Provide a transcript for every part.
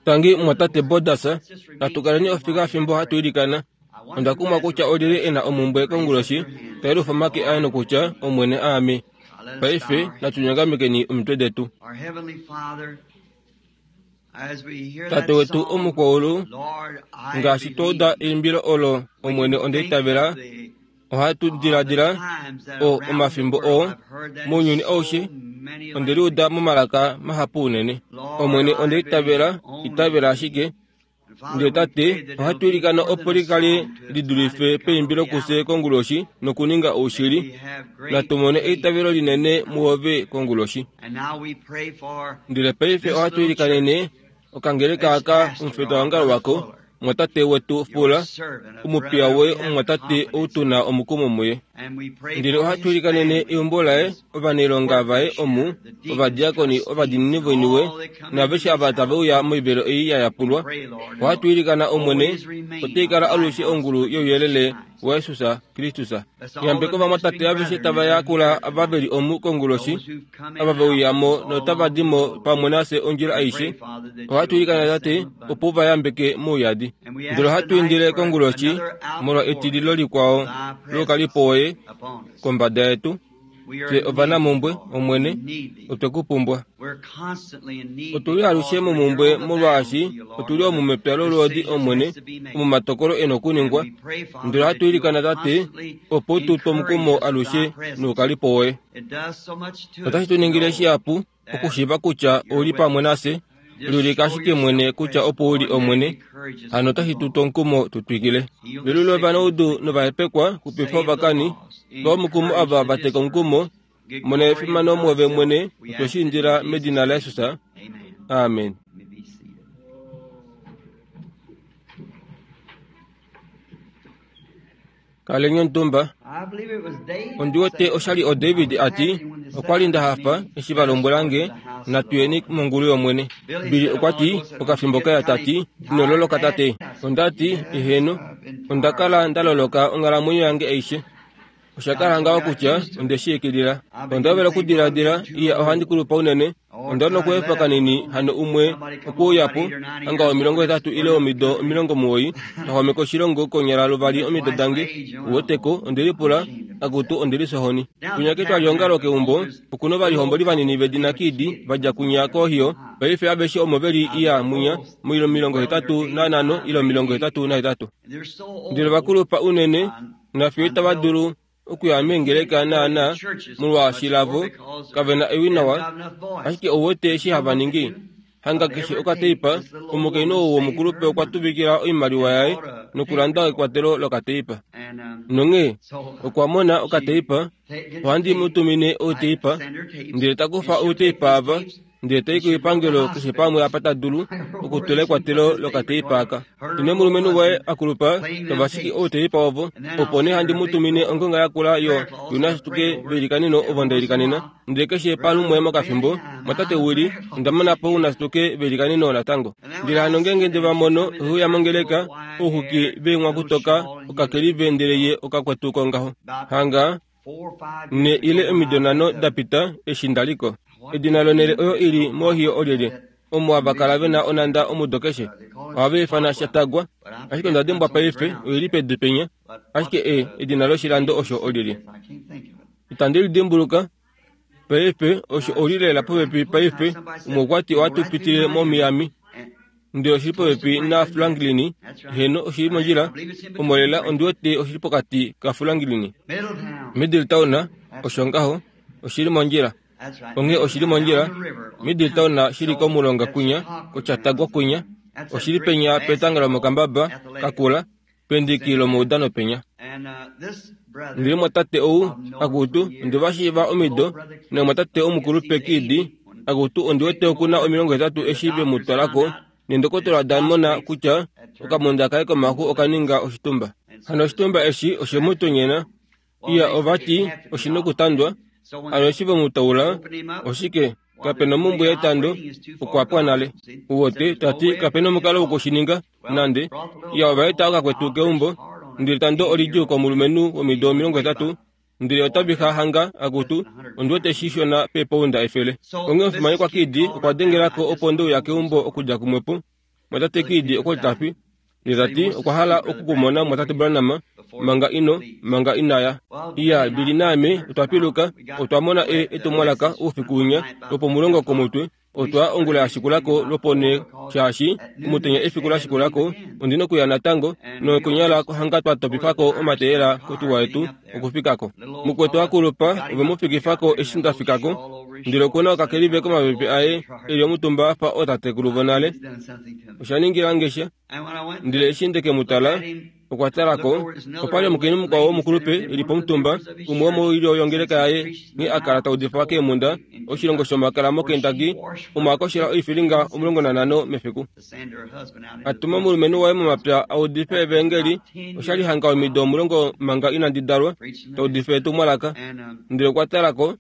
Tangi mumwatate Borders, natu kaleni ofika fimbo hatu ilikana. Onda kumwa kutya olyelye e na omumbwe konguloshi, ta yelufa omake aye nokutya, Omwene, aame. Paife natu nyongamekeni omitwe detu. Tate wetu omukwaulu, ngaashi twa uda eimbilo olo, Omwene onda itavela, ohatu diladila o omafimbo oo mounyuni aushe onde liuda momalaka mahapu unene. Omwene onda itavela, itavela ashike. Ndele Tate, ohatu ilikana opo li kale li dulife peimbilo kufye konguloshi nokuninga oushili. Natu mone eitavelo linene muove konguloshi. Ndele paife ohatu ilikanene okangeleka aka omufetwaongalo wako, Mumwatate wetu Fuller, omupiya woye omumwatate ou tu na omukumo muye. Ndele ohatu ilikanene eumbo laye, ovanailonga vaye omu, ovadiakoni ovadiinini voiniwe, naaveshe ava tave uya moivelo ei ya yapulwa. Ohatu ilikana, Omwene, otai kala alushe ongulu youyelele waJesus Kristus. Yambeka ovamwatate aveshe tava yakula ava ve li omu konguloshi, ava ve uya mo notava di mo pamwe nafye ondjila aishe. Ohatu ilikana Tate opo u va yambeke mouyadi. Ndele ohatu indile konguloshi molwa etililo likwao loukalipo woye kombada yetu. Fye ovanamumbwe, Omwene, otwe ku pumbwa. Otu li alushe momumbwe molwaashi otu li omu mepya lolwoodi, Omwene, omo omatokolo e na okuningwa. Ndele ohatu ilikana, Tate, opo u tu twe omukumo alushe noukalipo woye. Otashi tu ningile shihapu okushiiva kutya ou li pamwe nafye. Liulika ashike mwene kutya opo u li Omwene, hano otashi tu tu omukumo tu twikile. Velula ovanaudu novahepekwa, xupifa ovakani, twa omukumo ava va teka omukumo, mona efimano muove mwene, otwe shi indila medina laJesus. Amen. Kaleni omutumba. Ondi wete osha li oDavid a ti, Okwa li nda hafa eshi va lombwela nge natu yeni mongulu yOmwene. Billy okwa ti, okafimbo kaya ta ti, Ino loloka tate? Onda ti, Eheno, onda kala nda loloka onghalamwenyo yange aishe. Osha kala ngaho kutya onde shi ikilila. Onda hovela okudiladila, Iya, ohandi kulupa unene. Onda li nokuefa kanini hano umwe okwe uya po, hanga 80 ile omido 90, ta xwameke oshilongo konyala luvali omido dange. Uweteko, onde lipula, Akutu, onde lifya ohoni. Kwinya ketwaliongalo keumbo, oku na ovalihomboli vanini vedina Kidd va dja kwinya koOhio. Paife aveshe omo ve li iya mwinya moilo 85 ile 88. Ndele ova kulupa unene, nafiyo itava dulu okuya meengeleka naanaa molwaashi lavo kave na ewi nawa, ashike ou wete eshi hava ningi? Hanga keshe okateipa, omukainhu ou womukulupe okwa tuvikila oimaliwa yaye nokulanda ekwatelo lokateipa. Nonghee okwa mona okateipa, ohandi mu tumine outeipa, ndele ta kufa outeipa ava ndele ta i koipangelo keshe pamwe apa ta dulu okutula ekwatelo lokateipa aka. Ine omulumenhu waye a kulupa tava shiki outeipa ovo, opo nee handi mu tumine ongonga yakula yo yunashituke veilikaneno ovo nda ilikanena. Ndele keshe palumwe mokafimbo, mwatate Willie, onda mona po unashituke veilikaneno natango. Ndele hano ngeenge nde va mono ve uya mongeleka, ouxuki veenghwakutoka okakelive ndele ye okakwetu kongaho. Hanga 4 ile omido nhano da pita eshi nda li ko. Edina lonhele oyo i li moOhio olyelye, omo hava kala ve na onhanda omudo keshe? Ohava ifana Shatagwa, ashike onda dimbwa paife, oi li pedu penya. Ashike e, edina loshilando osho olyelye? Itandi li dimbuluka. Paife, osho oli lela popepi paife. Umwe okwa ti ohatu pitile moMiami. Ndele oshi li popepi naFranklin. Heeno, oshi li mondjila. Omo lela ondi wete oshi li pokati kaFranklin. Middletown, osho ngaho. Oshi li mondjila. Onghee oshi li mondjila. Middletown shi li komulonga kwinya, koChatagua kwinya. Oshi li penya petanga lomokambaba kakula, pendiki lomaudano penya. Ndele mwatate ou, akutu, onde va shiiva omido, namwatate omukulupe Kidd, akutu, ondi wete oku na 80 eshi ve mu twala ko, nendokotola da mona kutya okamonda kaye komaxu oka ninga oshitumba. Hano oshitumba eshi oshe mu tonyena. Iya, ova ti, oshi nokutandwa. Hano eshi ve mu taula, oshike, kape nomumbwe yetando, okwa pwa nale. Uwete, ta ti, kape nomukalo woku shi ninga. Nande, iya ova eta okakwetu keumbo, ndele tando olidjuu komulumenhu womido 80, ndele ota vixa hanga, akutu, ondi wete shi shona peepounda 100. Onghee omufimanekwa Kidd okwa dengela ko opo nde uya keumbo okudja kumwepo. Mwatate Kidd okwa li ta fi. Ye ta ti okwa hala oku ku mona Mwatate Branham manga ino, manga ina ya. Iya, Billy naame otwa piluka, otwa mona e, etumwalaka oufiku winya lwopomulongo komutwe. Otwa ongula ya shikula ko lwoponhee, shaashi omutenya efiku la shikula ko ondi nokuya natango, nokunyala hanga twa topifa ko omateyela kotuwa yetu okufika ko. Mukwetu a kulupa ove mu fikifa ko eshi nda fika ko, ndele oku na okakelive komapepe aye e li omutumba a fa ootatekulu vonale. Osha ningila nge sha. Ndele eshi nde ke mu tala, okwa tala ko, opa li omukainhu mukwao womukulupe e li pomutumba, umwe womoilyo yongeleka yaye, nghee a kala ta udifa keemhunda, oshilongo shomakala moKentucky, omo a koshela oifilinga 15 mefiku. A tuma omulumenhu waye momapya a udife evaengeli, osha li hanga omido 10 manga inandi dalwa, ta udifa etumwalaka. Ndele okwa tala ko,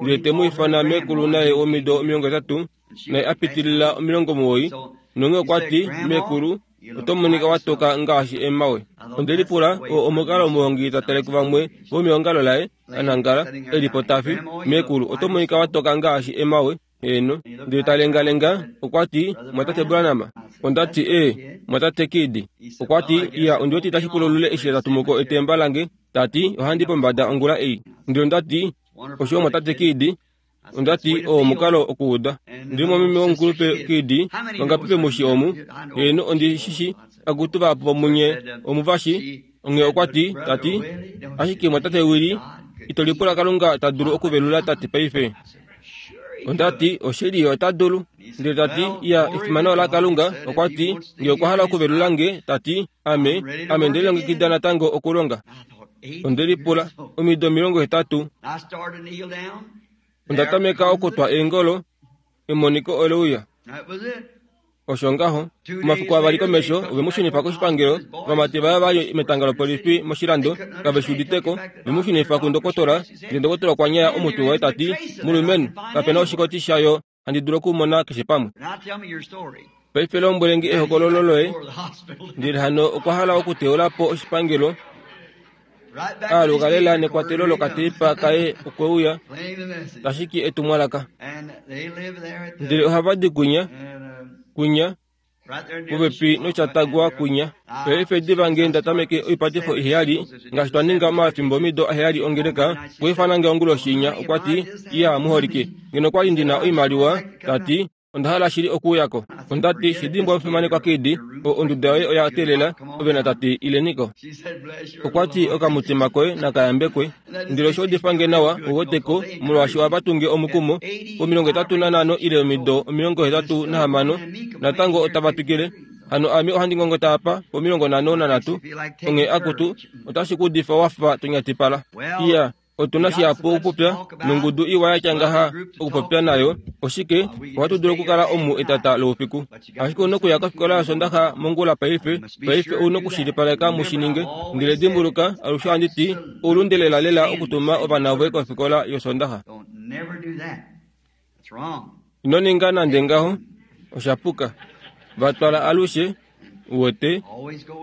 ndele te mu ifana meekulu naye womido 80, naye a pitilila 90, nonghee okwa ti, Meekulu, oto monika wa toka ngaashi emawe. Onde lipula, oo omukalo omuhongi ta tale kuvamwe vomeongalo laye, a nangala, e li po ta fi, Meekulu, oto monika wa toka ngaashi emawe. Heeno. Ndele ta lengalenga, okwa ti, Mwatate Branham? Onda ti, Ee, Mwatate Kidd. Okwa ti, Iya, ondi wete itashi pula olule eshi ta tumu ko etemba lange. Ta ti, Ohandi pombada ongula ei. Ndele onda ti, Oshiwa, Mwatate Kidd. Onda ti, Oo omukalo okuuda. Ndi momeme womukulupe Kidd, vangapi ve mu shi omu? Heeno, ondi shi shi. Akutu vahapu vomunye omu va shi. Onghee okwa ti, ta ti, Ashike mwatate Willie, ito lipula Kalunga ta dulu okuvelula tate paife? Onda ti, Oshili, ye ota dulu. Ndele ta ti, Iya, efimano olaKalunga. Okwa ti, Nge okwa hala okuvelula nge, ta ti, ame, ame nde lilongekida natango okulonga. Onde lipula, omido 80. Onda tameka okutwa eengolo, emoniko ole uya. Osho ngaho. Omafiku avali komesho, ove mu shunifa koshipangelo. Ovamati vaye va li metanga lopolifi moshilando, kave shi udite ko. Ve mu shunifa kundokotola, ndele ndokotola okwa nyaya omutwe waye ta ti, Mulumenhu, kape na oshikoti shayo handi dulu okumona keshe pamwe. Paife lombwele nge ehokololo loye. Ndele hano okwa hala okuteula po oshipangelo. Aaluka lela nekwatelo lokateipa kaye okwe uya, tashiki etumwalaka. Ndele ohava di kwinya, kwinya, popepi noChatagua kwinya. Paife diva nge nda tameke oipatifo iheyali, ngaashi twa ninga omafimbo omido aheyali ongeleka, okwa ifana nge onguloshi inya, okwa ti, Iya, muholike, ngeno kwa li ndi na oimaliwa, ta ti, Onda hala shili okuuya ko. Onda ti, Shi dimbwa omufimanekwa Kidd, o, onduda yoye oya teelela, ove natate, ileni ko. Okwa ti, Okamutima koye naka yambekwe. Ndele osho udifa nge nawa, u wete ko, molwaashi ohava tunge omukumo, po85 ile omido 86, natango otava twikile. Hano ame ohandi ngongota apa, po53, onghee akutu, otashi ku udifa wa fa to nyatipala. Iya. Otu na shihapu okupopya, nongudu iwa ya tya ngaha okupopya nayo. Oshike, ohatu dulu okukala omu etata loufiku. Ashike ou na okuya kofikola yOsondaxa mongula paife. Paife ou na okushilipaleka mu shi ninge. Ndele dimbuluka, alushe ohandi ti, oulunde lelalela okutuma ovana voye kofikola yOsondaxa. Ino ninga nande ngaho. Osha puka. Va twala alushe, uwete,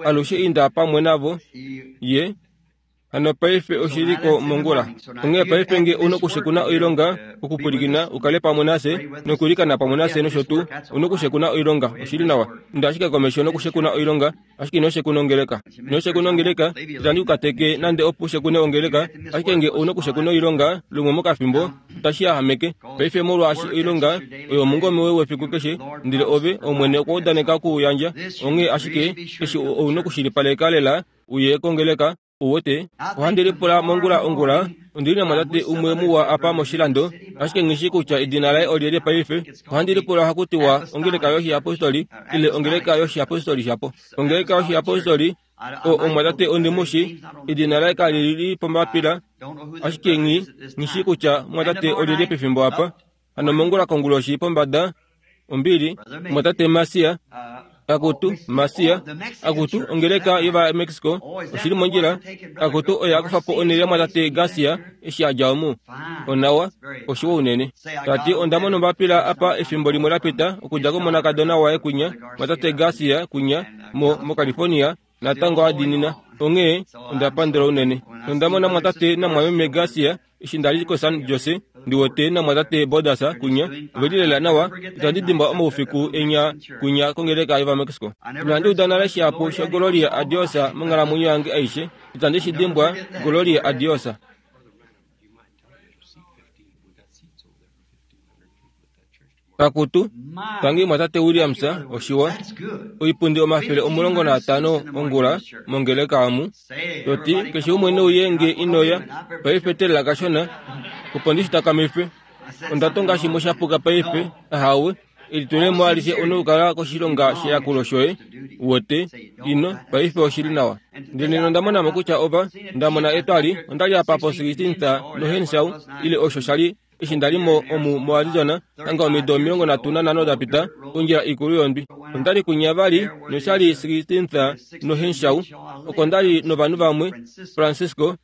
alushe inda pamwe navo. Ye. Hano paife oshi li ko mongula. Onghee paife nge u nokushekuna oilonga, okupwilikina, u kale pamwe nafye, nokuilikana pamwe nafye nosho tuu, u nokushekuna oilonga. Oshi li nawa. Inda ashike komesho nokushekuna oilonga, ashike ino shekuna ongeleka. Ino shekuna ongeleka, itandi ku kateke nande opo u shekune ongeleka, ashike nge ou nokushekuna oilonga lumwe mokafimbo, otashi yahameke. Paife molwaashi oilonga oyo omungome woye wefiku keshe, ndele ove, Omwene okwa udaneka oku u yandja, onghee ashike eshi ou nokushilipaleka lela uye kongeleka, u wete. Ohandi lipula mongula ongula, ondi li namwatate umwe muwa apa moshilando, ashike nghi shii kutya edina laye olyelye paife. Ohandi lipula ohaku tiwa ongeleka yoshiyapostoli ile ongeleka yoshiyapostoli shapo. Ongeleka yoshiyapostoli, o, omwatate ondi mu shii, edina laye kali li pombapila, ashike nghi, nghi shii kutya mwatate olyelye pefimbo apa. Hano mongula konguloshi pombada, ombili, mwatate Masia, akutu, Masia, akutu, ongeleka yOvamexico, oshi li mondjila, akutu, oye a kufa po onhele yamwatate Garcia eshi a dja omu. Onawa, oshiwa unene. Ta ti, onda mona ombapila apa efimbo limwe la pita, okudja komonakadona waye kwinya, mwatate Garcia kwinya, mo, moCalifornia, natango a diinina. Onghee, onda pandula unene. Nonda mona mwatate namwameme Garcia, eshi nda li koSan Jose. Ndi wete namwatate Borders kwinya, ove li lela nawa. Itandi dimbwa omaufiku enya kwinya kongeleka yOvamexico. Inandi uda nale shihapu shaGloria a Dios monghalamwenyo yange aishe. Itandi shi dimbwa, Gloria a Dios. Akutu, tangi mwatate Williams, oshiwa. Oipundi 150 ongula mongeleka omu. Toti, keshe umwe neuye nge inoya, paife telela kashona, opo ndi shi takamife. Onda tonga shimwe sha puka paife, ahawe, elitulemo alishe une okukala koshilonga sheyakulo shoye, uwete, ino, paife oshi li nawa. Ndele nena onda mona mo kutya ova, nda mona etwali, onda li apa po 16th noHenshaw, ile osho sha li, eshi nda li mo omu moArizona, hanga omido 35 da pita, ondjila ikulu yondwi. Onda li kwinya vali, nosha li 16th noHenshaw, oko nda li novanhu vamwe, Francisco,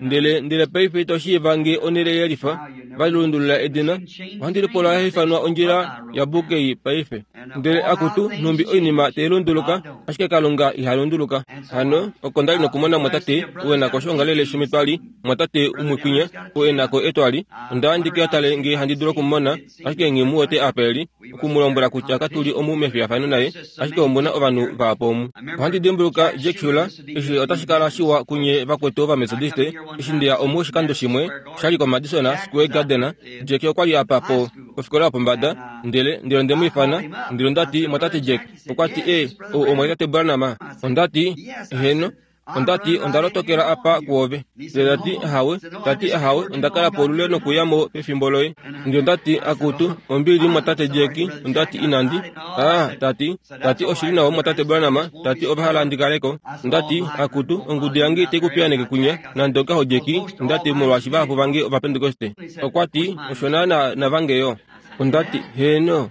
Ndele, ndele paife ito shiiva nge onhele yelifa, va lundulula edina. Ohandi lipula ya ifanwa ondjila yaBukey paife. Ndele akutu, nhumbi oinima tai lunduluka, ashike Kalunga iha lunduluka. Hano, oko nda li nokumona mwatate, ou e na ko oshoongalele shometwali, mwatate umwe kwinya, ou e na ko etwali. Onda ya ndi ke tale nge handi dulu oku mu mona, ashike nghi mu wete apa e li. oku mu lombwela kutya katu li omu mefiyafano naye, ashike omu na ovanhu vahapu omu. Ohandi dimbuluka Jack Shuler, eshi otashi kala shiwa kunye vakwetu Ovametodiste, eshi nde ya omu oshikando shimwe, sha li koMadison Square Garden, Jack okwa li apa po, pofikola yopombada, ndele, ndele onde mu ifana, ndele onda ti, Mwatate Jack, okwa ti, E, ou omwatate Branham? Onda ti, Heeno. Onda ti, Onda lotokela apa kuove. Ndele ta ti, Ahawe. Ta ti, Ahawe, onda kala po olule nokuya mo pefimbo loye. Ndele onda ti, Akutu, ombili, mumwatate Jack. Onda ti, Inandi. A, ta ti, ta ti, Oshi li nawa, mumwatate Branham. Ta ti, Ova hala ndi kale ko. Onda ti, Akutu, ongudu yange itai ku piyaaneke kwinya, nande ongaho, Jack, onda ti, molwaashi vahapu vange Ovapentekoste. Okwa ti, Osho naana navange yo. Onda ti, Heeno.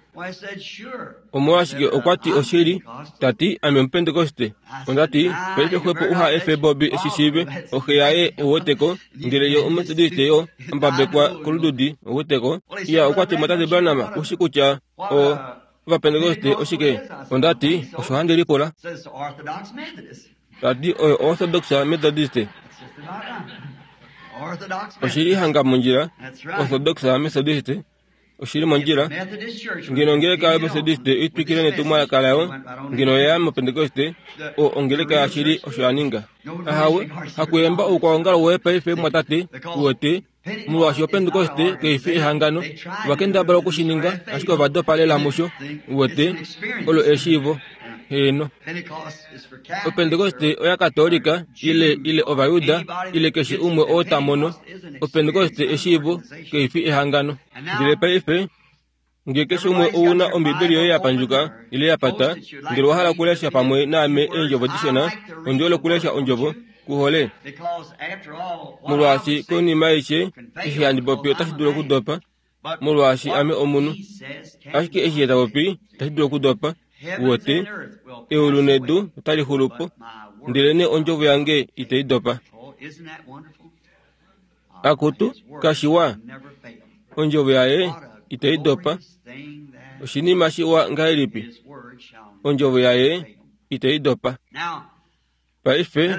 Omolwashike okwa ti oshili, ta ti, Ame Omupentekoste. Onda ti, Paife xwepo uha efe Bobby eshi shiive, oxe yaye ouweteko, ndele ye Omumetodiste yo, a mbabekwa kolududi, ouweteko. Iya, okwa ti, Mwatate Branham, ku shi kutya o, Ovapentekoste oshike? Onda ti, Osho handi lipula. Ta ti, Oyo Orthodox Methodist. Oshi li hanga mondjila, Orthodox Methodist. Oshi li mondjila. Ngeno ongeleka yoMethodiste i twikile netumwalaka layo, ngeno oya ya mOpentekoste, o, ongeleka yashili osho ya ninga. Ahawe, hakuyemba oukwaongalo woye paife, mumwatate, uwete, molwaashi Opentekoste kai fi ehangano. Ova kendabala oku shi ninga, ashike ova dopa lela musho. Uwete, olo eshiivo. Heeno. Opentekoste oya Katoolika, ile, ile Ovayuda, ile keshe umwe oo ta mono. Opentekoste eshiivo, kai fi ehangano. Ndele paife, nge keshe umwe ou na Ombibeli yoye ya pandjuka, ile ya pata, ndele owa hala okulesha pamwe naame eendjovo dishona, ondi hole okulesha Ondjovo. Ku hole? Molwaashi konima aishe, eshi handi popi otashi dulu okudopa, molwaashi ame omunhu. Ashike eshi ye ta popi itashi dulu okudopa. Uwete, eulu nedu otali xulu po, ndelenee ondjovo yange itai dopa. Akutu, kashiwa, ondjovo yaye itai dopa. Oshinima shiwa ngahelipi? Ondjovo yaye itai dopa. Paife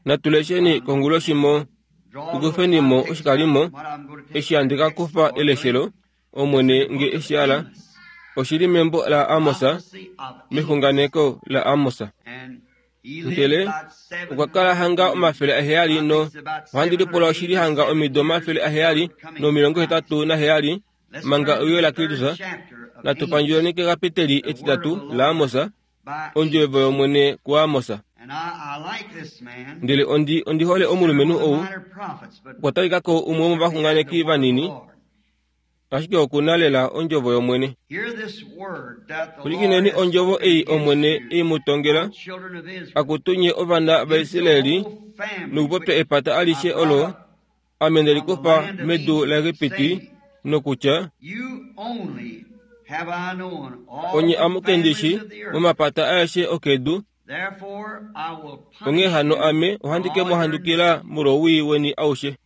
natu lesheni konguloshi mo, tu kufeni mo oshikalimo eshi handi ka kufa eleshelo, Omwene nge e shi hala, oshi li membo laAmos, mexunganeko laAmos. Ndele okwa kala hanga 700 no ohandi lipula oshi li hanga omido 787 manga euyo laKristus. Natu pandjuleni kekapiteli etitatu laAmos, ondjovo yOmwene kuAmos. Ndele ondi, ondi hole omulumenhu ou, okwa talika ko umwe womovaxunganeki vanini, ashike oku na lela ondjovo yOmwene. Pwilikineni ondjovo ei Omwene e i mu tongela, Akutu nye ovana vaIsraeli, nokupopya epata alishe olo Ame nde li kufa medu laEgipiti, nokutya, Onye amuke ndi shi momapata aeshe okedu, Onghee hano ame ohandi ke mu handukila molwowii weni aushe.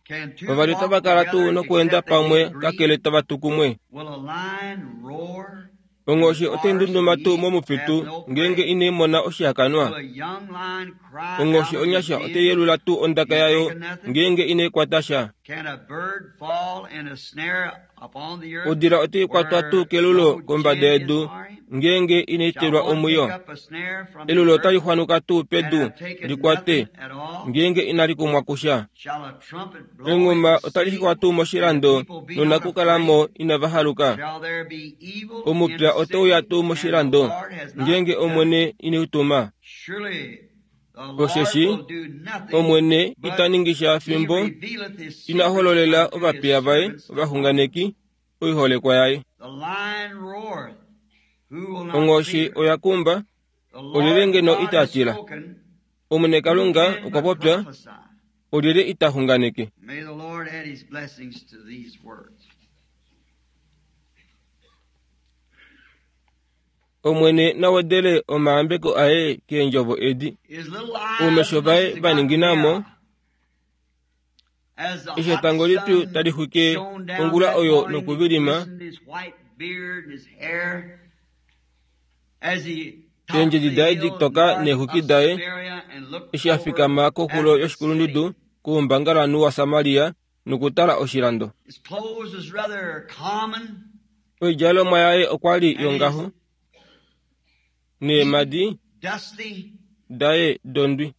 Vavali otava kala tuu nokweenda pamwe kakele tava tu kumwe? Onghoshi otai ndunduma tuu momufitu ngeenge inai mona oshihakanwa? Onghoshi onyasha otai yelula tuu ondaka yayo ngeenge inai kwata sha? Odila otai kwatwa tuu kelulo kombada yedu ngeenge inai telwa omwiyo? Elulo otali xwanuka tuu pedu li kwate ngeenge inali kumwa kusha? Enghuma otali xikwa tuu moshilando nonakukalamo inava haluka? Omupya otau ya tuu moshilando ngeenge Omwene ine u tuma? Osheshi Omwene ita ningi sha fimbo ina hololela ovapiya vaye ovaxunganeki oiholekwa yaye. Onghoshi oya kumba, olyelye ngeno ita tila? Omwene Kalunga okwa popya, olyelye ita xunganeke? Omwene na wedele omayambeko aye keendjovo edi. Oumesho vaye va ningina mo, eshi etango lipyu tali xwike ongula oyo nokuvilima, eendjedi daye ditoka neexwiki daye, eshi a fikama koxulo yoshikulundudu koumbangalanhu waSamaria nokutala oshilando. Oidjalomwa yaye okwa li yongaho neemhadi daye dondwi.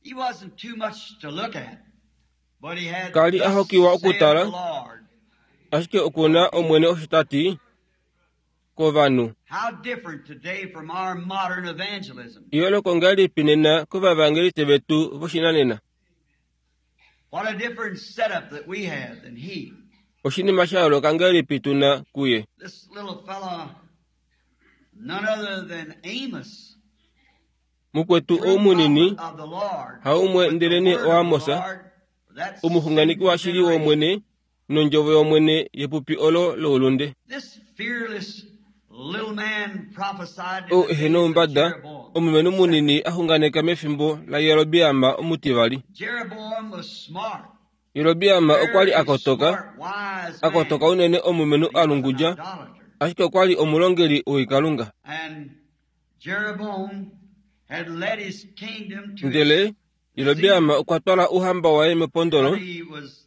Ka li a hokiwa okutala, ashike oku na Omwene osho ta ti kovanhu. Eyooloko ngahelipi nena kovavaangeliste vetu voshinanena? Oshinima sha yooloka ngahelipi tu na kuye? Mukwetu ou munini, haumwe ndelenee oAmos, omuxunganeki washili wOmwene nondjovo yOmwene yepupi olo loulunde. Ou ehe noumbada, omulumenhu munini a xunganeka mefimbo laJerobeam omutivali. Jerobeam okwa li a kotoka, a kotoka unene omulumenhu a lungudja, ashike okwa li omulongeli woikalunga. Ndele Jerobeam okwa twala ouhamba waye mepondolo,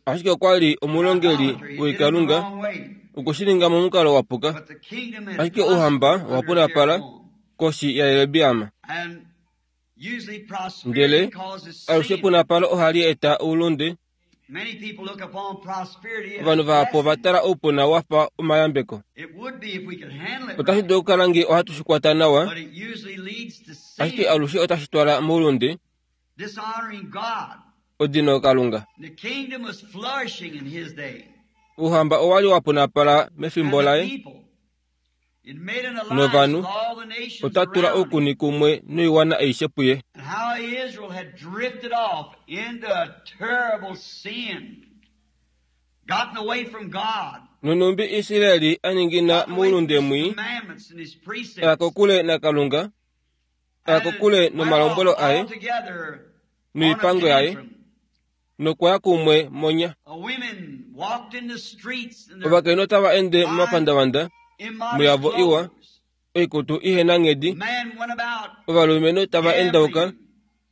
ashike okwa li omulongeli woikalunga, okwe shi ninga momukalo wa puka. Ashike ouhamba owa punapala koshi yaJerobeam. Ndele alushe epunapalo ohali eta oulunde. Ovanhu vahapu ova tala oupuna wa fa omayambeko. Otashi dulu okukala ngee ohatu shi kwata nawa, ashike alushe otashi twala moulunde, odino Kalunga. Ouhamba owa li wa punapala mefimbo laye, novanhu ota tula oukuni kumwe noiwana aishe puye. Nonhumbi Israel a ningina moulunde mwii, a ya kokule naKalunga, a ya kokule nomalombwelo aye noipango yaye, nokwa ya kumwe monya. Ovakainhu otava ende momapandavanda muyavo iwa, oikutu ihe na nghedi. Ovalumenhu tava endauka,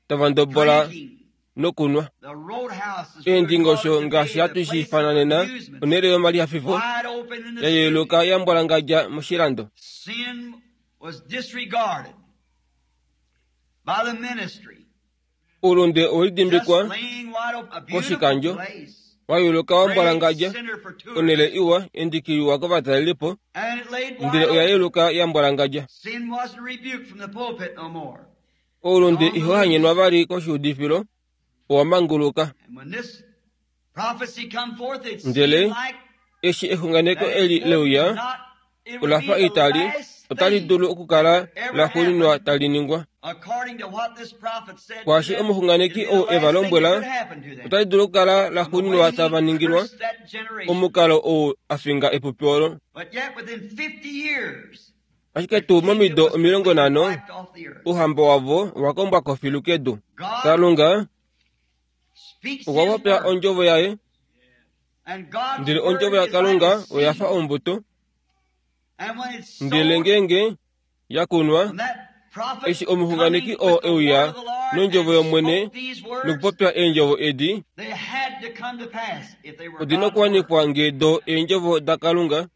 tava ndobola nokunwa. Eendingosho ngaashi hatu shi ifana nena, onhele yomalihafifo, ya yeluka ya mbwalangadja moshilando. Oulunde owe lidimbikwa koshikandjo, wa yeluka wa mbwalangadja, onhele iwa endiki liwa kovatalelipo, ndele oya yeluka ya mbwalangadja. Oulunde iho hanyenwa vali koshiudifilo, owa manguluka. Ndele eshi exunganeko eli leuya, ola fa itali, otali dulu okukala la xuuninwa tali ningwa. Kwaashi omuxunganeki ou e va lombwela, otali dulu okukala la xuuninwa tava ningilwa, omukalo ou a finga epupi olo. Ashike tuu momido 50, ouhamba wavo owa kombwa ko filu kedu. Kalunga okwa popya ondjovo yaye, ndele ondjovo yaKalunga oya fa ombuto. Ndele ngeenge Ya kunwa, eshi omuxunganeki oo e uya nondjovo yOmwene nokupopya eendjovo edi, odi na okuwanifwa ngee do eendjovo daKalunga.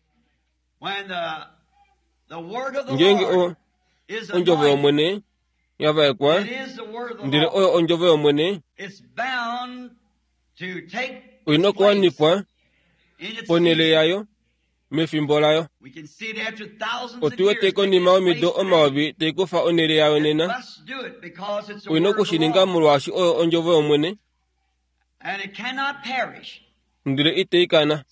Ngeenge o, ondjovo yOmwene ya vaekwa, ndele oyo ondjovo yOmwene, oi na okuwanifwa ponhele yayo mefimbo layo. Otu wete konima yomido omayovi tai kufa onhele yayo nena. Oi na oku shi ninga molwaashi oyo ondjovo yOmwene. Ndele itai kana.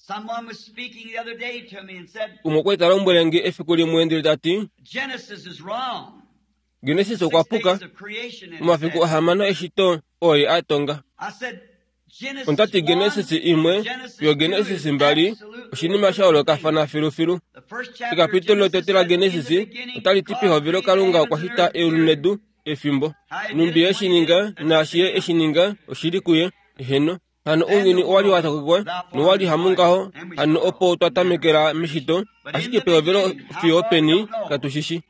Umwe okwa li ta lombwele nge efiku limwe ndele ta ti, Genesis okwa puka. Omafiku ahamano eshito oye a tonga. Onda ti Genesis imwe yo Genesis mbali oshinima sha yoolokafana filufilu. Ekapitolo lotete laGenesis otali ti pehovelo Kalunga okwa shita eulu nedu efimbo. Nhumbi ye shi ninga naashi ye eshi ninga oshi li kuye. Eheno. Hano ounyuni owa li wa tokekwa nowa li hamungaho, hano opo twa tamekela meshito, ashike pehovelo fiyo openi katu shi shi.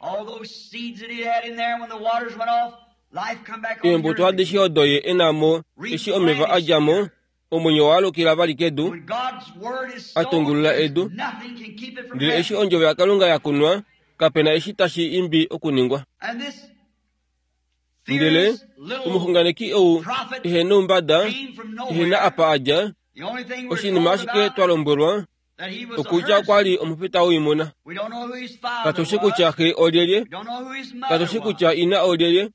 Eembuto adishe odo ye e na mo eshi omeva a dja mo, omwenyo wa alukila vali kedu, a tungulula edu. Ndele eshi ondjovo yaKalunga ya kunwa, kape na eshi tashi imbi okuningwa. Ndele omuxunganeki ou ehe noumbada, ehe na apa a dja, oshinima ashike twa lombwelwa, okudja okwa li omufita woimuna. Katu shi kutya xe olyelye, katu shi kutya ina olyelye,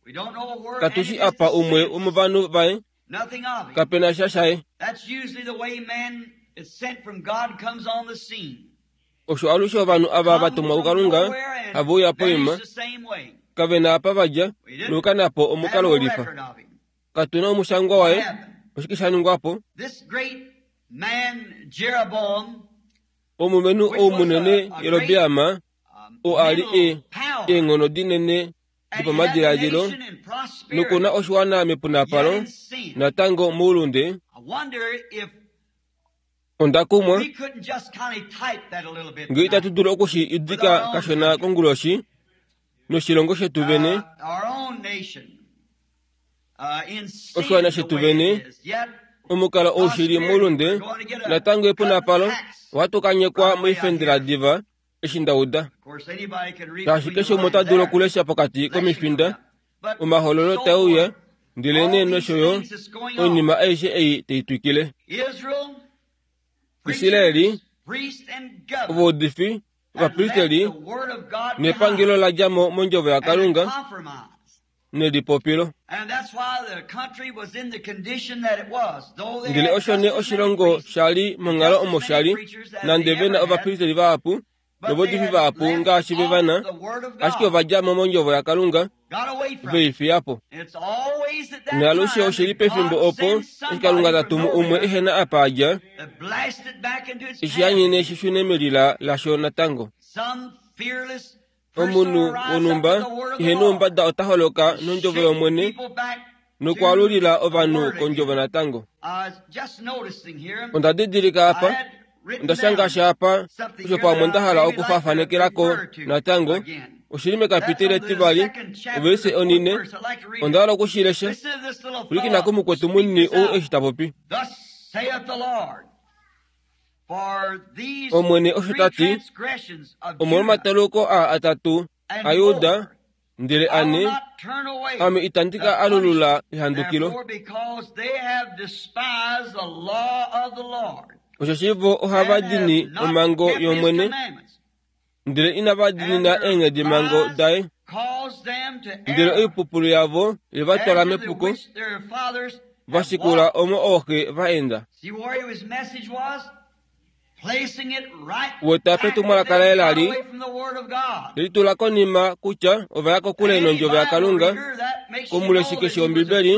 katu shi apa umwe womovanhu vaye, kape na sha shaye. Osho alushe ovanhu ava va tumwa kuKalunga have uya poima, kave na apa va dja nokukana po omukalo welifa. Katu na omushangwa waye, oshike sha ningwa po? Omulumenhu ou munene Jerobeam, oo a li e eenghono dinene dopamadiladilo noku na oshiwana mepunapalo, natango moulunde, Onda kumwa ngee itatu dulu oku shi idika kashona konguloshi noshilongo shetu vene, oshiwana shetu vene, omukalo ou shi li moulunde, natango epunapalo, ohatu ka nyekwa moifendela diva eshi nda uda. Shaashi keshe umwe ota dulu okulesha pokati komifinda omahololo tae uya, ndelenee nosho yo oinima aishe ei tai twikile. Israeli, ovaudifi, ovapristeli nepangelo la dja mo mondjovo yaKalunga nelipopilo. Ndele osho nee oshilongo sha li monghalo omo sha li, nande ve na ovapristeli vahapu novaudifi vahapu ngaashi ve va na, ashike ova dja mo mondjovo yaKalunga, ve i fiya po. Naalushe oshi li pefimbo opo eshi Kalunga ta tumu umwe ehe na apa a dja, eshi a nyene shi shune melila lasho natango. Omunhu wonhumba ihe noumbada ota holoka nondjovo yOmwene nokwaalulila ovanhu kondjovo natango. Onda didilika apa, onda shanga sha apa osho pamwe nda hala okufaafanekela ko natango. Oshi li mekapiteli etivali, ovelise onine. Onda hala oku shi lesha. Pwilikina kumukwetu munini ou eshi ta popi. Omwene osho ta ti, Omolwomataluluko aa atatu aJuda, ndele ane, Ame itandi ka alulula ehandukilo. Osheshi vo ohava dini omhango yOmwene, ndele inava diinina eenghedimhango daye. Ndele oipupulu yavo ye va twala mepuko, va shikula omo ooxe va enda. Weta petumwalaka laye la li le litula konima kutya ova ya kokule nondjovo yaKalunga, komuleshi keshe wOmbibeli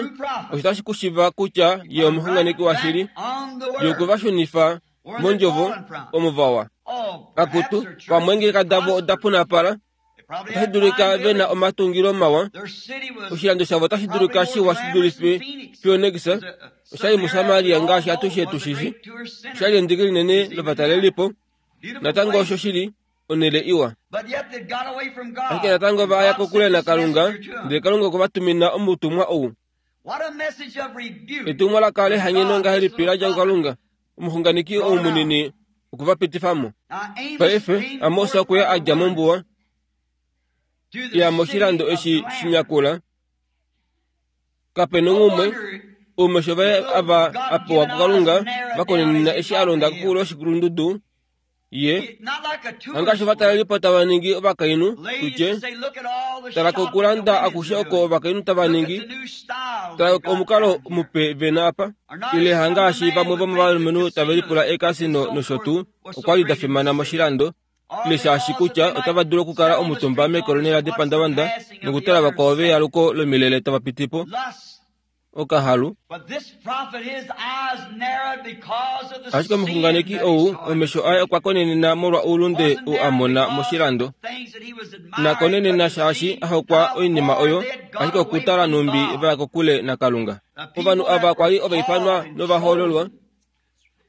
osho tashi ku shiva kutya ye omuxunganeki washili, ye okwe va shunifa mondjovo omo va wa. Akutu, vamwe eengeleka davo oda punapala, otashi dulika ve na omatungilo mawa, oshilando shavo otashi dulika shiwa shi dulife Phoenix, osha li muSamaria ngaashi atushe tu shi shi, osha li endiki linene lovatalelipo, natango osho shi li. Onhele iwa. Ashike natango va ya kokule naKalunga, ndele Kalunga okwe va tumina omutumwa ou. Etumwalaka lehanyeno ngahelipi la dja kuKalunga, omuxunganeki ou munini okwe va pitifa mo. Paife, Amos okwe ya a dja mombuwa, ya moshilando eshi shinyakula. Kape nongumwe oumesho vaye ava a pewa kuKalunga va konenena eshi a londa koxulo yoshikulundudu ye hangaashi ovatalelipo tava ningi ovakainhu tutye tala kokulanda akushe oko ovakainhu tava ningi tala omukalo mupe ve na apa ile hangaashi vamwe vomovalumenhu tave lipula eekasino nosho tuu okwa li da fimana moshilando ile shaashi kutya otava dulu okukala omutumba mekolonela depandavanda nokutala vakwao veyaluko lomilele tava piti po okahalu. Ashike omuxunganeki ou omesho aye okwa konenena molwa oulunde ou a mona moshilando. Na konenena shaashi a hokwa oinima oyo, ashike okutala nhumbi va ya kokule naKalunga. Ovanhu ava kwa li ova ifanwa novahoololwa.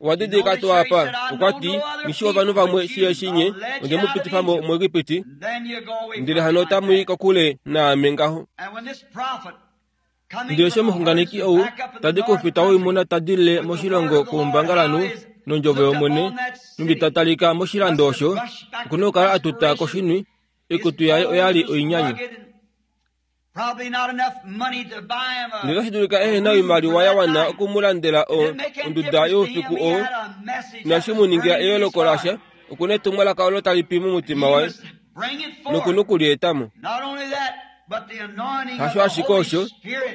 Owa didilika tuu apa? Okwa ti, Nghi shii ovanhu vamwe shi eshi nye onde mu pitifa mo muEgipiti, ndele hano otamu i kokule naame ngaho. Ndele eshi omuxunganeki ou ta di koufita woimuna ta dilile moshilongo koumbangalanhu nondjovo yOmwene, nhumbi ta talika moshilando osho, oku na okukala a tuta koshinwi, oikutu yaye oya li oinyanyu. Ndele otashi dulika ehe na oimaliwa ya wana oku mu landela o, onduda youfiku oo, inashi mu ningila eyooloko lasha, oku na etumwalaka olo tali pi momutima waye, noku na oku li eta mo. Hasho ashike osho,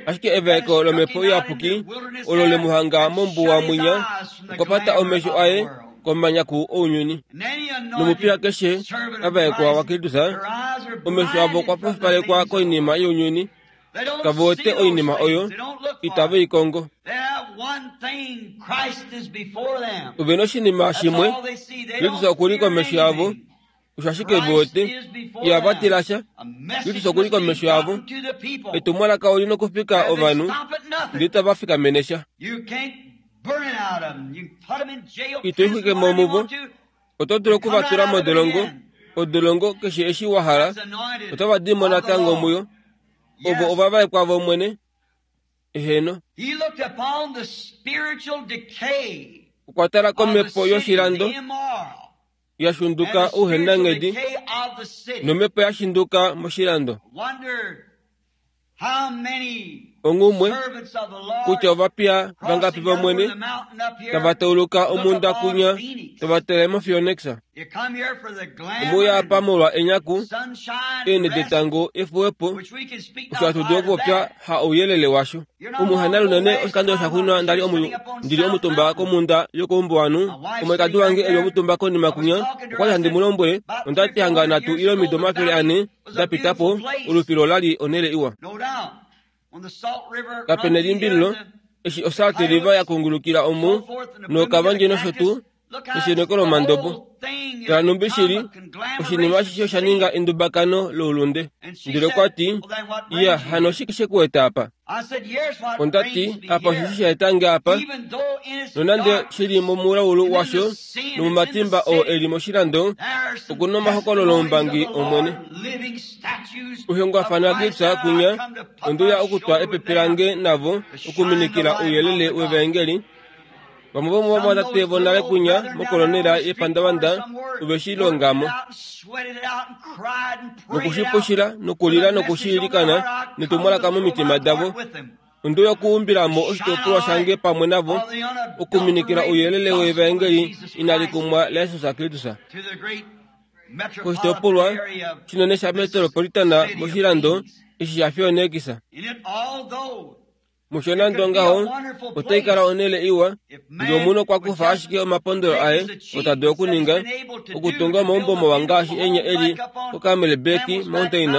ashike evaeko lOmhepo Iyapuki olo le mu hanga mombuwa mwinya, okwa pata omesho aye komanyaku ounyuni. Nomupiya keshe a vaekwa waKristus, omesho avo okwa pofipalekwa koinima younyuni, kave wete oinima oyo, itave i kongo. Ove na oshinima shimwe, Kristus oku li komesho yavo, osho ashike ve wete, ihava tila sha. Kristus oku li komesho yavo. Etumwalaka oli nokufika ovanhu, ndele itava fikamene sha. Ito ixwike mo muvo. Oto dulu oku va tula modolongo, odolongo keshe eshi wa hala, otava di mo natango muyo. Ovo ovavaekwa vOmwene. Eheno. Okwa tala komhepo yoshilando ya shunduka ouhenanghedi nomhepo ya shinduka moshilando. Onghumwe kutya ovapiya vangapi vOmwene tava tauluka omhunda kunya tava tele moPhoenix. Omwe uya apa molwa enyaku, eenhe detango, efuwepo, osho hatu dulu okupopya ha ouyelele washo. Omuhana lunene oshikando shaxuuninwa nda li ndi li omutumba komhunda yokoumbuwanhu, omwalikadi wange e li omutumba konima kunya, okwa li handi mu lombwele, onda ti hanga nhatu ile omido 400 da pita po, olufilo ola li onhele iwa. Kape nelimbililo, eshi oSalt River ya kungulukila omu, nookavandje nosho tuu, nesheneko lomandobo. Tala nhumbi shi li, oshinima ashishe osha ninga endubakano loulunde. Ndele okwa ti, Iya, hano oshike she ku eta apa? Onda ti, Apa osheshi sha eta nge apa, nonande shi li momulaulu washo nomomatimba oo e li moshilando, oku na omahokololoumbangi Omwene. Uhengwafana Gibbs kunya, onde uya okutwa epepe lange navo okuminikila ouyelele wevaengeli. Vamwe vomovamwatate vonale kunya mokolonela yepandavanda ove shi longa mo. Noku shi pushila nokulila noku shi ilikana netumwalaka momitima davo. Onde uya okuumbila mo oshitopolwa shange pamwe navo, okuminikila ouyelele wevaengeli inali kumwa laJesus Kristus. Koshitopolwa shinene shametropolitana moshilando eshi shaPhoenix. Musho nande ongaho, otai kala onhele iwa ngee omunhu okwa kufa ashike omapondolo aye oo ta dulu okuninga, okutunga omaumbo mawa ngaashi enya e li koCamelback Mountain,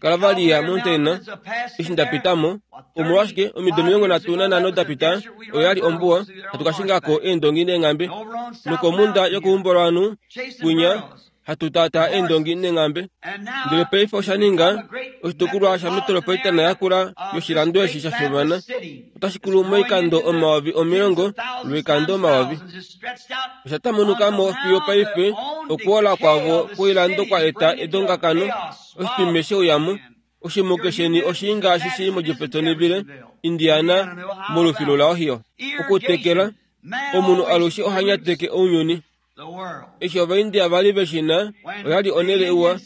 Calvaria Mountain, eshi nda pita mo. Omolwashike, omido 35 da pita, oyo ya li ombuwa, hatu ka shinga ko eendongi neenghambe. Nokomhunda yokeumbo lovanhu, kwinya. hatu taataa eendongi neenghambe. Ndele paife osha ninga oshitukulwa shametropolitana yakula yoshilando eshi sha fimana. Otashi kulu moikando 10,000 lwoikando 2000. Osha tamunuka mo fiyo paife okuola kwavo kwoilando kwa eta edongakano, oshitwime sheuyamo, oshimuke sheni oshii ngaashi shili moJeffersonville, Indiana, molufilu laOhio. Okutekela, omunhu alushe oha nyateke ounyuni. Eshi Ovaindia vali ve shi na, oya li onhele iwa,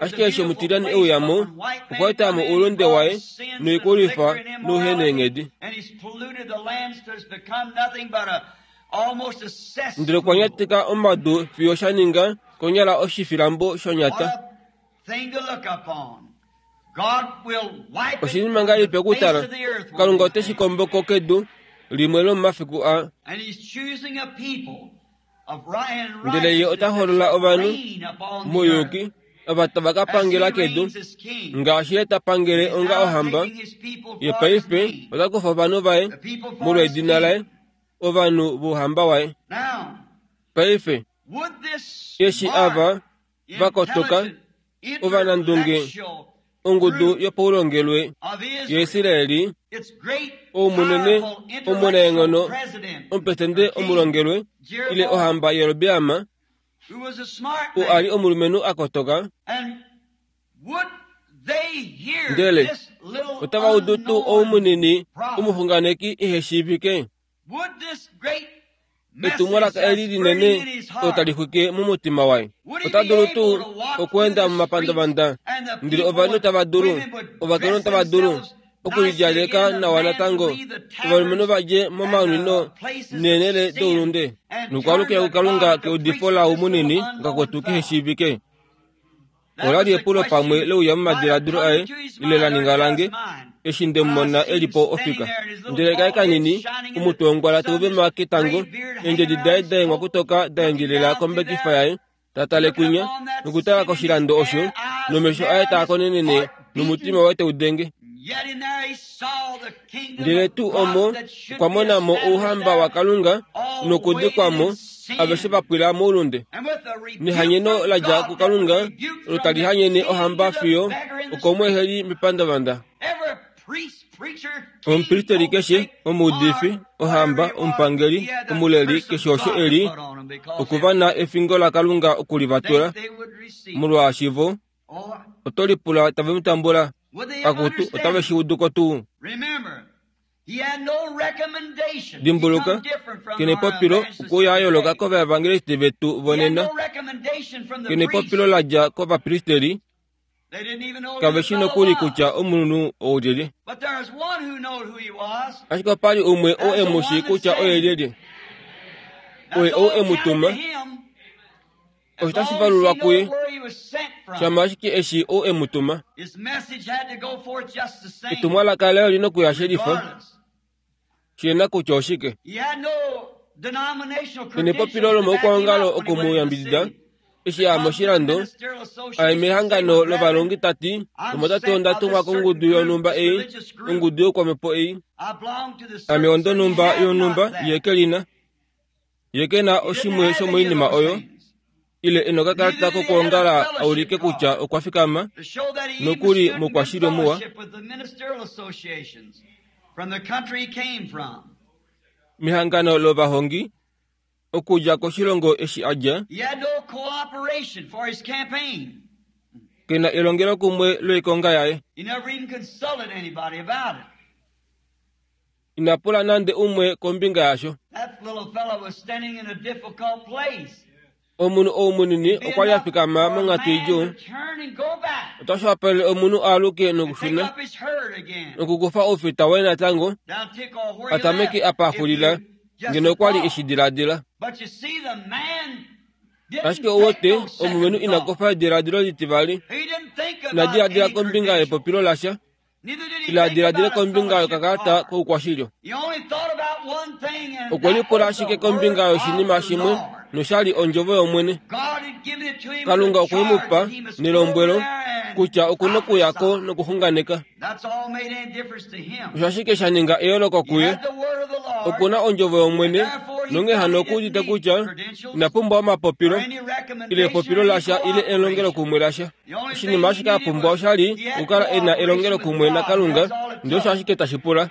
ashike eshi omutilyane e uya mo, okwa eta mo oulunde waye noikulwifa nouheneenghedi. Ndele okwa nyateka omadu fiyo sha ninga konyala oshifilambo shonyata. Oshinima ngahelipi okutala! Kalunga ote shi kombo ko kedu limwe lomomafiku aa. Ndele Ye ota holola ovanhu mouyuki ava tava ka pangela kedu, ngaashi Ye ta pangele onga ohamba. Ye paife ota kufa ovanhu vaye molwedina laye, ovanhu vouhamba waye. Paife, eshi ava va kotoka, ovanandunge, ongudu yopaulongelwe yaIsraeli, ou munene omunaenghono, omupresidente omulongelwe, ile ohamba Jerobeam, oo a li omulumenhu a kotoka, ndele otava udu tuu ou munini omuxunganeki ehe shiivike? Etumwalaka eli linene olo tali xwike momutima waye. Ota dulu tuu okweenda momapandavanda, ndele ovanhu tava dulu, ovakainhu tava dulu okulidjaleka nawa natango, ovalumenhu va dje momanwino neenhele doulunde, nokwaalukila kuKalunga keudifo laau munini ngakwetu kehe shiivike? Ola li epulo pamwe leuya momadiladilo aye ile la ninga lange eshi nde mu mona e li po ofika. Ndele kaye kanini, omutwe wongwala tau vema ketango, eendjedi daye da hengwa kutoka da endjelela kombekifa yaye, ta tale kwinya nokutala koshilando osho, nomesho aye taa konenene nomutima waye tau denge. Ndele tuu omo okwa mona mo ouhamba waKalunga nokudikwa mo, aveshe va pwila moulunde. Nehanyeno la dja kuKalunga olo tali hanyene ohamba fiyo okomweeheli mepandavanda. Omupristeri keshe, omuudifi, ohamba, omupangeli, omuleli, keshe osho e li, oku va na efingo laKalunga oku li va tula, molwaashi vo Oto lipula tave mu tambula? Akutu, otave shi udu ko tuu? Dimbuluka, ke nepopilo okuuya a yooloka kovaevangeliste vetu vonena. Ke nepopilo la dja kovapristeri. Kave shi nokuli kutya omunhu ou lyelye. Ashike opa li umwe ou e mu shii kutya oye lyelye. Oye ou e mu tuma. Osho tashi valulwa kuye, shama ashike eshi ou e mu tuma. Etumwalaka laye oli nokuya shelifa, shi na kutya oshike. Ke nepopilo lomaukwaongalo oku mu yambidida eshi a ya moshilando, a ya mehangano lovalongi ta ti, Omwatate onda tumwa kongudu yonhumba ei, ongudu youkwamhepo ei. Ame ondonhumba yonhumba, ye ke li na. Ye ke na oshimwe shomoinima oyo, ile e nokakalata kokwoongala a ulike kutya okwa fikama nokuli moukwashili muwa. Mehangano lovahongi okudja koshilongo eshi a dja, ke na elongelokumwe loikonga yaye. Ina pula nande umwe kombinga yasho. Omunhu ou munini okwa li a fikama monghatu idjuu. Otashi wapalele omunhu a aluke nokushuna nokukufa oufita waye natango a tameke apa a xulila ngeno okwa li e shi diladila. Ashike ou wete, omulumenhu ina kufa ediladilo litivali. Ina diladila kombinga yepopilo lasha. Ila diladile kombinga yokakalata koukwashilyo. Okwe lipula ashike kombinga yoshinima shimwe nosha li ondjovo yOmwene. Kalunga okwe mu pa nelombwelo kutya oku nokuya ko nokuxunganeka. Osho ashike sha ninga eyooloko kuye. Oku na ondjovo yOmwene, Nonghee hano okuudite kutya ina pumbwa omapopilo ile epopilo lasha ile elongelokumwe lasha. Oshinima ashike a pumbwa osha li okukala e na elongelokumwe naKalunga, ndele osho ashike tashi pula.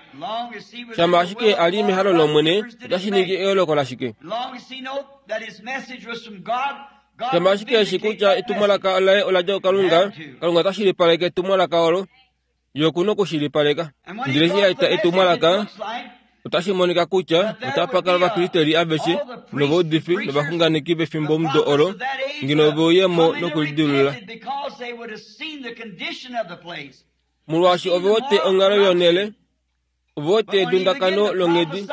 Shama ashike a li mehalo lOmwene, otashi ningi eyooloko lashike? Shama ashike eshi kutya etumwalaka laye ola dja kuKalunga, Kalunga ota shilipaleke etumwalaka olo. Ye oku na okushilipaleka. Ndele eshi a eta etumwalaka, otashi monika kutya otapa kala ovapristeli aveshe novaudifi novaxunganeki vefimbomudo olo ngeno ove uye mo nokulidilulula. Molwaashi ove wete onghalo yonhele, ove wete edundakano longhedi.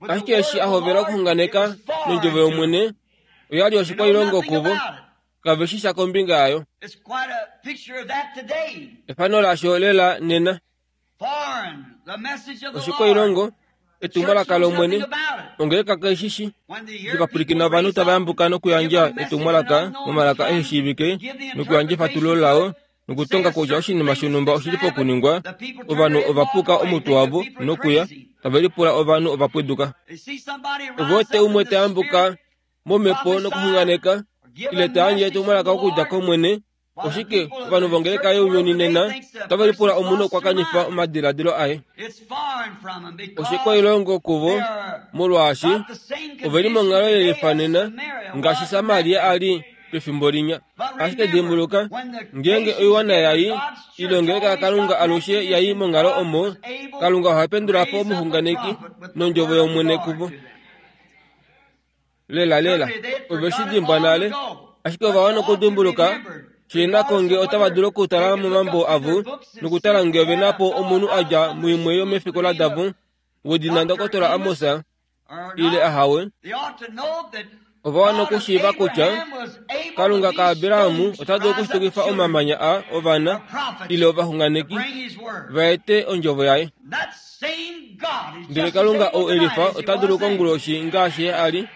Ashike eshi a hovela okuxunganeka nondjovo yOmwene, oya li oshikwailongo kuvo. Kave shi sha kombinga yayo. Efano lasho lela nena. Oshikwailongo, etumwalaka lOmwene, ongeleka kai shi shi. Eshi ovanhu tava yambuka nokuyandja etumwalaka momalaka ehe shiivike nokuyandja efatululo lao nokutonga kutya oshinima shonhumba oshi li pokuningwa, ovanhu ova puka omutwe wavo nokuya, tave lipula ovanhu ova pwiduka. Ove wete umwe ta yambuka momhepo nokuxunganeka ile ta yandje etumwalaka okudja kOmwene, oshike ovanhu vongeleka younyuni nena otave lipula omunhu okwa kanifa omadiladilo aye. Oshikwailongo kuvo molwaashi ove li monghalo ye lifa nena ngaashi Samaria a li pefimbo linya. Ashike dimbuluka, ngeenge oiwana yai ile ongeleka yaKalunga alushe yai monghalo omo, Kalunga oha pendula po omuxunganeki nondjovo yOmwene kuvo. Lelalela, ove shi dimbwa nale, ashike ova wana okudimbuluka shi na ko nge otava dulu okutala momambo avo nokutala nge ove na po omunhu a dja muimwe yomefikola davo wedina Ndokotola Amos ile ahawe. Ova wana okushiiva kutya Kalunga kaAbraham ota dulu okushitukifa omamanya a ovana ile ovaxunganeki va ete ondjovo yaye. Ndele Kalunga ou e lifa ota dulu konguloshi ngaashi ye a li.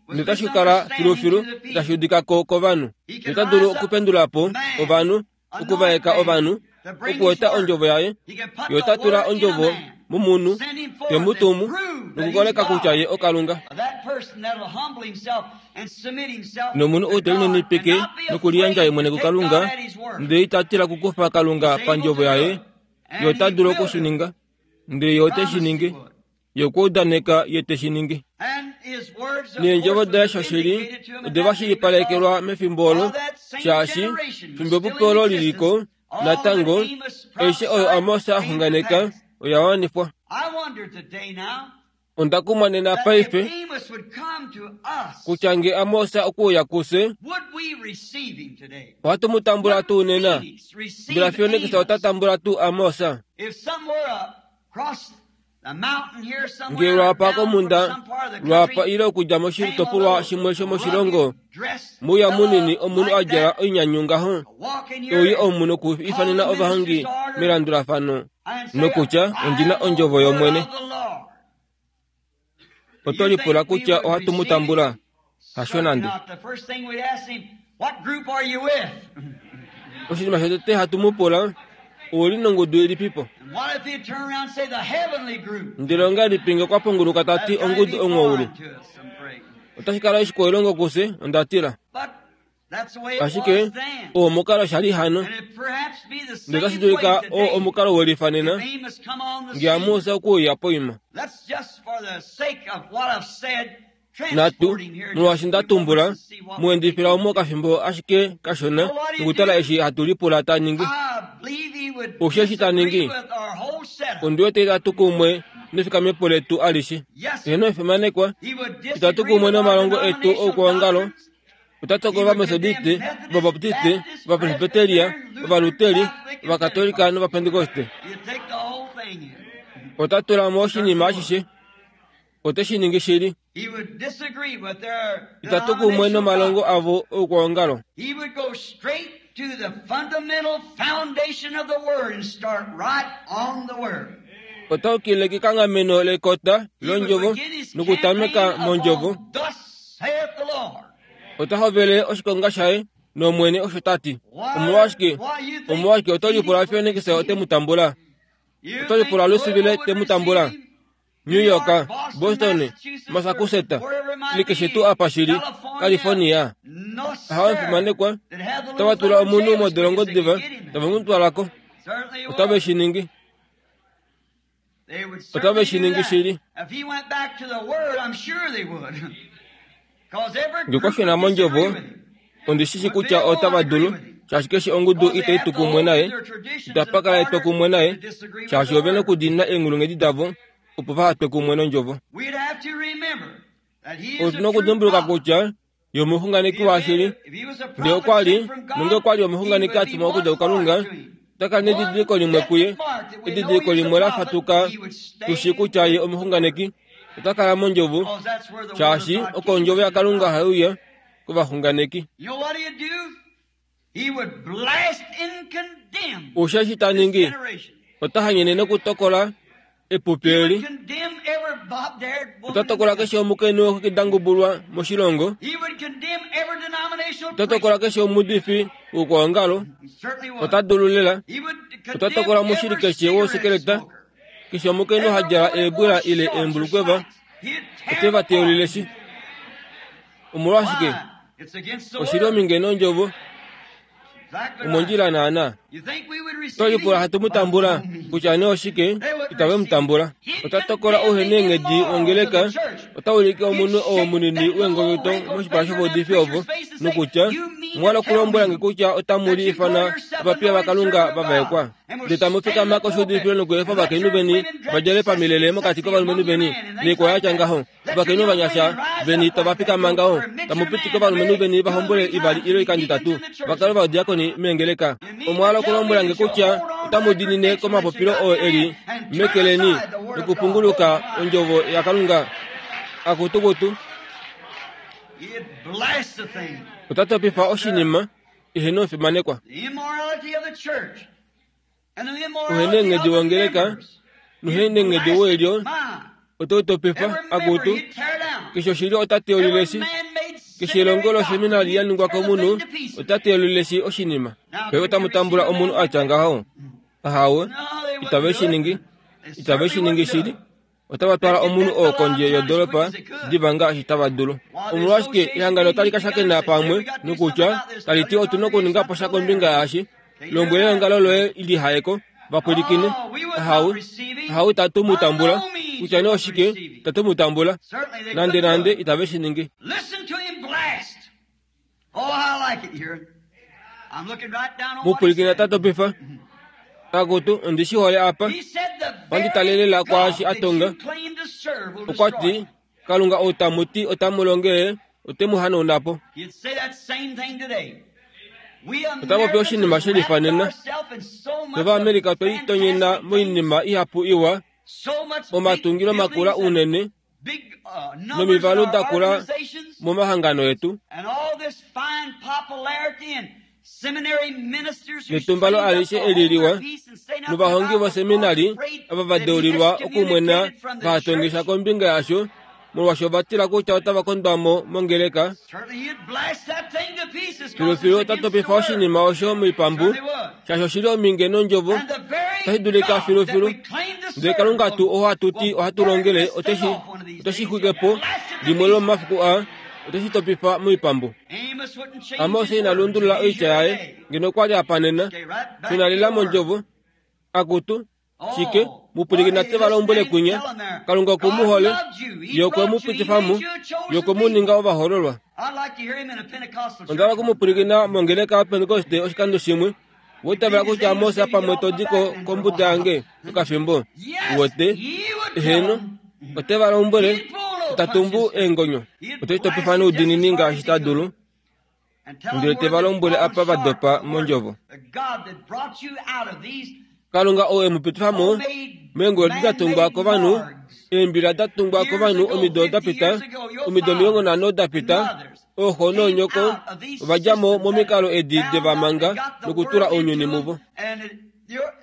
Notashi kala filufilu tashi udika ko kovanhu. Ota dulu okupendula po ovanhu, okuvaeka ovanhu, okueta ondjovo yaye. Ye ota tula ondjovo momunhu, te mu tumu, nokukoleka kutya ye oKalunga. Nomunhu ou te lininipike nokuliyandja ye mwene kuKalunga, ndele ita tila okukufa Kalunga pandjovo yaye, ye ota dulu oku shi ninga. Ndele ye ote shi ningi. Ye okwa udaneka ye te shi ningi. Neendjovo daye shoshili ode va shilipalekelwa mefimbo olo, shaashi fimbo epupi olo li li ko natango, aishe oyo Amos a xunganeka oya wanifwa. Onda kumwa nena paife kutya nge Amos okwe uya kufye, ohatu mu tambula tuu nena? Mbela Phoenix ota tambula tuu Amos? Nge lwapa komhunda, lwapa ile okudja moshitopolwa shimwe shomoshilongo, muya munini omunhu a djala oinyanyu ngaho, e uye omu nokuifanena ovahongi melandulafano, nokutya ondi na ondjovo yOmwene. Oto lipula kutya ohatu mu tambula? Hasho nande. Oshinima shotete hatu mu pula, Ou li nongudu ilipipo? Ndele ongahelipi nge okwa punguluka ta ti ongudu onghoulu? Otashi kala oshikwailongo kufye, onda tila. Ashike oo omukalo sha li hano, ndele otashi dulika oo omukalo we lifa nena, nge Amos okuuya poima. Natu, molwaashi nda tumbula, mu endifila omu okafimbo ashike kashona nokutala eshi hatu lipula ta ningi. Osho eshi ta ningi, ondi wete itatu kumwe nefikamepo letu alishe. Eheno efimanekwa, itatu kumwe nomalongo etu oukwaongalo, Ota tokola Ovametodiste, Ovabaptiste, Ovapresbiteria, Ovaluteri, Ovakatolika nOvapentekoste. Ota tula mo oshinima ashishe. Ote shi ningi shili. Ita tu kumwe nomalongo avo oukwaongalo. Ota ukile kekanghameno lekota londjovo nokutameka mondjovo. Ota hovele oshikonga shaye nOmwene osho ta ti. Omolwashike? Omolwashike oto lipula Fenix ote mu tambula? Oto lipula Louisville te mu tambula? New York, Boston, Massachusetts, ile keshe tuu apa shi li, California. Ahawe omufimanekwa, otava tula omunhu modolongo diva, tave mu twala ko. Otave shi ningi. Otave shi ningi shili. Nge okwa shuna mondjovo, ondi shi shi kutya otava dulu, shaashi keshe ongudu itai tu kumwe naye, itapa kala etwokumwe naye, shaashi ove na okudiinina eenghulunghedi davo opo vaha twe kumwe nondjovo. Otu na okudimbuluka kutya ye omuxunganeki washili. Ndele okwa li, nonge okwa li omuxunganeki a tumwa okudja kuKalunga, ota kala nedidiliko limwe kuye, edidiliko limwe la fatuka tu shii kutya ye omuxunganeki. Ota kala mondjovo, shaashi oko ondjovo yaKalunga hai uya kovaxunganeki. Osho eshi ta ningi, ota hanyene nokutokola epupi eli. Ota tokola keshe omukainhu wexwiki da ngubulwa moshilongo. Ota tokola keshe omuudifi wokwoongalo. Ota dulu lela. Ota tokola omushili keshe wousekeleta. Keshe omukainhu ha djala eebwila ile eembulukweva, ote va teulile shi. Omolwashike? Oshi li ominge nondjovo. Omondjila naana. Oto lipula hatu mu tambula kutya nee oshike itave mu tambula. Ota tokola ouheneenghedi wongeleka, ota ulike omunwe oo munini weengonyoto moshipala shovaudifi ovo, nokutya, Omwa hala okulombwela nge kutya otamu li ifana ovapiya vaKalunga va vaekwa? Ndele tamu fikama koshuudifilo nokuefa ovakainhu veni va djale pamilele mokati kovalumenhu veni, noikwayo ya tya ngaho. Ovakainhu ovanyasha veni tava fikama ngaho, tamu pitike ovalumenhu veni va hombole ivali ile oikando itatu, va kale ovadiakoni meengeleka. Omwa hala okulombwela nge kutya otamu diinine komapopilo oo e li meke leni nokupunguluka ondjovo yaKalunga? Akutukutu! Ota topifa oshinima ihe nomufimanekwa. Uheneenghedi wongeleka noheneenghedi woilyo oto topifa akutu. Keshe oshilyo ota teulile shi. Keshe elongo loseminari ya ningwa komunhu ota teulile shi oshinima. Paife otamu tambula omunhu a tya ngaho? Ahawe, itave shi ningi. Itave shi ningi shili. Otava twala omunhu oo kondje yodoolopa diva ngaashi tava dulu. Omolwashike ehangano otali ka shakena pamwe nokutya tali ti otu na okuninga po sha kombinga yaashi? Lombwela eongalo loye li haye ko, va pwilikine. Ahawe, ahawe itatu mu tambula. Kutya nee oshike, itatu mu tambula. Nandenande itave shi ningi. Mu pwilikina ta topifa. Akutu, ondi shi hole apa. Ondi talelela kwaashi a tonga. Okwa ti, Kalunga ou tamu ti otamu longele, ote mu hanauna po. Ota popi oshinima she lifa nena. Fye Ovaamerica otwe litonyena moinima ihapu iwa, omatungilo makula unene, nomivalu da kula momahangano etu netumbalo alishe eli liwa novahongi voseminari ava va deulilwa okumwena vahatongisha kombinga yasho molwaashi ova tila kutya otava kondwa mo mongeleka filufilu ota topifa oshinima osho moipambu shaashi oshi li ominge nondjovo otashi dulika filufilu ndele kalunga tuu oo hatu ti ohatu longele ote shi xwike po limwe lomomafiku aa ote shi topifa moipambu amos ina lundulula oitya yaye ngeno okwa li a panena shuna lela mondjovo akutu shike mu pwilikina te va lombwele kwinya kalunga oku mu hole ye okwe mu pitifa mo ye okwe mu ninga ovahololwa onda hala oku mu pwilikina mongeleka yapentekoste oshikando shimwe Wa itavela kutya Mose pamwe to di ko kombuda yange okafimbo? Uwete? Eheno. Ote va lombwele, ta tumbu eengonyo. Ote topifa noudiinini ngaashi ta dulu. Ndele te va lombwele apa va dopa mondjovo. Kalunga ou e mu pitifa mo meengulu edi da tungwa kovanhu, eembila da tungwa kovanhu omido da pita, omido 50 da pita, ooxo noonyoko ova dja mo momikalo edi de va manga nokutula ounyuni muvo.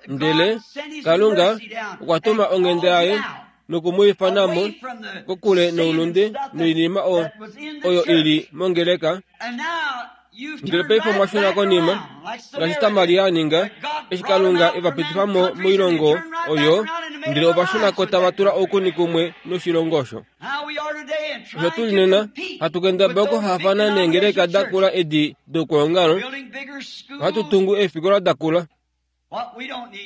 Ndele Kalunga okwa tuma onghenda yaye noku mu ifana mo kokule noulunde noinima oyo i li mongeleka. Ndele paife omwa shuna konima, ngaashi Samaria a ninga, eshi Kalunga e va pitifa mo moilongo Oyo, ndele ova shuna ko tava tula oukuni kumwe noshilongo osho. Osho tu li nena, hatu kendabala okuhaafana neengeleka da kula edi dokwoongalo, ohatu tungu eefikola da kula.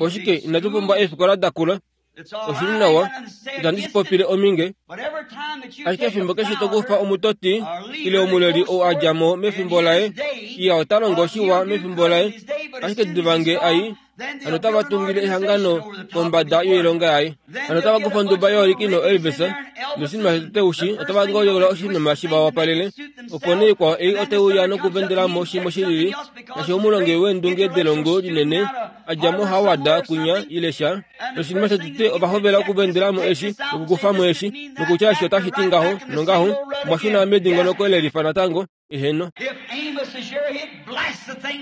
Oshike inatu pumbwa eefikola da kula? Oshi li nawa, itandi shi popile ominge. Ashike efimbo keshe to kufa omutoti ile omuleli ou a dja mo mefimbo laye, iya ota longo shiwa mefimbo laye, ashike diva nge ai, hano otava tungile ehangano kombada yoilonga yaye. Hano otava kufa onduba yooliki noElvis, noshinima shetete ushi, otava ngolyola oshinima shi va wapalele. Opo nee ikwao ei ote uya nokuvendela mo shimwe shilili, ngaashi omulongi weendunge delongo linene a dja moHoward kwinya ile sha. Noshinima shotete ova hovela okuvendela mo eshi nokukufa mo eshi, nokutya eshi otashi ti ngaho nongaho, omwa shuna medingonoko lelifa natango. Eheno.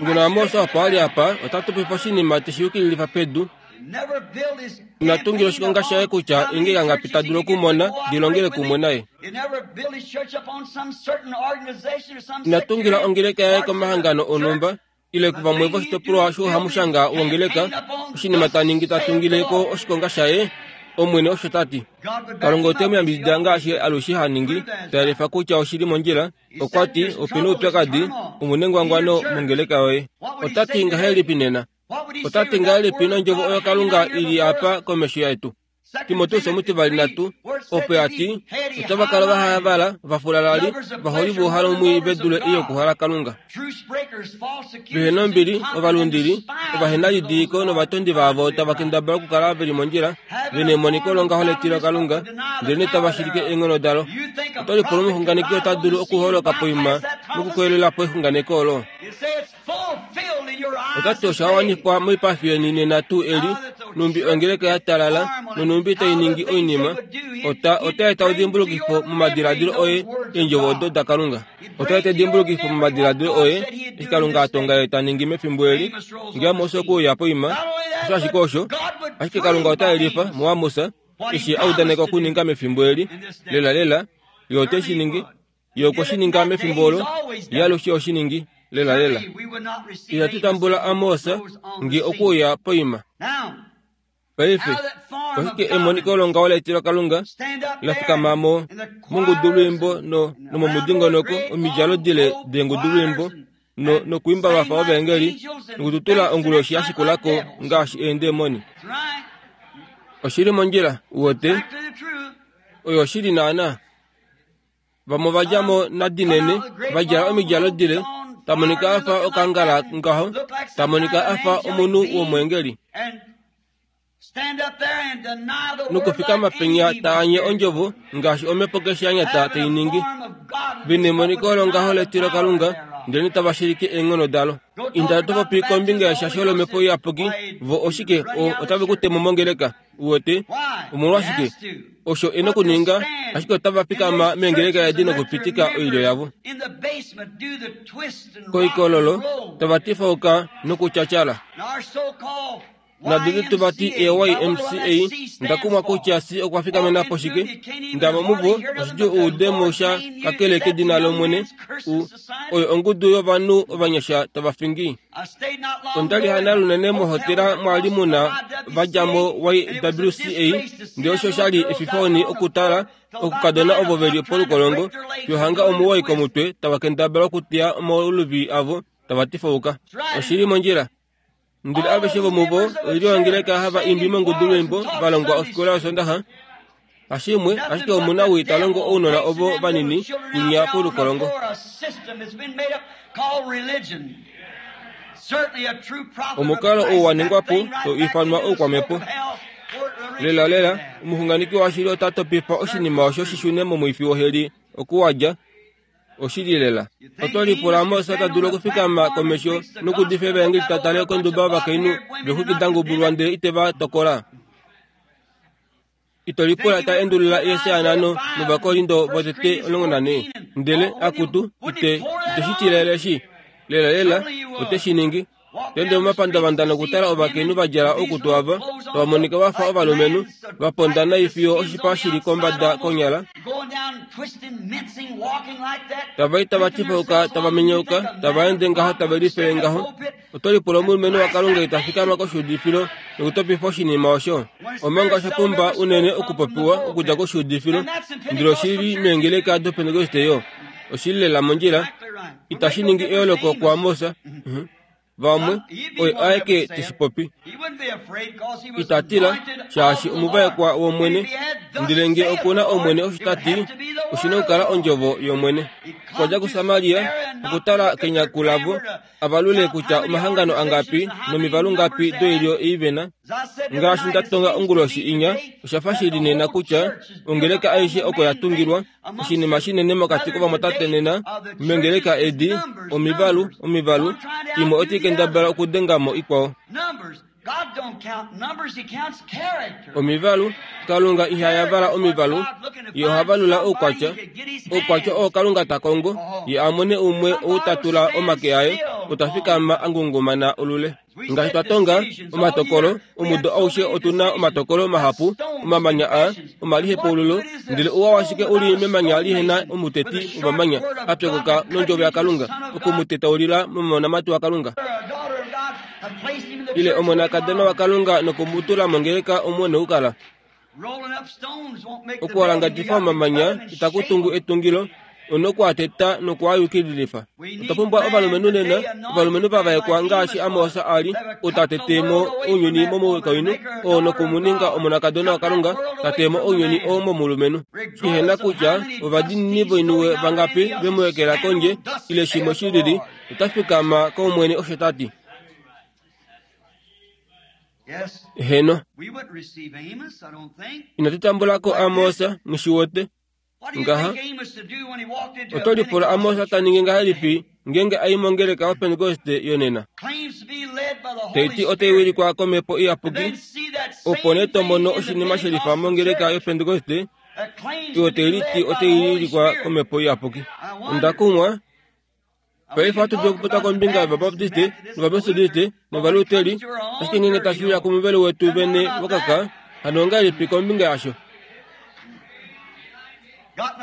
Ngeno Amos opo a li apa, ota tupifa oshinima te shi yukililifa pedu. Ina tungila oshikonga shaye kutya inge kangapi ta dulu okumona di longele kumwe naye. Ina tungila ongeleka yaye komahangano onhumba ile kuvamwe voshitopolwa shouhamushanga wongeleka. Oshinima ta ningi ta tungile ko oshikonga shaye, Omwene osho ta ti. Kalunga ote mu yambidida ngaashi alushe ha ningi, ta yelifa kutya oshi li mondjila. Okwa ti, Ope na oupyakadi, omu nengwangwano mongeleka yoye. Ota ti ngahelipi nena? Ota ti ngahelipi nondjovo oyo Kalunga i li apa komesho yetu? Timoteus omutivali natu, opo a ti, Otava kala va hayavala, vafulalali, vaholi vouhalo mwii ve dule ei yokuhala Kalunga. Vehe nombili, ovalundili, ovahenalidiliko novatondi vaavo tava kendabala okukala ve li mondjila, ve nemoniko longaho letilo Kalunga, ndelenee tava shilike eenghono dalo. Oto lipula omuxunganeki ota dulu okuholoka poima nokukoyelela po exunganeko olo? Ota ti osha wanifwa moipafi yeni nena tuu eli, nhumbi ongeleka ya talala nonhumbi tai ningi oinima. Ota, ota eta edimbulukifo momadiladilo oye eendjovo odo daKalunga. Ota eta edimbulukifo momadiladilo oye eshi Kalunga a tonga ye ta ningi mefimbo eli. Nge Amos okwe uya poima, osho ashike osho. Ashike Kalunga ota yelifa muAmos eshi a udaneka okuninga mefimbo eli. Lelalela, Ye ote shi ningi. Ye okwe shi ninga mefimbo olo, Ye alushe oshi ningi, lelalela. Ihatu tambula Amos nge okwe uya poima. Paife, oshike emoniko longaho letilokalunga la fikama mo mongudulwiimbo no, nomomudingonoko, omidjalo dile deengudulwiimbo no, nokuimba va fa ovaengeli, nokututula onguloshi ya shikula ko ngaashi eendemoni. Oshi li mondjila, uwete. Oyo oshili naanaa. Vamwe ova dja mo nadinene, va djala omidjalo dile, ta monika a fa okangala ngaho, ta monika a fa omunhu womweengeli. Nokufikama penya ta anye ondjovo ngaashi omhepo keshe ya nyata tai ningi. Ve nemoniko longaho letilokalunga, ndelenee tava shilike eenghono dalo. Inda to popi kombinga yeshasho lomhepo iyapuki, vo oshike, otave ku te mo mongeleka. Uwete? Omolwashike? Osho e nokuninga, ashike otava fikama meengeleka edi nokupitika oilyo yavo koikololo, tava tifauka nokutyatyala. Nadudu tu vati eYMCA, nda kumwa kutya si okwa fikamena po shike. Ndamo muvo oshidjuu u ude mo sha kakele kedina lOmwene, u, oyo ongudu yovanhu ovanyasha tava fingi. Onda li hana lunene mohotela mwa li mu na va dja mo YWCA, ndele osho sha li efifoni okutala okukadona ovo ve li polukolongo fiyo hanga omuwoi komutwe tava kendabala okuteya omauluvi avo tava tifauka. Oshi li mondjila. Ndele aveshe vomuvo oilyo yongeleka hava imbi mongudulwiimbo va longwa ofikola yOsondaxa. Hashimwe, ashike omunawii ta longo ounona ovo vanini kwinya polukolongo. Omukalo ou wa ningwa po tau ifanwa oukwamhepo. Lelalela, omuxunganeki washili ota topifa oshinima osho shi shune momwifi woheli oku wa dja. Oshili lela. Oto lipula Moses ta dulu okufikama komesho nokuudifa evaengeli ta tale konduba yovakainhu vexwiki da ngubulwa ndele ite va tokola? Ito lipula ta endulula eeseanano nOvakorindo votete 14, ndele, akutu, ite, ite shi tilele shi. Lelalela, ote shi ningi. Ta ende momapandavanda nokutala ovakainhu va djala oukutu ava, tava monika va fa ovalumenhu, va ponda nai fiyo oshipa shi li kombada konyala, tava i tava tifauka, tava minyauka, tava ende ngaho tave lifele ngaho. Oto lipula omulumenhu waKalunga ita fikama koshuudifilo. Nokutopifa oshinima osho. Omanga osha pumba unene okupopiwa okudja koshuudifilo, ndele oshi li meengeleka dOpentekoste yo. Oshi li lela mondjila. Itashi ningi eyooloko kuAmos. Vamwe, oye aeke te shi popi. Ita tila, shaashi omuvaekwa wOmwene. Ndele nge oku na Omwene osho ta ti, oshi na okukala Ondjovo yOmwene. Okwa dja kuSamaria, okutala kenyaku lavo, a valule kutya omahangano angapi nomivalu ngapi doilyo ei ve na. Ngaashi nda tonga onguloshi inya, osha fa shi li nena kutya ongeleka aishe oko ya tungilwa, oshinima shinene mokati kovamwatate nena meengeleka edi, omivalu, omivalu, imwe otai kendabala okudenga mo ikwao. Omivalu, Kalunga iha yavala omivalu, Ye oha valula oukwatya. Oukwatya oo Kalunga ta kongo, Ye a mone umwe ou ta tula omake aye, ota fikama a ngungumana olule. Ngaashi twa tonga omatokolo, omudo aushe otu na omatokolo mahapu, omamanya a, omalihepaululo, ndele ouwa washike u li memanya li he na omuteti womamanya a pyokoka nondjovo yaKalunga oku mu tetaulila momonamati waKalunga? Ile omonakadona waKalunga noku mu tula mongeleka omo nokukala. Okuwalangadifa omamanya itaku tungu etungilo, una oku a teta noku a yukililifa. Otwa pumbwa ovalumenhu nena, ovalumenhu va vaekwa ngaashi Amos a li, ou ta tete mo ounyuni momukainhu oo noku mu ninga omonakadona waKalunga, ta te mo ounyuni oo momulumenhu. Shihena kutya ovadiinini voiniwe vangapi ve mu ekela kondje, ile shimwe shi lili, ota fikama kOmwene osho ta ti. Heno. Inatu tambula ko Amos, nghi wote. Ngaha. Oto lipula Amos ta ningi ngahelipi ngeenge a i mongeleka yoPentekoste yonena? Tai ti otai wilikwa komhepo iyapuki, opo nee to mono oshinima she lifa mongeleka yoPentekoste oyo tai liti otai wilikwa komhepo iyapuki. Onda kumwa Paife ohatu dulu okupopya kombinga yOvabaptiste nOvametodiste nOvaluteri, ashike ngeenge tashi uya komuvelo wetu vene wokaka, hano ongahelipi kombinga yasho?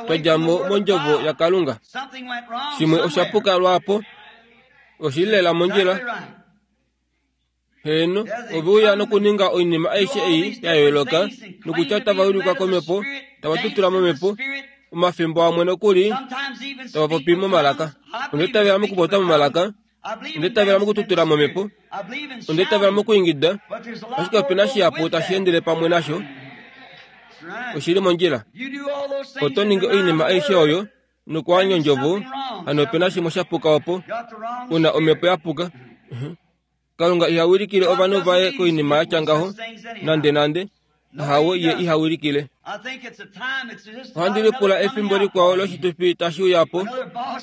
Twa dja mo mondjovo yaKalunga. Shimwe osha puka lwaapo. Oshi li lela mondjila. Heeno, ove uya nokuninga oinima aishe ei ya yooloka, nokutya tava wilikwa komhepo, tava tutula momhepo, omafimbo amwe nokuli tava popi momalaka. Onda itavela mokupopya momalaka, onda itavela mokututula momhepo, onda itavela mokwiingida, ashike ope na shihapu tashi endele pamwe nasho. Oshi li mondjila. Oto ningi oinima aishe oyo, nokuanya ondjovo, hano ope na shimwe sha puka opo, u na omhepo ya puka. Kalunga iha wilikile ovanhu vaye koinima ya tya ngaho nandenande. Ahawe, ye iha wilikile. Ohandi lipula efimbo likwao loshitufi tashi uya po,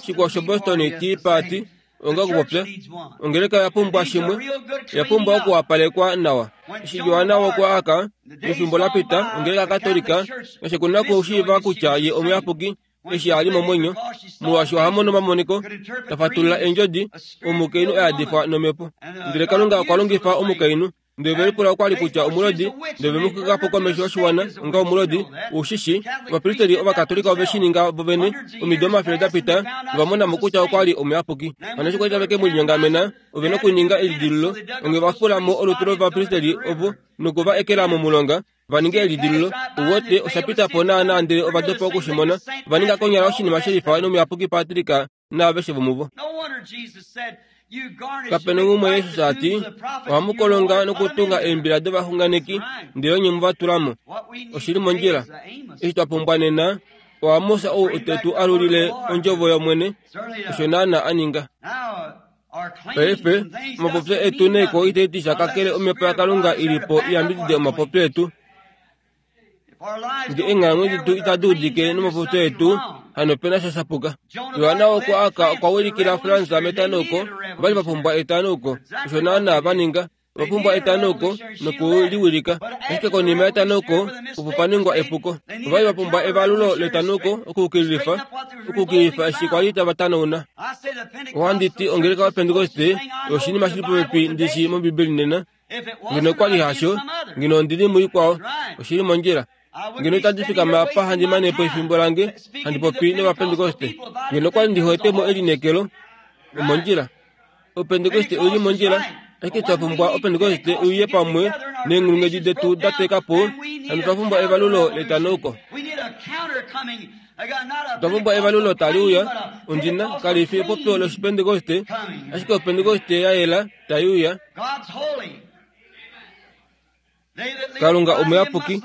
shikwao shoBoston Tea Party, onga okupopya. Ongeleka oya pumbwa shimwe, oya pumbwa okuwapalekwa nawa. Eshi Johanna wokwaaka, mefimbo la pita, ongeleka Katolika, noshe ku na okushiiva kutya ye omuyapuki, eshi a li momwenyo, molwaashi oha mono omamoniko, ta fatulula eendjodi, omukainhu a yadifwa nomhepo. Ndele Kalunga okwa longifa omukainhu. Ndele ove lipula okwa li kutya omulodi, ndele ve mu xwika po komesho yoshiwana onga omulodi. Ou shi shii, ovapristeli Ovakatolika ove shi ninga vovene, omido omafele da pita, nova mona mo kutya okwa li omuyapuki. Hano eshi kwa li tave ke mu linyongamena, ove nokuninga elidilululo, onghee ova fula mo olutu lovapristeli ovo noku va ekela momulonga, va ninge elidilululo. Uwete, osha pita po naanaa ndele ova dopa oku shi mona. Ova ninga konyala oshinima shelifa nomuyapuki Patrick naaveshe vomuvo. Kape na umwe Jesus a ti, Ohamu kolonga nokutunga eembila dovaxunganeki, ndele onye mu va tula mo. Oshi li mondjila. Eshi twa pumbwa nena, oAmos ou ote tu alulile ondjovo yOmwene, osho naanaa a ninga. Paife, omapopyo etu neiko itai ti sha kakele omhepo yaKalunga i li po i yambidide omapopyo etu. Nge eenghalamwenyo detu itadi udike nomapopyo etu, hano ope na sha sha puka. Johanna okwa aka okwa wilikila Fransa metanauko, ova li va pumbwa etanauko. Osho naanaa va ninga. Ova pumbwa etanauko noku li wilika. Ashike konima yetanauko opo pa ningwa epuko. Ova li va pumbwa evalulo letanauko okuyukililifa, okuyukililifa eshi kwa li tava tanauna. Ohandi ti ongeleka yoPentekoste oshinima shi li popepi ndi shi mOmbibeli nena. Ngeno okwa li hasho, ngeno ondi li muikwao. Oshi li mondjila. Ngeno itandi fikama apa handi mane po efimbo lange handi popi nOvapentekoste. Ngeno okwa li ndi hwete mo elineekelo. Omondjila. Opentekoste oi li mondjila. Ashike twa pumbwa Opentekoste uye pamwe neenghulunghedi detu da teka po, hano twa pumbwa evalulo letanauko. Otwa pumbwa evalulo tali uya, ondjina, kali fi epopyo lOshipentekoste, ashike Opentekoste ya yela tai uya. Kalunga omuyapuki,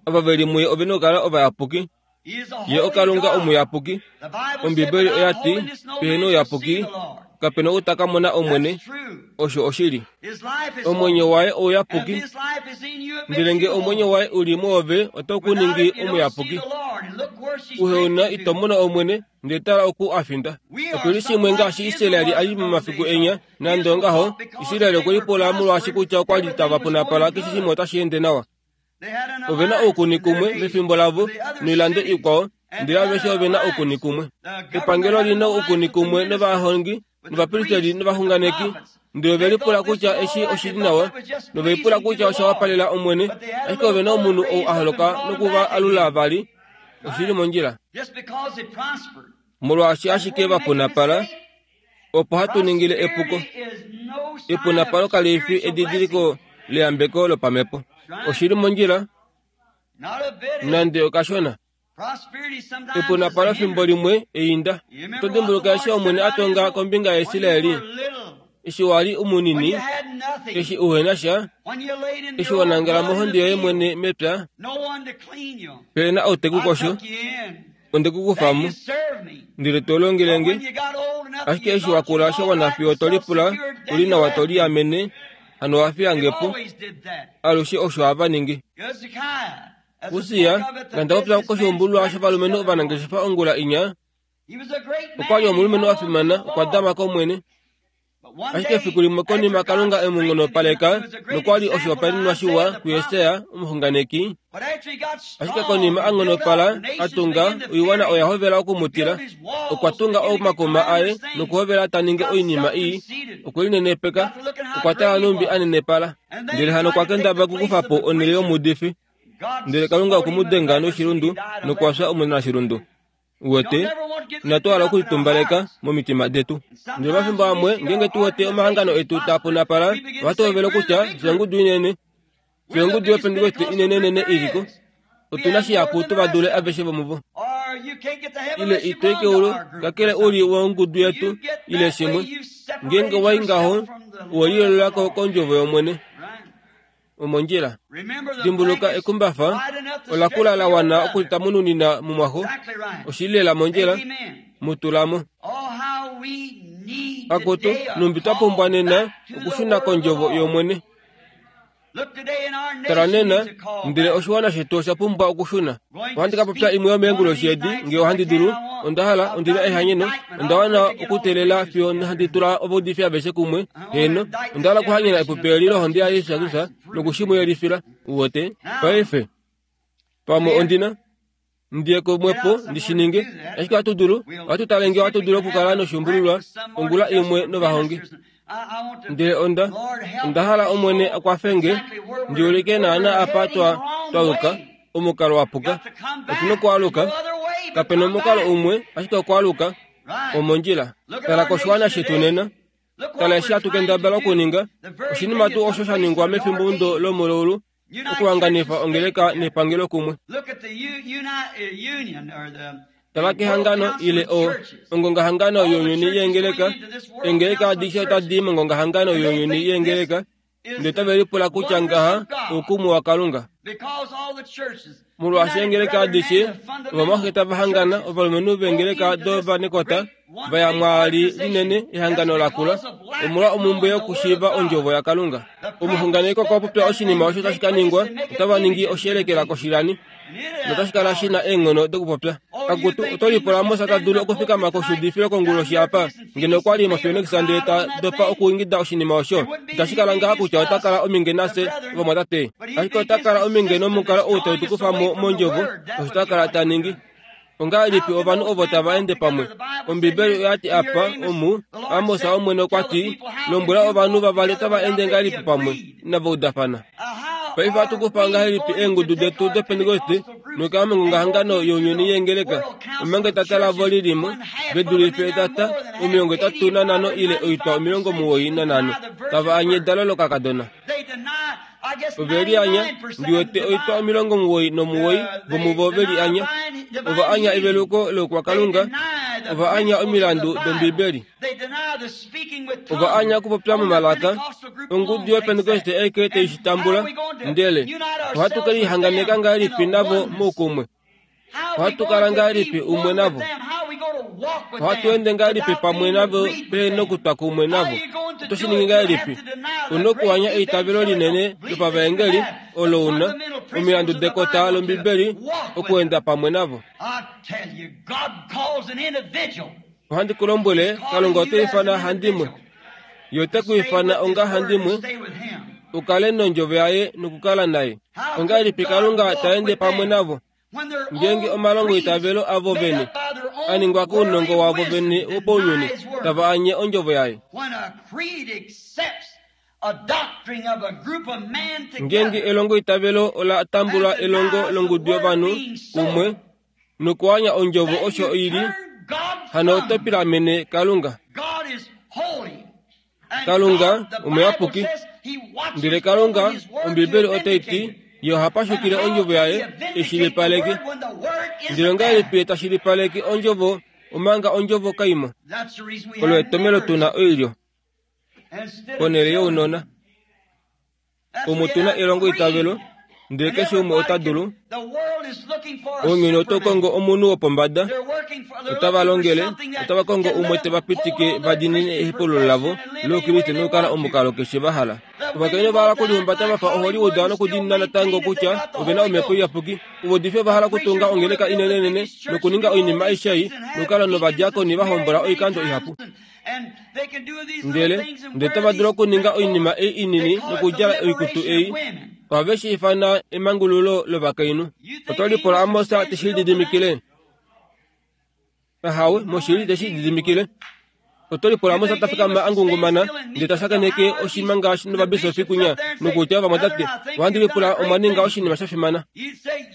ava ve li muye ove na okukala ovayapuki. Ye oKalunga omuyapuki. Ombibeli oya ti, Pehena ouyapuki, kape na ou ta ka mona Omwene. Osho oshili. Omwenyo waye ouyapuki, ndele nge omwenyo waye u li mwoove, otau ku ningi omuyapuki. Uheuna ito mono Omwene, ndele tala oku a finda. Otu li shimwe ngaashi Israel a li momafiku enya, nande ongaho, Israel okwe lipula molwaashi kutya okwa li tava punapala keshe shimwe otashi ende nawa. Ove na oukuni kumwe mefimbo lavo noilando ikwao, ndele aveshe ove na oukuni kumwe. Epangelo li na oukuni kumwe novahongi, novapristeli novaxunganeki, ndele ove lipula kutya eshi oshi li nawa, nove lipula kutya osha wapalela Omwene, ashike ove na omunhu ou a holoka noku va alula vali. Oshi li mondjila. Molwaashi ashike va punapala, opo hatu ningile epuko. Epunapalo kali fi edidiliko leyambeko lopamhepo. Oshi li mondjila nande okashona. Epunapalo fimbo limwe einda. Oto dimbuluka eshi Omwene a tonga kombinga yaIsraeli? Eshi wa li umunini, eshi uhe na sha, eshi wa nangela mohonde yoye mwene mepya, pe na ou te ku kosho, onde ku kufa mo, ndele to longele nge. Ashike eshi wa kula sha wana fiyo to lipula u li nawa to liamene, hano wa fiya nge po. Alushe osho hava ningi. Usia, nanda popya koshiumbululwa shovalumenhu ovanangeshefa ongula inya, okwa li omulumenhu a fimana, okwa dama kOmwene. Ashike efiku limwe konima Kalunga e mu nghonopaleka nokwa li oshihopaenenwa shiwa kuJesaja omuxunganeki, ashike konima a nghonopala a tunga, oiwana oya hovela oku mu tila. Okwa tunga omakuma aye nokuhovela ta ningi oinima ii, okwe linenepeka, okwa tala nhumbi a nenepala. Ndele hano okwa kendabala okukufa po onhele yomuudifi. Ndele Kalunga okwe mu denga noshilundu nokwa fya omunashilundu. Uwete, inatu hala okulitumbaleka momitima detu. Ndele omafimbo amwe, ngeenge tu wete omahangano etu taa punapala, ohatu hovele okutya, Fye ongudu inene. Fye ongudu yOpentekoste inenenene i li ko. Otu na shihapu tu va dule aveshe vomuvo. Ile ito i keulu, kakele u li wongudu yetu, ile shimwe. Ngeenge wa i ngaho, owe liyoolola ko kOndjovo yOmwene. Omondjila. Dimbuluka ekumbafa ola kula la wana okulitamununina mumwaxo. Oshi li lela mondjila. Mu tula mo. Akutu, nhumbi twa pumbwa nena okushuna kOndjovo yOmwene. Tala nena, ndele oshiwana shetu osha pumbwa okushuna. Ohandi ka popya imwe yomeenguloshi edi, nge ohandi dulu. Onda hala, ondi na ehanyeno. Onda wana okuteelela fiyo handi tula ovaudifi aveshe kumwe. Heeno, onda hala okuhanyena epupi eli lohonde yaJesus Kristus noku shi mu yelifila. Uwete? Paife, pamwe ondi na. Ndi ye kumwepo ndi shi ninge. Ashike ohatu dulu, ohatu tale nge ohatu dulu okukala noshuumbululwa ongula imwe novahongi. Ndele onda, onda hala Omwene a kwafe nge ndi ulike naana apa twa, twa yuka, omukalo wa puka. Otu nokwaaluka. Kape na omukalo umwe ashike okwaaluka omondjila. Tala koshiwana shetu nena. Tala eshi hatu kendabala okuninga, oshinima tuu osho sha ningwa mefimbo lomulaulu, okuhanganifa ongeleka nepangelo kumwe. Tala kehangano ile o ongongahangano younyuni yeengeleka, eengeleka adishe otadi i mongongahangano younyuni yeengeleka, ndele otave lipula kutya ngaha oukumwe waKalunga. Molwaashi eengeleka adishe ovamwaxe tava hangana, ovalumenhu veengeleka dovanekota va ya mwaali linene ehangano la kula omolwa omhumbwe yokushiiva ondjovo yaKalunga. Omuxunganeki okwa popya oshinima osho tashi ka ningwa, otava ningi oshiyelekela koshilani notashi kala shi na eenghono dokupopya. Akutu, oto lipula Moses ta dulu okufikama koshuudifilo konguloshi apa? Ngeno okwa li moPhoenix ndele ta dopa okuingida oshinima osho, itashi kala ngaha kutya ota kala ominge nafye ovamwatate. Ashike ota kala ominge nomukalo ou tau tu kufa mo mondjovo, osho ta kala ta ningi. Ongahelipi ovanhu ovo tava ende pamwe? Ombibeli oya ti apa, omu, Amos Omwene okwa ti, Lombwela ovanhu vavali otava ende ngahelipi pamwe, inava udafana. Paife ohatu kufa ngahelipi eengudu detu dOpentekoste? Nokuya mongongahangano younyuni yeengeleka, omanga etata lavo li li mo, ve dulife etata, 35 ile oitwa 95, tava anye edalo lokakadona. Ove li anya, ndi wete oitwa 99 vomuvo ve li anya. Ova anya eveluko loukwakalunga, ova anya omilandu dOmbibeli. Ova anya okupopya momalaka, ongudu yOpentekoste aike tai shi tambula, ndele ohatu ke lihanganeka ngahelipi navo moukumwe? Ohatu kala ngahelipi umwe navo? Ohatu ende ngahelipi pamwe navo pe nokutwa kumwe navo? Oto shi ningi ngahelipi? U nokuanya eitavelo linene lopavaengeli olo u na, omilandu dekota lOmbibeli, okuenda pamwe navo. Ohandi ku lombwele, Kalunga ote ifana handimwe. Ye ote ku ifana onga handimwe u kale nondjovo yaye nokukala naye. Ongahelipi Kalunga ta ende pamwe navo ngeenge omalongo eitavelo avo vene a ningwa kounongo wavo vene wopaunyuni tava anye ondjovo yaye? Ngeenge elongo eitavelo ola tambula elongo longudu yovanhu kumwe nokuanya ondjovo osho i li, hano oto pilamene Kalunga. Kalunga omuyapuki. Ndele Kalunga, Ombibeli otai ti, Ye oha pashukile ondjovo yaye e shilipaleke. Ndele ongahelipi ta shilipaleke ondjovo omanga ondjovo kai mo? Olo etomelo tu na oilyo ponhele younona. Omu tu na elongo itavelo, ndele keshe umwe ota dulu. Ounyuni oto kongo omunhu wopombada, otava longele, otava kongo umwe te va pitike va diinine ehepululo lavo loukriste nokukala omukalo keshe va hala. Ovakainhu ova hala okulihumbata va fa oHollywood nokudiinina natango kutya ove na omhepo iyapuki. Ovaudifi ova hala okutunga ongeleka inenenene nokuninga oinima aishe ei nokukala novadiakoni va hombola oikando ihapu. Ndele ndele otava dulu okuninga oinima ei inini nokudjala oikutu ei. Ohave shi ifana emangululo lovakainhu. Oto lipula Amos te shi lididimikile? Ahawe, moshili te shi lididimikile. Oto lipula Amos ta fikama a ngungumana ndele ta shakeneke oshima ngaashi novabisofi kunya nokutya ovamwatate, ohandi lipula omwa ninga oshinima sha fimana.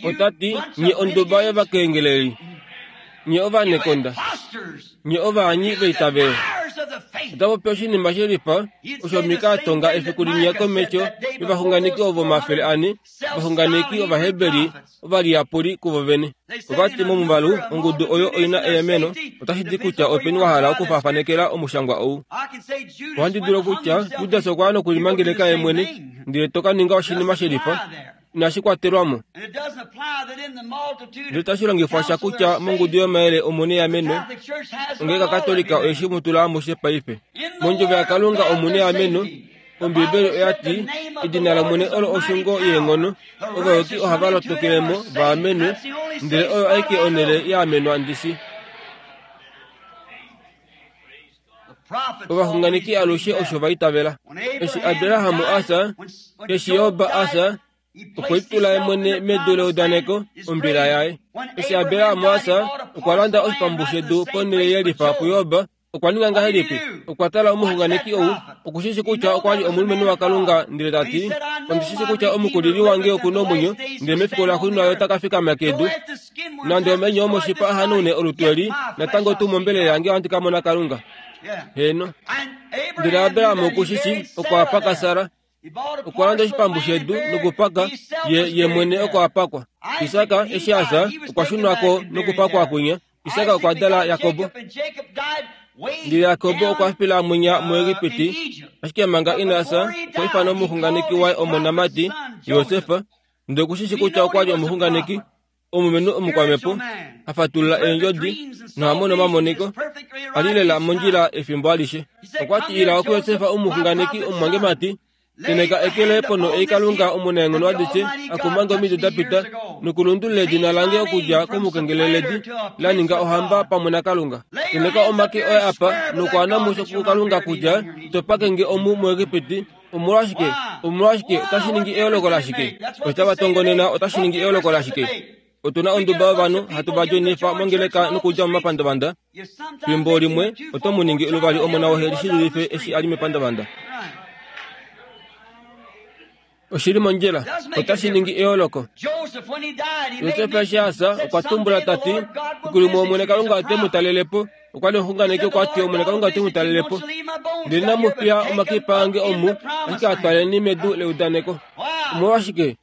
Ota ti, Nye onduba yovakengeleli. Nye ovanekonda. Nye ovaanyi veitavelo. Ota popi oshinima she lifa osho Mika a tonga efiku linya komesho yovaxunganeki ovo 400, ovaxunganeki Ovaheberi ovaliyapuli kuvo vene. Ova ti momuvalu ongudu oyo oi na eameno, otashi ti kutya openi wa hala okufaafanekela omushangwa ou. Ohandi dulu okutya Judas okwa ya nokulimangeleka ye mwene, ndele to ka ninga oshinima she lifa. Inashi kwatelwa mo. Ndele otashi longifwa sha kutya mongudu yomayele omu neameno, ongeleka Katolika oye shi mu tula amushe paife. Mondjovo yaKalunga omu neameno, Ombibeli oya ti, Edina lOmwene olo oshungo yeenghono, ovayuki ohava lotokele mo va amenwe, ndele oyo aike onhele ya amenwa ndishi. Ovaxunganeki alushe osho va itavela. Eshi Abraham a fya, eshi Job a fya, okwe litula ye mwene medu leudaneko, ombila yaye. Eshi Abraham a fya, okwa landa oshipambu shedu ponhele ye lifa puJob. Okwa ninga ngahelipi? Okwa tala omuxunganeki ou, oku shi shi kutya okwa li omulumenhu waKalunga, ndele ta ti, Ondi shi shi kutya omukulili wange oku na omwenyo, ndele mefiku laxuuninwa ye ota ka fikama kedu. Nande omenyo omoshipa a hanaune olutu eli, natango tuu mombelela yange ohandi ka mona Kalunga. Heeno. Ndele Abraham oku shi shi, okwa paka Sara. Okwa landa oshipambu shedu nokupaka, ye, ye mwene oko a pakwa. Isak eshi a fya, okwa shunwa ko nokupakwa kwinya. Isak okwa dala Jakob. Ndele Jakob okwa fila mwinya muEgipiti, ashike manga ina fya, okwa ifana omuxunganeki waye omonamati, Josef, ndele oku shi shi kutya okwa li omuxunganeki. Omulumenhu omukwamhepo ha fatulula eendjodi noha mono omamoniko, a li lela mondjila efimbo alishe. Okwa ti, Ila kuJosef omuxunganeki omumwangemati, tenheka eke loye ponho ei Kalunga Omunaenghono adishe a kuma nge omido da pita, nokulundulula edina lange okudja komukengeleledi la ninga ohamba pamwe naKalunga. Tenheka omake oye apa nokwaana musho kuKalunga kutya to pake nge omu muEgipiti, Omolwashike? Omolwashike? Otashi ningi eyooloko lashike? Otava tongonena otashi ningi eyooloko lashike? Otu na onduba yovanhu hatu va djonifa mongeleka nokudja momapandavanda. Fimbo limwe oto mu ningi luvali omona woheli shi dulife eshi a li mepandavanda. Oshi li mondjila. Otashi ningi eyooloko. Josef eshi a fya, okwa tumbula ta ti, Fiku limwe Omwene Kalunga ote mu talele po. Okwa li omuxunganeki okwa ti, Omwene Kalunga ote mu talele po. Ndele inamu fiya omakipa ange omu, ashike a twaleni medu leudaneko. Omolwashike?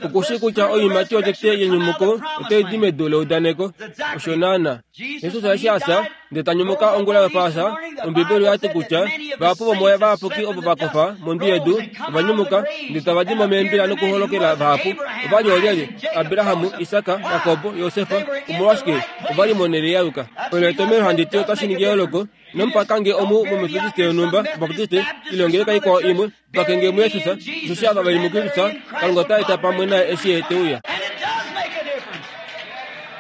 Oku shii kutya oiimati yotete yenyumuko otai di medu leudaneko. Osho naanaa. Jesus eshi a fya, ndele ta nyumuka ongula yOpaasa, Ombibeli oya ti kutya vahapu vomooya vayapuki ovo va kofa mondwi yedu ova nyumuka ndele tava di mo meembila nokuholokela vahapu. Ova li oolyelye? Abraham, Isak, Jakob, Josef. Omolwashike ova li monhele ya yuka? Olo etomhelo handi ti otashi ningi eyooloko. Nomupakange omu mOmetodiste yonhumba, Obaptiste, ile ongeleka ikwao imwe, pakenge muJesus, osheshi ava ve li muKristus, Kalunga ota eta pamwe naye eshi Ye te uya.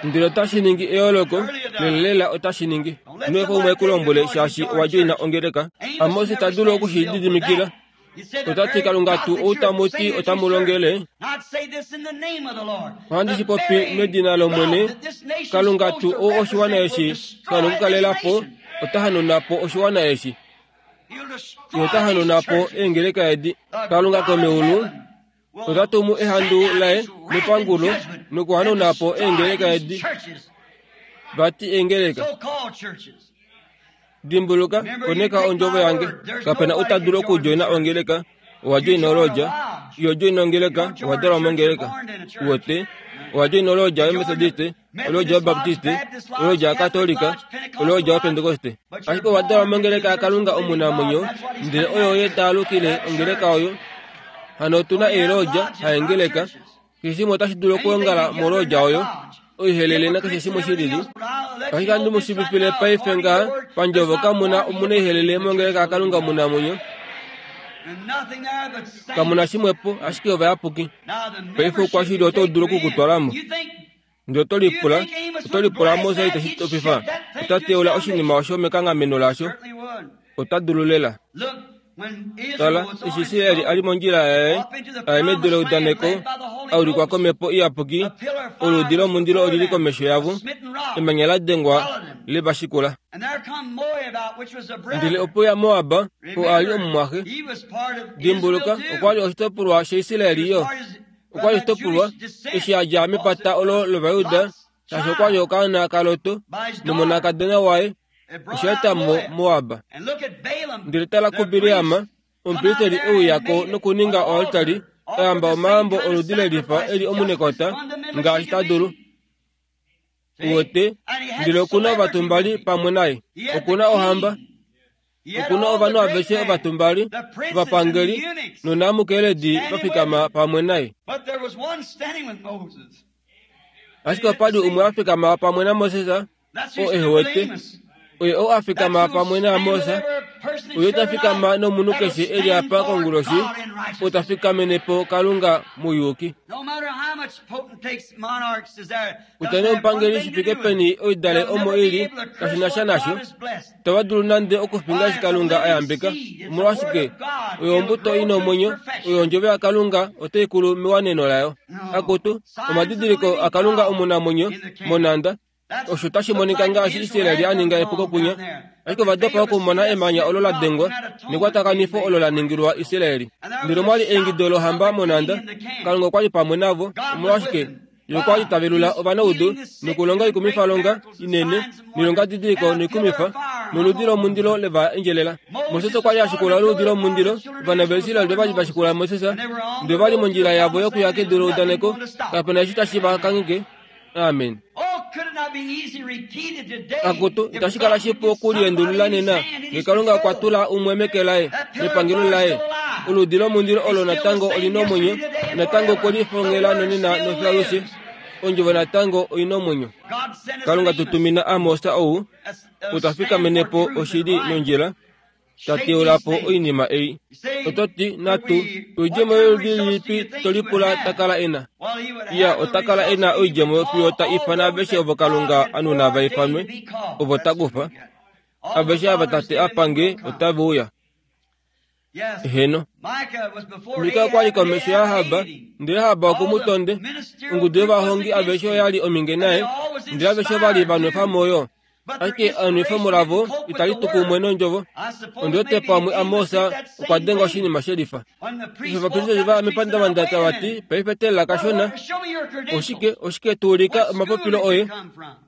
Ndele otashi ningi eyooloko, lelalela otashi ningi. Ino efa umwe e ku lombwele shaashi owa djoina ongeleka. Amos ita dulu oku shi lididimikila. Ota ti, Kalunga tuu ou tamu ti otamu longele, ohandi shi popi medina lOmwene, Kalunga tuu ou oshiwana eshi sha nokukalela po, ota hanauna po oshiwana eshi. Ye ota hanauna po eengeleka edi. Kalunga komeulu ota tumu ehandu laye nepangulo nokuhanauna po eengeleka edi. Vati eengeleka. Dimbuluka, koneka ondjovo yange. Kape na ou ta dulu okudjoina ongeleka. Owa djoina olodja. Iho djoina ongeleka, owa dalwa mongeleka. Uwete? Owa djoina olodja yOmetodiste, olodja yObaptiste, olodja yaKatolika, olodja yOpentekoste. Ashike owa dalwa mongeleka yaKalunga omunamwenyo, ndele oyo Ye ta alukile ongeleka oyo. Hano otu na eelodja, haengeleka. Keshe shimwe otashi dulu okwoongala molodja oyo, oihelele nakeshe shimwe shi lili. Ashike handi mu shivifile paife ngaha, pandjovo kamu na omunaihelele mongeleka yaKalunga omunamwenyo. Kamu na shimwepo, ashike ovayapuki. Paife oukwashili otau dulu oku ku twala mo. Ndele oto lipula, oto lipula Moses ite shi topifa? Ota teula oshinima osho mekanghameno lasho. Ota dulu lela. Tala, eshi Israel a li mondjila yaye, a ya medu leudaneko, a ulikwa komhepo iyapuki, oluudi lomundilo oli li komesho yavo, emanya la dengwa le va shikula. Ndele opo ya Moab, oo a li omumwaxe. Dimbuluka, okwa li oshitopolwa shaIsrael yo. Okwa li oshitopolwa eshi a dja mepata olo lOvajuda, shaashi okwa li okaana kaLot nomonakadona waye, osha eta mo Moab. Ndele tala kuBileam, omupristeli e uya ko nokuninga oaltari, a yamba omayambo oludi le lifa e li omunekota ngaashi ta dulu. Uwete, ndele oku na ovatumbali pamwe naye. Oku na ohamba. Oku na ovanhu aveshe ovatumbali, ovapangeli nonamukeledi va fikama pamwe naye. Ashike opa li umwe a fikama pamwe naMoses, oo ehe wete. Oye oo a fikama pamwe naAmos, oye ta fikama nomunhu keshe e li apa konguloshi, oo ta fikamene po Kalunga mouyuki. Kutya nee omupangeli shi fike peni oidale omo i li, kashi na sha nasho. Itava dulu nande okufinga eshi Kalunga a yambeka. Omolwashike? Oyo ombuto i na omwenyo, oyo ondjovo yaKalunga otai kulu mewaneno layo. Akutu, omadidiliko aKalunga omunamwenyo monhanda, Osho tashi monika ngaashi Israel a ninga epuko kunya, ashike ova dopa okumona emanya olo la dengwa nekwatakanifo olo la ningilwa Israel. Ndele omwa li eingido lohamba monhanda. Kalunga okwa li pamwe navo. Omolwashike? Ye okwa li ta velula ovanaudu nokulonga oikumifalonga inene noilongadidiliko noikumifa, noludi lomundilo le va endjelela. Moses okwa li a shikula oluudi lomundilo. Ovana vaIsrael ova li va shikula Moses, ndele ova li mondjila yavo yokuya kedu leudaneko. Kape na eshi tashi va kangheke. Amen. Akutu, itashi kala shipu okuliendulula nena, nge Kalunga okwa tula umwe meke laye, mepangelo laye. Oludi lomundilo olo natango oli na omwenyo, natango okwe lifongela nonena nofialushe. Ondjovo natango oi na omwenyo. Kalunga tu tumina Amos ou, ou ta fikamene po oshili nondjila, ta teula po oinima ei. Oto ti, Natu, oidjemo yoludi lilipi to lipula ta kala e na? Iya, ota kala e na oidjemo fiyo ta ifana aveshe ovo Kalunga a nuna va ifanwe, ovo ta kufa. Aveshe ava Tate a pa nge otave uya. Eheno. Mika okwa li komesho yaAhab, ndele Ahab oku mu tonde. Ongudu yovahongi aveshe oya li ominge naye, ndele aveshe ova li va nwefa mo yo. Ashike enwefemo lavo itali tu kumwe nondjovo. Ondi wete pamwe Amos okwa denga oshinima shelifa. Eshi ovapristeli va ya mepandavanda tava ti, Paife teelela kashona. Oshike, oshike tu ulika omapopilo oye?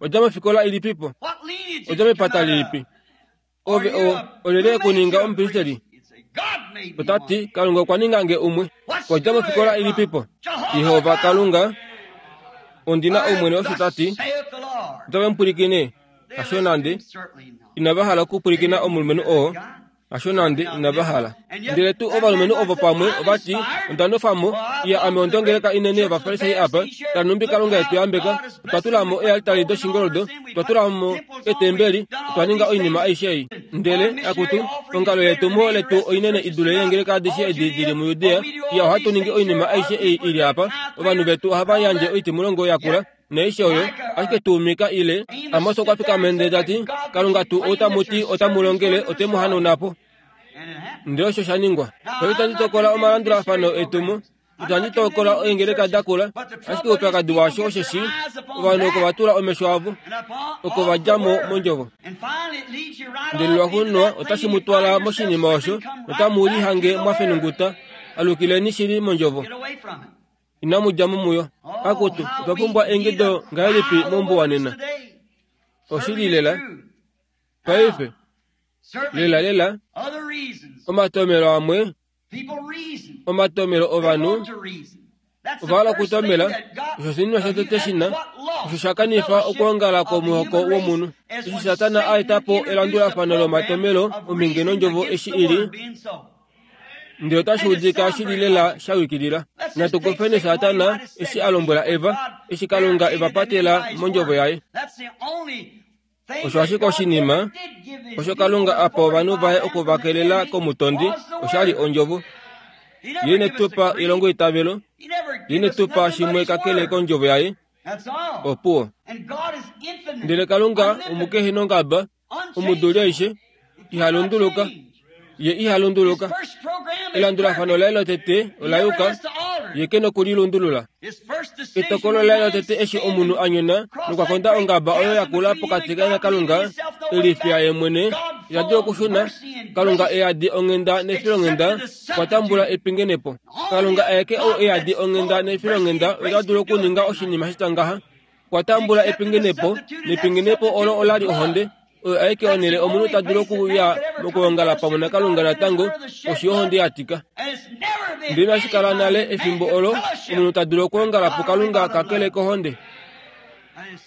Odja mofikola ilipipo? Odja mepata lilipi? Ove o, olyelye e ku ninga omupristeli? Ota ti, Kalunga okwa ninga nge umwe. Wa dja mofikola ilipipo? Jehova Kalunga. Ondi na Omwene osho ta ti. Otave mu pwilikine? Hasho nande. Inava hala okupwilikina omulumenhu oo. Hasho nande, inava hala. Ndele tuu ovalumenhu ovo pamwe ova ti, Onda nofa mo, iya ame ondongeleka inene yOvafarisai apa, tala nhumbi Kalunga e tu yambeka, otwa tula mo eealtari doshingoldo, otwa tula mo eetembeli, otwa ninga oinima aishe ei. Ndele, akutu, ongalo yetumo letu oinene i dule yeengeleka adishe edi di li muJudea, iya ohatu ningi oinima aishe ei i li apa, ovanhu vetu ohava yandje oitimulongo yakula, Naaishe oyo, ashike tuu Mika ile Amos okwa fikama ndele ta ti, Kalunga tuu ou tamu ti ota mu longele ote mu hanauna po. Ndele osho sha ningwa. Paife itandi tokola omalandulafano etumo, itandi tokola eengeleka da kula, ashike oupyakadi washo osheshi ovanhu oko va tula omesho avo, oko va dja mo mondjovo. Ndele lwaxuuninwa otashi mu twala moshinima osho notamu lihange mwa fenunguta, alukileni shili mondjovo. Inamu dja mo muyo. Akutu, otwa pumbwa eingido ngahelipi mombuwa nena? Oshili lela. Paife, lela lela, omatomelo amwe, omatomelo ovanhu, ova hala okutomela, osho oshinima shotete shi na, osho sha kanifa okwoongala kwomuhoko womunhu. Eshi Satana a eta po elandulafano lomatomelo omhinge nondjovo eshi i li, Ndele otashi udika shi li lela sha yukilila. Natu kufeni Satana eshi a lombwela Eva, eshi Kalunga e va patela mondjovo yaye. Osho ashike oshinima osho Kalunga a pa ovanhu vaye oku va kelela komutondi, osha li ondjovo. Ye ine tu pa elongoitavelo, Ye ine tu pa shimwe kakele kondjovo yaye. Opuwo. Ndele Kalunga omukehenongaba, omuduli aishe, iha lunduluka. Ye iha lunduluka. Elandulafano laye lotete ola yuka, ye ke noku li lundulula. Etokolo laye lotete eshi omunhu a nyona nokwa konda ongaba oyo ya kula pokati kaye naKalunga, e lifya ye mwene, ita dulu okushuna. Kalunga e yadi onghenda nefilonghenda, okwa tambula epingenepo. Kalunga aeke ou e yadi onghenda nefilonghenda ota dulu okuninga oshinima shitya ngaha. Okwa tambula epingenepo, nepingenepo olo ola li ohonde. Oyo aike onhele omunhu ta dulu okuya mokwoongala pamwe naKalunga natango, oshi yohonde ya tika. Ndele inashi kala nale efimbo olo omunhu ta dulu okwoongala puKalunga kakele kohonde.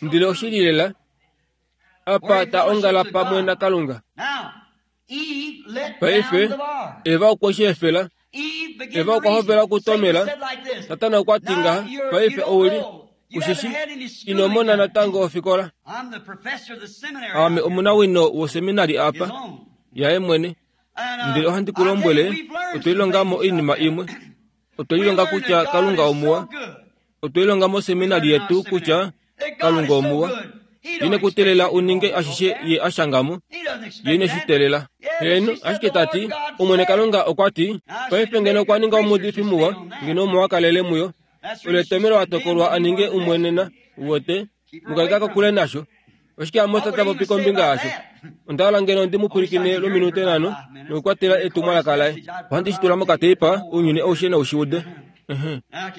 Ndele oshili lela, apa ta ongala pamwe naKalunga. Paife, Eva okwe shi efela. Eva okwa hovela okutomela. Satana okwa ti ngaha, Paife ou li, u shi shi, ino mona natango ofikola. Ame omunawino woseminari apa, yaye mwene. Ndele ohandi ku lombwele, otwe lilonga mo oinima imwe. Otwe lilonga kutya Kalunga omuwa. Otwe lilonga moseminari yetu kutya Kalunga omuwa. Ye ine ku teelela u ninge ashishe Ye a shanga mo. Ye ine shi teelela. Heeno, ashike ta ti, Omwene Kalunga okwa ti, paife ngeno okwa ninga omuudifi muwa, ngeno omo wa kalele muyo. Olo etomelo a tokolwa a ninge umwe nena. Uwete? Mu kaleka kokule nasho. Oshike Amos ta popi kombinga yasho? Onda hala ngeno ndi mu pwilikine lwominute nhano nokukwatela etumwalaka laye. Ohandi shi tula mokateipa, ounyuni aushe nau shi ude.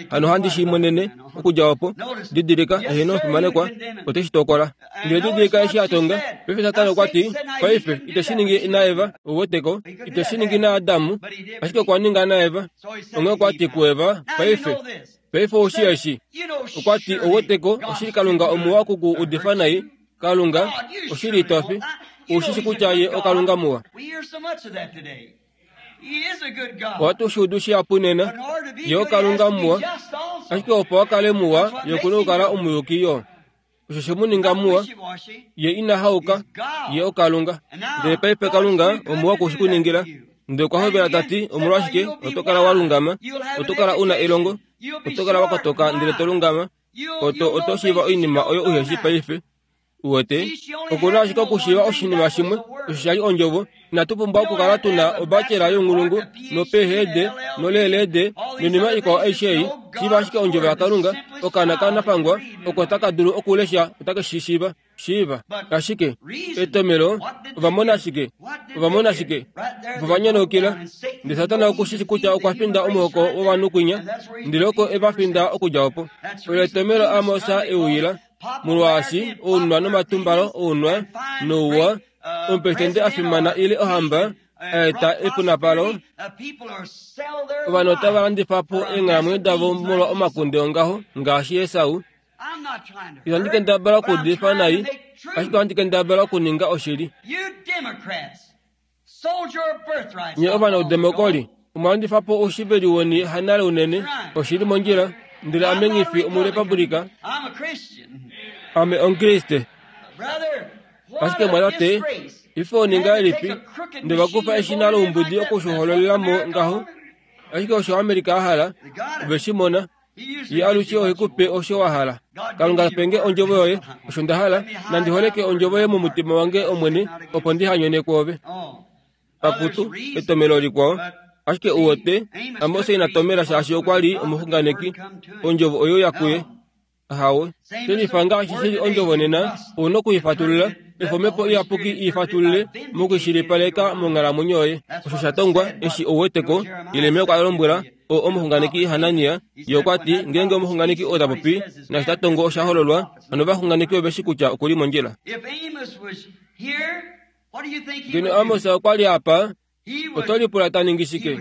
Hano ohandi shi monene okudja opo. Didilika, eheno, fimanekwa, ote shi tokola. Ndele didilika eshi a tonga. Paife Satana okwa ti, Paife, ite shi ningi naEva, ou weteko. Ite shi ningi naAdam, ashike okwa ninga naEva. Onghee okwa ti kuEva, Paife, Paife ou shii eshi? Okwa ti, Ou weteko, oshili Kalunga omuwa oku ku udifa nai. Kalunga, oshili ito fi. Ou shi shi kutya Ye oKalunga muwa. Ohatu shi udu shihapu nena. Ye oKalunga muwa. Ashike opo a kale muwa, Ye oku na okukala omuyuki yo. Osho she mu ninga muwa. Ye ina hauka. Ye oKalunga. Ndele paife Kalunga omuwa oku shi ku ningila. Ndele okwa hovela ta ti, Omolwashike, oto kala wa lungama, oto kala u na elongo, oto kala wa kotoka ndele to lungama, oto, oto shiiva oinima oyo uhe shii paife. Uwete, oku na ashike okushiiva oshinima shimwe, osho sha li Ondjovo. Inatu pumbwa okukala tu na obacela younghulungu, noPhD, noLLD, Noinima ikwao aishe ei, shiiva ashike ondjovo yaKalunga, okaana ka nafangwa oko taka dulu okulesha otake shi shiiva. Shiiva. Ashike, etomelo, ova mona shike? Ova mona shike? Opo va nyonaukila. Ndele Satana oku shi kutya okwa finda omuhoko wovanhu kwinya, ndele oko e va finda okudja opo. Olo etomelo Amos e uyila, molwaashi ounwa nomatumbalo ounwa nouwa, omupresidente a fimana ile ohamba, a eta epunapalo, ovanhu otava landifa po eenghalamwenyo davo molwa omakunde ongaho, ngaashi Esau. Ihandi kendabala okuudifa nai, ashike ohandi kendabala okuninga oshili. Nye ovanaudemokoli, omwa landifa po oushiveli weni hanale unene, oshili mondjila, ndele ame nghi fi Omurepublika. Ame Omukriste. Ashike mwatate, ife oninga elipi, nde va kufa eshina loumbudi oku shi hololela mo ngaho? Ashike osho America a hala, ove shi mona. Ye alushe ohe ku pe osho wa hala. Kalunga pe nge ondjovo yoye, osho nda hala, nandi holeke ondjovo yoye momutima wange Omwene, opo ndi ha nyone kwoove. Akutu, etomelo likwao. Ashike u wete, Amos ina tomela shaashi okwa li omuxunganeki, ondjovo oyo ya kuye. Ahawe. Shelifa ngaashi shi li ondjovo nena, ou na oku i fatulula, efa Omhepo Iyapuki i fatulule mokushilipaleka monghalamwenyo yoye. Osho sha tongwa, eshi ou wete ko, Jeremia okwa lombwela o, omuxunganeki Hanania, ye okwa ti, ngeenge omuxunganeki oo ta popi, naashi ta tongo osha hololwa, hano ovaxunganeki ove shi kutya oku li mondjila. Ngeno Amos okwa li apa, oto lipula ta ningi shike?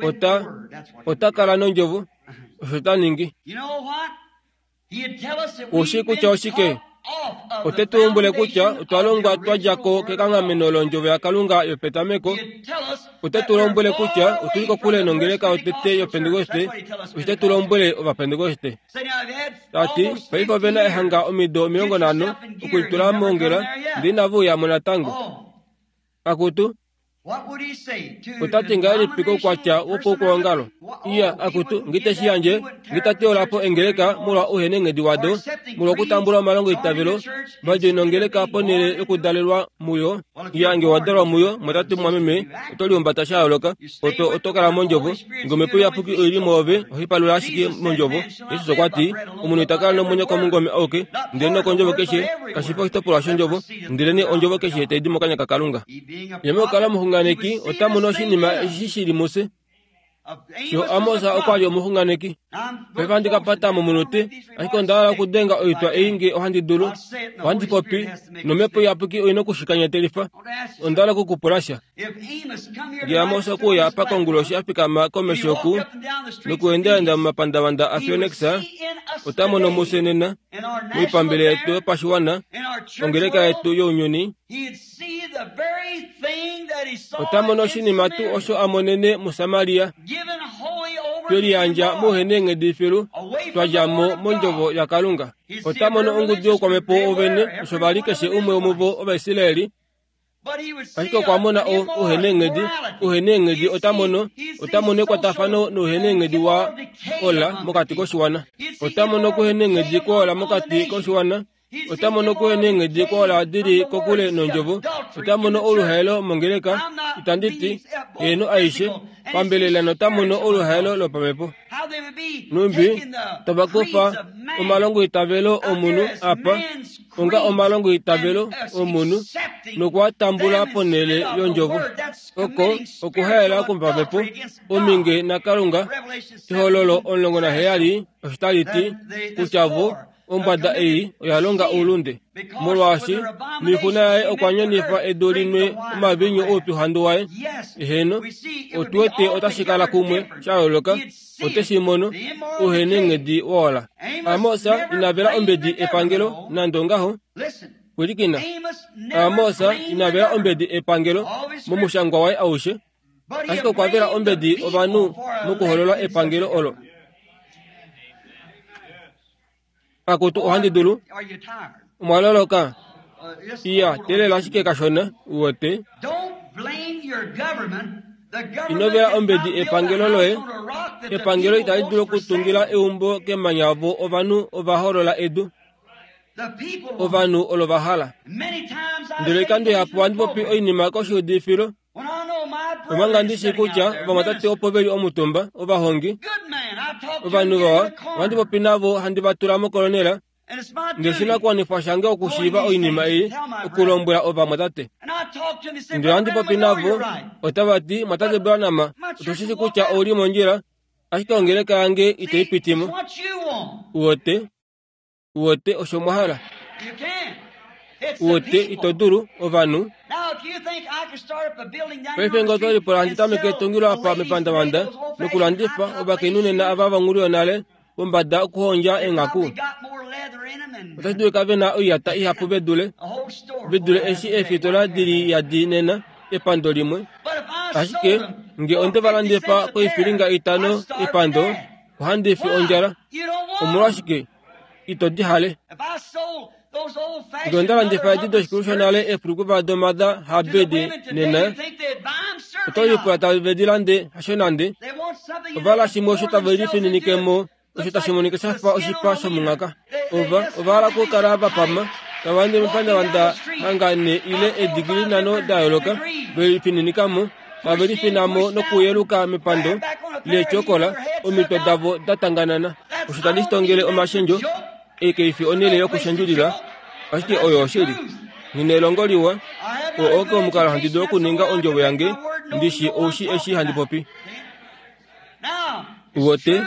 Ota, ota kala nondjovo. Osho ta ningi. Ushi kutya oshike? Ote tu lombwele kutya otwa longwa twa dja ko kekanghameno londjovo yaKalunga yopetameko. Ote tu lombwele kutya otu li kokule nongeleka yotete yOpentekoste. Osho te tu lombwele Ovapentekoste. Ta ti, paife ove na ehanga omido 50 okulitula mongela, ndele inave uya mo natango. Akutu, ota ti ngahelipi koukwatya wopoukwaongalo? Iya, akutu, ngite shi yandje, ngita teola po engeleka molwa ouhenenghedi wado, molwa okutambula omalongo eitavelo, va djoina ongeleka ponhele yokudalelwa muyo. Iya, nge wa dalwa muyo, mwatate mumwameme, oto lihumbata sha yooloka. Oto, oto kala mondjovo. Nge Omhepo Iyapuki oi li mwoove, ohai palula ashike mondjovo. Jesus okwa ti, Omunhu ita kala nomwenyo komungome auke, ndele nokondjovo keshe, kashi fi oshitopolwa shondjovo, ndelenee ondjovo keshe tai di mokanya kaKalunga. Ye mokukala omuxunganeki ota mono oshinima eshi shi li mufye. Sho Amos okwa li omuxunganeki. Paife ohandi ka pata momunute, ashike onda hala okudenga oitwa ei nge ohandi dulu. Ohandi popi, nOmhepo Iyapuki oi nokushikanyatelifa. Onda hala oku ku pula sha. Nge Amos okwe uya apa konguloshi a fikama komesho oku, nokuendaenda momapandavanda aPhoenix, ota mono mufye nena, moipambele yetu yopashiwana, ongeleka yetu younyuni, ota mono oshinima tuu osho a monene muSamaria, twe liyandja mouheneenghedi filu, twa dja mo mondjovo yaKalunga. Ota mono ongudu youkwamhepo wovene, osho va li keshe umwe womuvo Ovaisraeli, Ashike okwa mona ouheneenghedi, ouheneenghedi ota mono, ota mono ekwatafano nouheneenghedi wa ola mokati koshiwana. Ota mono okuheneenghedi kwola mokati koshiwana. Ota mono okuheneenghedi kwola di li kokule nondjovo. Ota mono oluhaelo mongeleka, itandi ti, heeno aishe, pambelela nota mono oluhaelo lopamhepo. Numbi tava kufa omalongoitavelo omunhu apa onga omalongoitavelo omunhu noku a tambula ponhele yondjovo. Oko okuhaela kwopamhepo, ominge naKalunga. Ehololo 17 osho tali ti kutya vo Ombwada ei oya longa oulunde, molwaashi noixuna yaye okwa nyonifa edu li nwe omaviinyu oupyuhandu waye. Eheno, otu wete otashi kala kumwe sha yooloka, ote shi mono, ouhenenghedi wola. Amos ina vela ombedi epangelo nande ongaho. Pwilikina, Amos ina vela ombedi epangelo momushangwa waye aushe, ashike okwa vela ombedi ovanhu mokuholola epangelo olo. Akutu ohandi dulu. Omwa loloka? Iya, teelela ashike kashona, uwete. Ino vela ombedi epangelo loye. Epangelo itali dulu okutungila eumbo kemanya vo ovanhu ova holola edu. Ovanhu olo va hala. Ndele oikando ihapu ohandi popi oinima koshiudifilo. Omanga ndi shii kutya ovamwatate opo ve li omutumba, ovahongi, ovanhu vawa, ohandi popi navo handi va tula mokolonela, ndele oshinakuwanifwa shange okushiiva oinima ei, okulombwela ovamwatate. Ndele ohandi popi navo, otava ti, Mwatate Branham, otu shi shii kutya ou li mondjila, ashike ongeleka yange itai piti mo. Uwete? Uwete osho mwa hala? Uwete, ito dulu, ovanhu. Paife nge oto lipula handi tameke etungilo apa mepandavanda nokulandifa ovakainhu nena ava vonghulu yonale pombada okuhondja eenghaku, otashi dulika ve na oiyata ihapu ve dule, ve dule eshi eefitola di li yadi nena, epando limwe. Ashike nge onde va landifa koifilinga itano epando, ohandi fi ondjala. Omolwashike ito di hale? Nge onda landifa edi doshikulu shonale eefulukuva domada habedi nena, oto lipula tave di lande? Hasho nande. Ova hala shimwe osho tave lifininike mo osho tashi monika sha fa oshipa shomunghaka. Ova ova hala okukala va pama, tava ende mepandavanda hanga ne ile eedigili nhano da yooloka, ve lifininika mo. Tave lifina mo nokuyeluka mepando leetyokola, omitwe davo da tanganana. Osho tandi shi tongele omashendjo, ei kai fi onhele yokushendjulila, ashike oyo oshili. Nghi na elongo liwa, oo oo omukalo handi dulu okuninga ondjovo yange ndi shi oushi eshi handi popi. Uwete?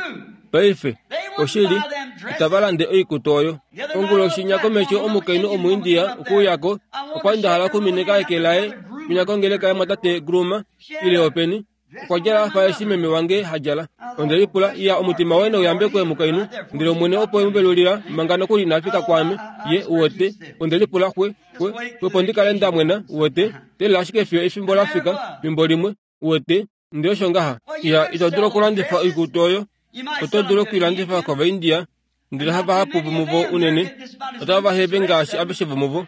Paife, oshili, itava lande oikutu oyo. Onguloshi nya komesho omukainhu Omuindia okwe uya ko, okwa li nda hala okuminika eke laye kwinya kongeleka yamwatate Groomer, ile openi. Okwa djala a fa eshi meme wange ha djala. Onde lipula, Iya, omutima woye nau yambekwe, mukainhu. Ndele Omwene opo e mu velulila, manga nokuli ina fika kwaame. Ye, uwete. Onde lipula, Xwe, xwe, xwepo ndi kale nda mwena, uwete. Teelela ashike fiyo efimbo la fika, fimbo limwe, uwete. Ndele osho ngaha, iya, ito dulu okulandifa oikutu oyo. Oto dulu oku i landifa kOvaindia, ndele havahapu vomuvo unene otava va heve ngaashi aveshe vomuvo.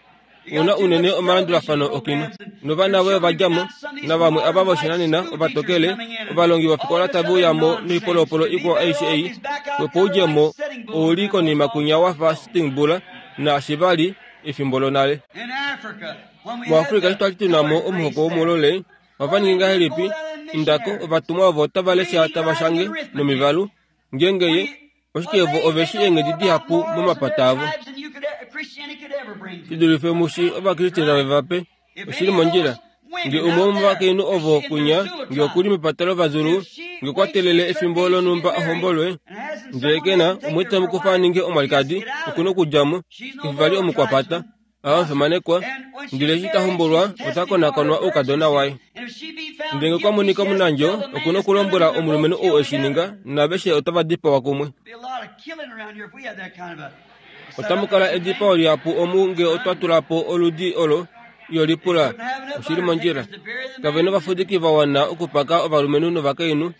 Ou na unene omalandulafano okino. Novana voye ova dja mo, navamwe ava voshinanena, ovatokele, ovalongi vofikola tave uya mo noipolopolo ikwao aishe ei. Opo u dje mo, ou li konima kwinya wa fa Sitting Bull naashi va li efimbo lonale. MuAfrika eshi twa li tu na mo omuhoko womulole, Ova ningi ngahelipi? Indako, ovatumwa ovo otava lesha tava shange nomivalu. Ngeenge ye, oshike vo ove shi eenghedi dihapu momapata avo. Shi dulife mushi Ovakriste tave va pe. Oshi li mondjila. Nge umwe womovakainhu ovo kwinya, nge oku li mepata lOvazulu, nge okwa teelele efimbo lonhumba a hombolwe, ndele ke na umwe te mu kufa a ninge omwalikadi, oku na okudja mo. Ke fi vali omukwapata. A omufimanekwa, ndele eshi ta hombolwa ota konakonwa oukadona waye. Ndele ngee kwa monika omunandjo, oku na okulombwela omulumenhu ou e shi ninga, naaveshe otava dipawa kumwe. Otamu kala edipao lihapu omu ngee otwa tula po oludi olo, iyo lipula. Oshi li mondjila. Kave na ovafudiki va wana okupaka ovalumenhu novakainhu.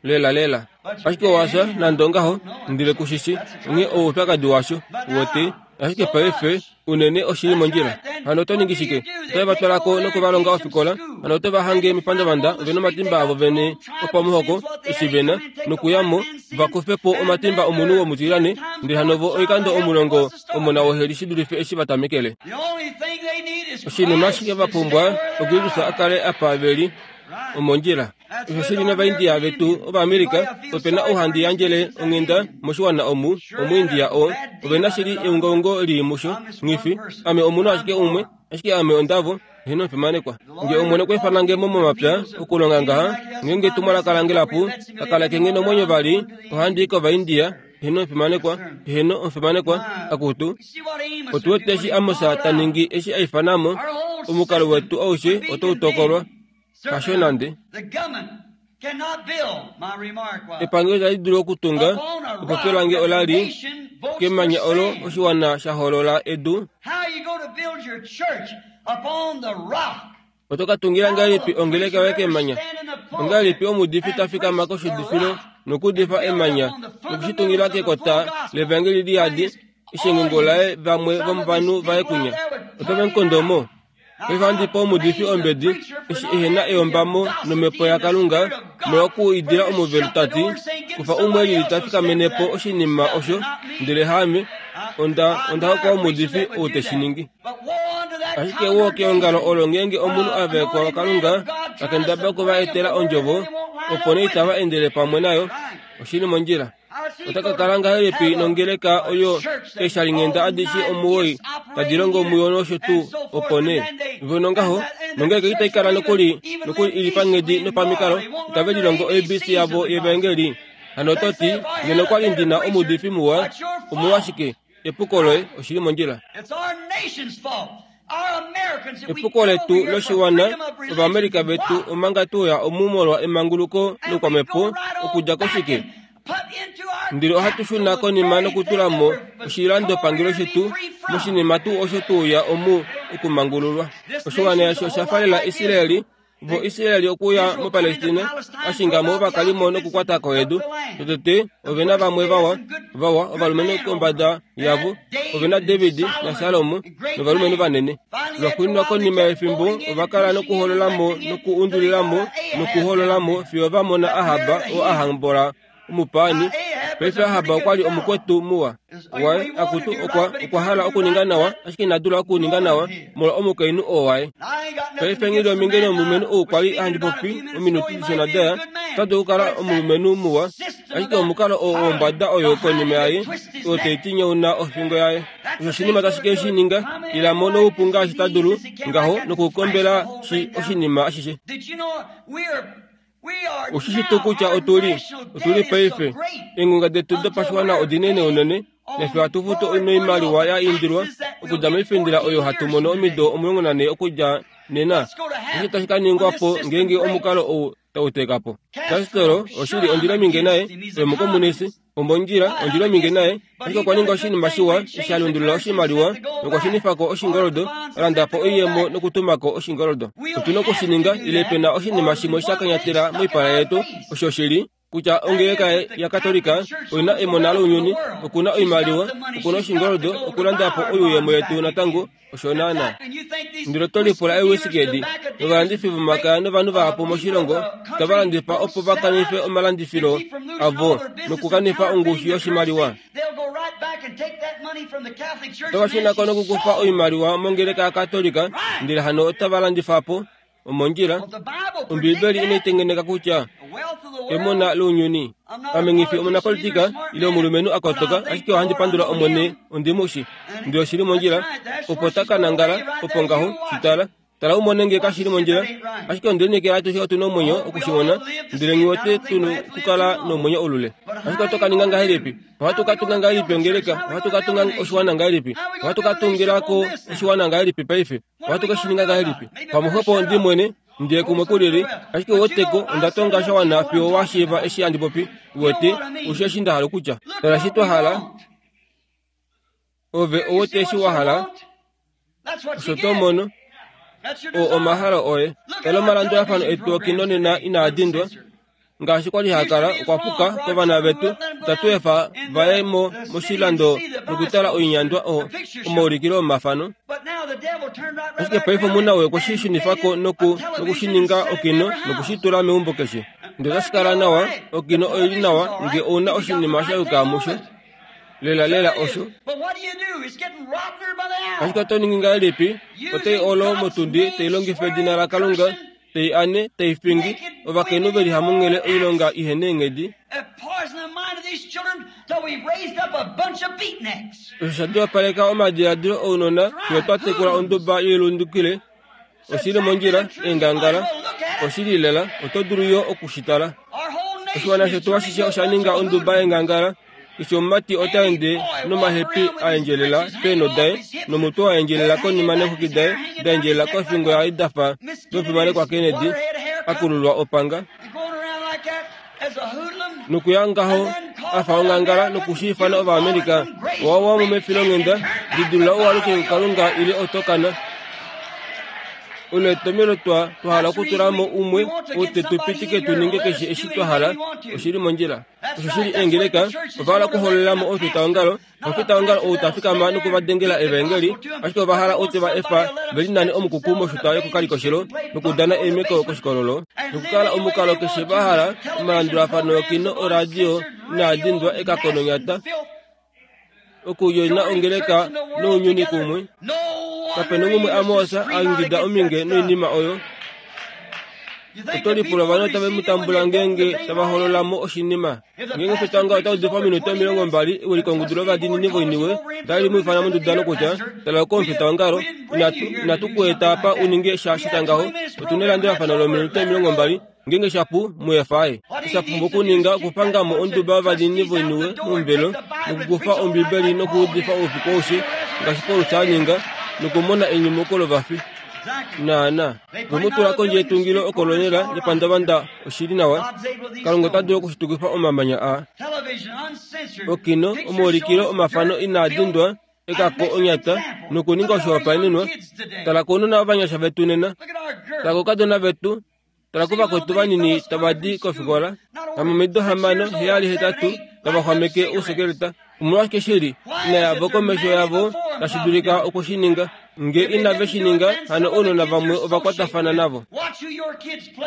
Lelalela. Ashike owa fya, nande ongaho, ndele ku shi shi. Onghee owo oupyakadi washo, uwete. Ashike paife, unene oshi li mondjila. Hano oto ningi shike? Otave va twala ko noku va longa ofikola. Hano oto va hange mepandavanda, ove nomatimba avo vene opamuhoko, eshi ve na, nokuya mo, va kufe po omatimba omunhu womutilyane, ndele hano vo oikando omulongo omona woheli shi dulife eshi va tamekele. Oshinima ashike va pumbwa, oKristus a kale apa ve li. Omondjila. Osho shi li nOvaindia vetu Ovaamerica, ope na ou handi yandjele onghenda moshiwana omu, Omuindia oo. Ove na shili eungaungo lii musho, nghi fi. Ame omunhu ashike umwe, ashike ame ondavo, heeno omufimanekwa. Nge Omwene okwa ifana nge mo momapya, okulonga ngaha, ngeenge etumwalaka lange lapu, ka kaleke nge nomwenyo vali, ohandi i kOvaindia, heeno omufimanekwa, heeno omufimanekwa, akutu. Otu wete eshi Amos ta ningi eshi a ifana mo, omukalo wetu aushe otau tokolwa. Hasho nande. Epangelo itali dulu okutunga epopyo lange ola li kemanya olo oshiwana sha hoolola edu. Oto ka tungila ngahelipi ongeleka yoye kemanya? Ongahelipi omuudifi ta fikama koshiudifilo nokuudifa emanya noku shi tungila kekota levangeli liyadi eshengengo laye vamwe vomovanhu vaye kunya? Otave mu kondo mo. Paife ohandi pe omuudifi ombedi eshi ehe na eyombamo nomhepo yaKalunga molwokuidila omuvelo ta ti, Kufa umwe e lili ta fikamene po oshinima osho, ndele haame. Onda, onda hokwa omuudifi ou te shi ningi. Ashike woo keongalo olo ngeenge omunhu a vaekwa waKalunga Ta kendabala oku va etela Ondjovo, opo nee itava endele pamwe nayo. Oshi li mondjila. Ota ka kala ngahelipi nongeleka oyo eeshalinghenda adishe omuwoi tadi longo muyo nosho tuu, opo nee vo nongaho, nongeleka itai kala nokuli, nokuli i li panghedi nopamikalo, itave lilongo ABC yavo yEvaengeli. Hano oto ti, Ngeno okwa li ndi na omuudifi muwa, omolwashike, epuko loye, oshi li mondjila. Epuko letu loshiwana, Ovaamerica vetu, omanga tu ya omu molwa emanguluko loukwamhepo, okudja koshike? Ndele ohatu shuna konima nokutula mo oshilandopangelo shetu moshinima tuu osho tu ya omu okumangululwa. Oshiwana eshi osha falela Israel Vo Israeli okuya muPalestina, a shinga mo ovakalimo nokukwata ko edu. Totete, ove na vamwe vawa, vawa ovalumenhu kombada yavo. Ove na David naSalomo novalumenhu vanene. Lwaxuuninwa konima yefimbo, ova kala nokuholola mo nokuundulila mo nokuholola mo fiyo va mona Ahab oo a hambola omupaani. Paife Ahab okwa li omukwetu muwa waye, akutu okwa, okwa hala okuninga nawa, ashike ina dula okuninga nawa molwa omukainhu oo waye. Paife nghi li ominge nomulumenhu ou kwa li handi popi ominute dishona daya, ota dulu okukala omulumenhu muwa, ashike omukalo oo wombada oyo konima yaye, oyo tai tinyauna ofingo yaye. Osho oshinima tashi ke shi ninga, ila mo noupu ngaashi ta dulu, ngaho, nokukombela shi oshinima ashishe. Oshi shi tuu kutya otu li, otu li paife, eengunga detu dopashiwana odinene unene, nafye ohatu futu noimaliwa ya indilwa okudja moifendela oyo hatu mono omido 14 okudja nena. Oshike tashi ka ningwa po ngeenge omukalo ou tau teka po? Castro, oshili, ondi li ominge naye, oye omukomunisi. Omondjila, ondjila ominge naye, ashike okwa ninga oshinima shiwa eshi a lundulula oshimaliwa nokwa shunifa ko oshingoldo, a landa po oiyemo nokutuma ko oshingoldo. Otu na oku shi ninga ile pe na oshinima shimwe sha kanyatela moipala yetu, osho shi li kutya ongeleka yaKatolika oi na emona lounyuni, oku na oimaliwa, oku na oshingoldo okulanda po oiyemo yetu natango. Osho naanaa. Ndele oto lipula eewisiki edi novalandifi vomakaya novanhu vahapu moshilongo tava landifa opo va kanife omalandifilo avo nokukanifa ongushu yoshimaliwa. Otava shuna ko nokukufa oimaliwa mongeleka yaKatolika ndele hano otava landifa po Omondjila, Ombiibeli inai tengeneka kutya emona lounyuni. Ame nghi fi omunapolitika ile omulumenhu a kotoka, ashike ohandi pandula Omwene ondi mu shi. Ndele oshi li mondjila, opo ta ka nangala, opo ngaho, shi tala. Tala u mone nge kashi li mondjila. Ashike onde lineekela atushe otu na omwenyo oku shi mona, ndele nghi wete tu na okukala nomwenyo ulule. Ashike oto ka ninga ngahelipi? Ohatu ka tunga ngahelipi ongeleka? Ohatu ka tunga oshiwana ngahelipi? Ohatu ka tungila ko oshiwana ngahelipi paife? Ohatu ke shi ninga ngahelipi? Pamwe xwepo ndi mwene, ndiye kumwe ku lili, ashike weteko onda tonga sha wana fiyo wa shiiva eshi handi popi. Uwete, ushe eshi nda hala okutya. Tala eshi twa hala. Ove ouwete eshi wa hala, osho to mono. Oo omahalo oye. Tala omalandulafano etu okino nena inaa dindwa. Ngaashi kwa li ha kala, okwa puka kovana vetu. Itatu efa va ye mo moshilando nokutala oinyandwa o, omaulikilo omafano. Ashike paife omuna oye okwe shi shunifa ko noku, noku shi ninga okino noku shi tula meumbo keshe. Ndele otashi kala nawa, okino oi li nawa nge ou na oshinima sha yuka musho. Lela lela osho. Ashike oto ningi ngahelipi? Otai olo motundi tai longifa edina laKalunga tai ane, tai fingi, ovakainhu ve li hamunghele oilonga ihe neenghedi. Osho sha dwapaleka omadiladilo ounona fiyo twa tekula onduba yoilundukile. Oshi li mondjila, eengangala. Oshi li lela, oto dulu yo oku shi tala. Oshiwana shetu ashishe osha ninga onduba yeengangala. Keshe omumati ota ende nomahepi a endjelela peenho daye, nomutwe wa endjelela konima neexwiki daye da endjelela kofingo yaye da fa domufimanekwa Kennedy a kululwa opanga, nokuya ngaho a fa ongangala noku shi ifana Ovaamerica. Owa wa mo mefilonghenda, lidilula u aluke kuKalunga ile oto kana. Olo etomhelo twa twa hala okutula mo umwe oo te tu pitike tu ninge keshe eshi twa hala. Oshi li mondjila. Osho shi li eengeleka, ova hala okuhololela mo omufitaongalo, omufitaongalo ou ta fikama noku va dengela evaengeli, ashike ova hala ou te va efa ve linane omukuku moshuta yokokalikoshelo nokudana eemeko koshikololo, nokukala omukalo keshe va hala, omalandulafano okino oradio inaa dindwa ekako nonyata, okudjoina ongeleka nounyuni kumwe. Kape na umwe Amos a ingida ominge noinima oyo. Oto lipula ovanhu otave mu tambula ngeenge tava holola mo oshinima. Ngeenge omufetanga ota udifa ominute 20 ewilikongudu lovadiinini voiniwe otali mu ifana monduda nokutya, Tala oko omufitaongalo, inatu, inatu ku eta apa u ninge sha shita ngaho. Otu nelandulafano lominute 20. Ngeenge sha pu, mu efa aye. Osha pumbwa okuninga okupanga mo onduba yovadiinini voiniwe momuvelo nokukufa Ombibeli nokuudifa oufiku aushe ngaashi Paulus a ninga nokumona enyumuko lovafi. Naana. Ve mu tula kondje yetungilo okolonela lepandavanda oshi li nawa. Kalunga ota dulu okushitukifa omamanya aa. Okino, omaulikilo omafano inaa dindwa, ekako onyata nokuninga oshihopaenenwa. Tala kounona ovanyasha vetu nena. Tala koukadona vetu. Tala kovakwetu vanini tava di kofikola, hamomido 6, 7, 8, tava xwameke ousekeleta. Omolwashike shi li ina yavo komesho yavo tashi dulika oku shi ninga? Nge inave shi ninga, hano ounona vamwe ova kwatafana navo.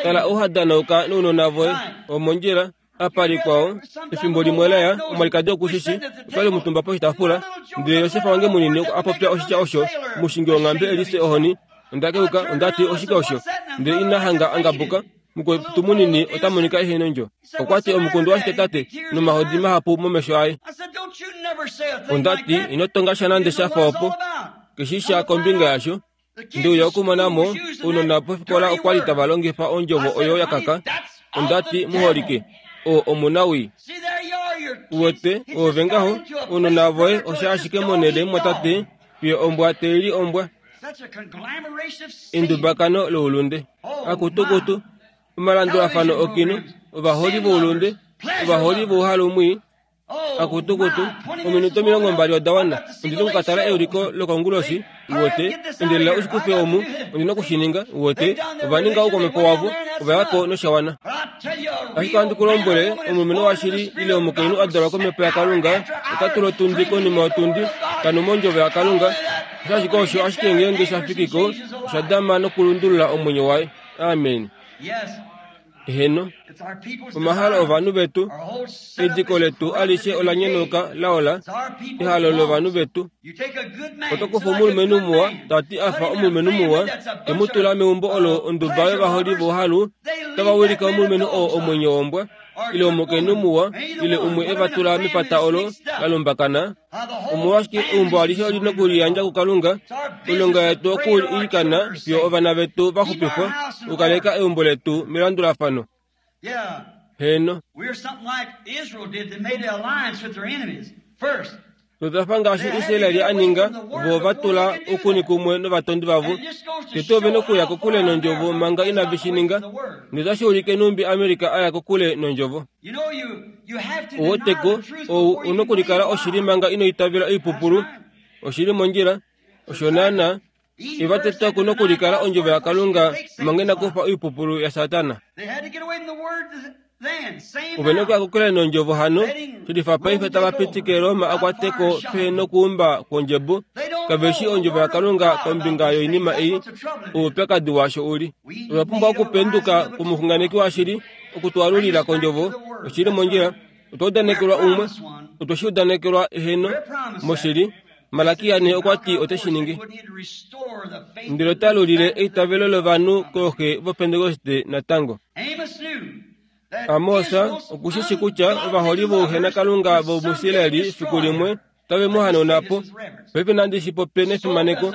Tala ou ha danauka nounona voye. Omondjila. Apa likwao, efimbo limwe la ya, omwalikadi oku shi shi, otwa li omutumba poshitaafula, ndele Josefa wange munini a popya oshitya osho, omushingi wonghambe e lise ohoni. Onda keuka, onda ti, Oshike osho? Ndele ina hanga a ngabuka. Mukwetu munini ota monika ehe nondjo. Okwa ti, Omukundu washike tate, nomahodi mahapu momesho aye. Onda ti, Ino tonga sha nande sha fa opo. Ke shii sha kombinga yasho. Nde uya okumona mo, ounona pofikola okwa li tava longifa ondjovo oyo ya kaka. Onda ti, Muholike, oo omunawii. Uwete, oove ngaho, ounona voye osha ashike monhele mumwatate, fiyo ombwa tai li ombwa. Endubakano loulunde. Akutukutu, omalandulafano okino, ovaholi voulunde, ovaholi vouhalu mwii, Akutukutu, ominute 20 oda wana. Ondi noku ka tala euliko lokonguloshi, uwete. Endelela u shi kufe omu. Ondi noku shi ninga, uwete. Ova ninga oukwamhepo wavo, ova ya ko nosha wana. Ashike ohandi ku lombwele, omulumenhu washili ile omukainhu a dalwa komhepo yaKalunga ota tula otundi konima yotundi, ta nu mondjovo yaKalunga. Osho ashike osho, ashike ngeenge sha fiki ko, osha dama nokulundulula omwenyo waye. Amen. Eheno, omahalo ovanhu vetu, ediko letu alishe ola nyenuka la ola, ehalo lovanhu vetu. Oto kufa omulumenhu muwa, ta ti a fa omulumenhu muwa, te mu tula meumbo olo onduba yovaholi vouhalu, otava wilike omulumenhu oo omwenyo wombwa, ile omukainhu muwa, ile umwe e va tula mepata olo la lumbakana, Omolwashike eumbo alishe oli nokuliyandja kuKalunga? Oilonga yetu okuilikana fiyo ovana vetu va xupifwa, okukaleka eumbo letu melandulafano. Heeno. Otwa fa ngaashi Israel a ninga, vo va tula oukuni kumwe novatondi vavo. Tete ove nokuya kokule nondjovo manga inave shi ninga. Notashi ulike nhumbi America a ya kokule nondjovo. Uweteko, ou u nokulikala oshili manga ino itavela oipupulu. Oshi li mondjila. Osho naanaa. Eva tete oku nokulikala ondjovo yaKalunga manga ina kufa oipupulu yaSatana. Ove nokuya kokule nondjovo hano, shilifa paife tava pitike Roma a kwate ko pehe nokuumba kwondjebo. Kave shii ondjovo yaKalunga kombinga yoinima ei, oupyakadi washo u li. Otwa pumbwa okupenduka kwomuxunganeki washili okutwalulila kondjovo oshili mondjila. Otwa udanekelwa umwe, otwe shi udanekelwa eheno moshili. Malakia ne okwa ti ote shi ningi. Ndele ota lulile eitavelo lovanhu kooxe voPentekoste natango. Amos oku shi shi kutya ovaholi vouhenakalunga vomuIsraeli fiku limwe otave mu hanauna po. Paife nandi shi popye nefimaneko.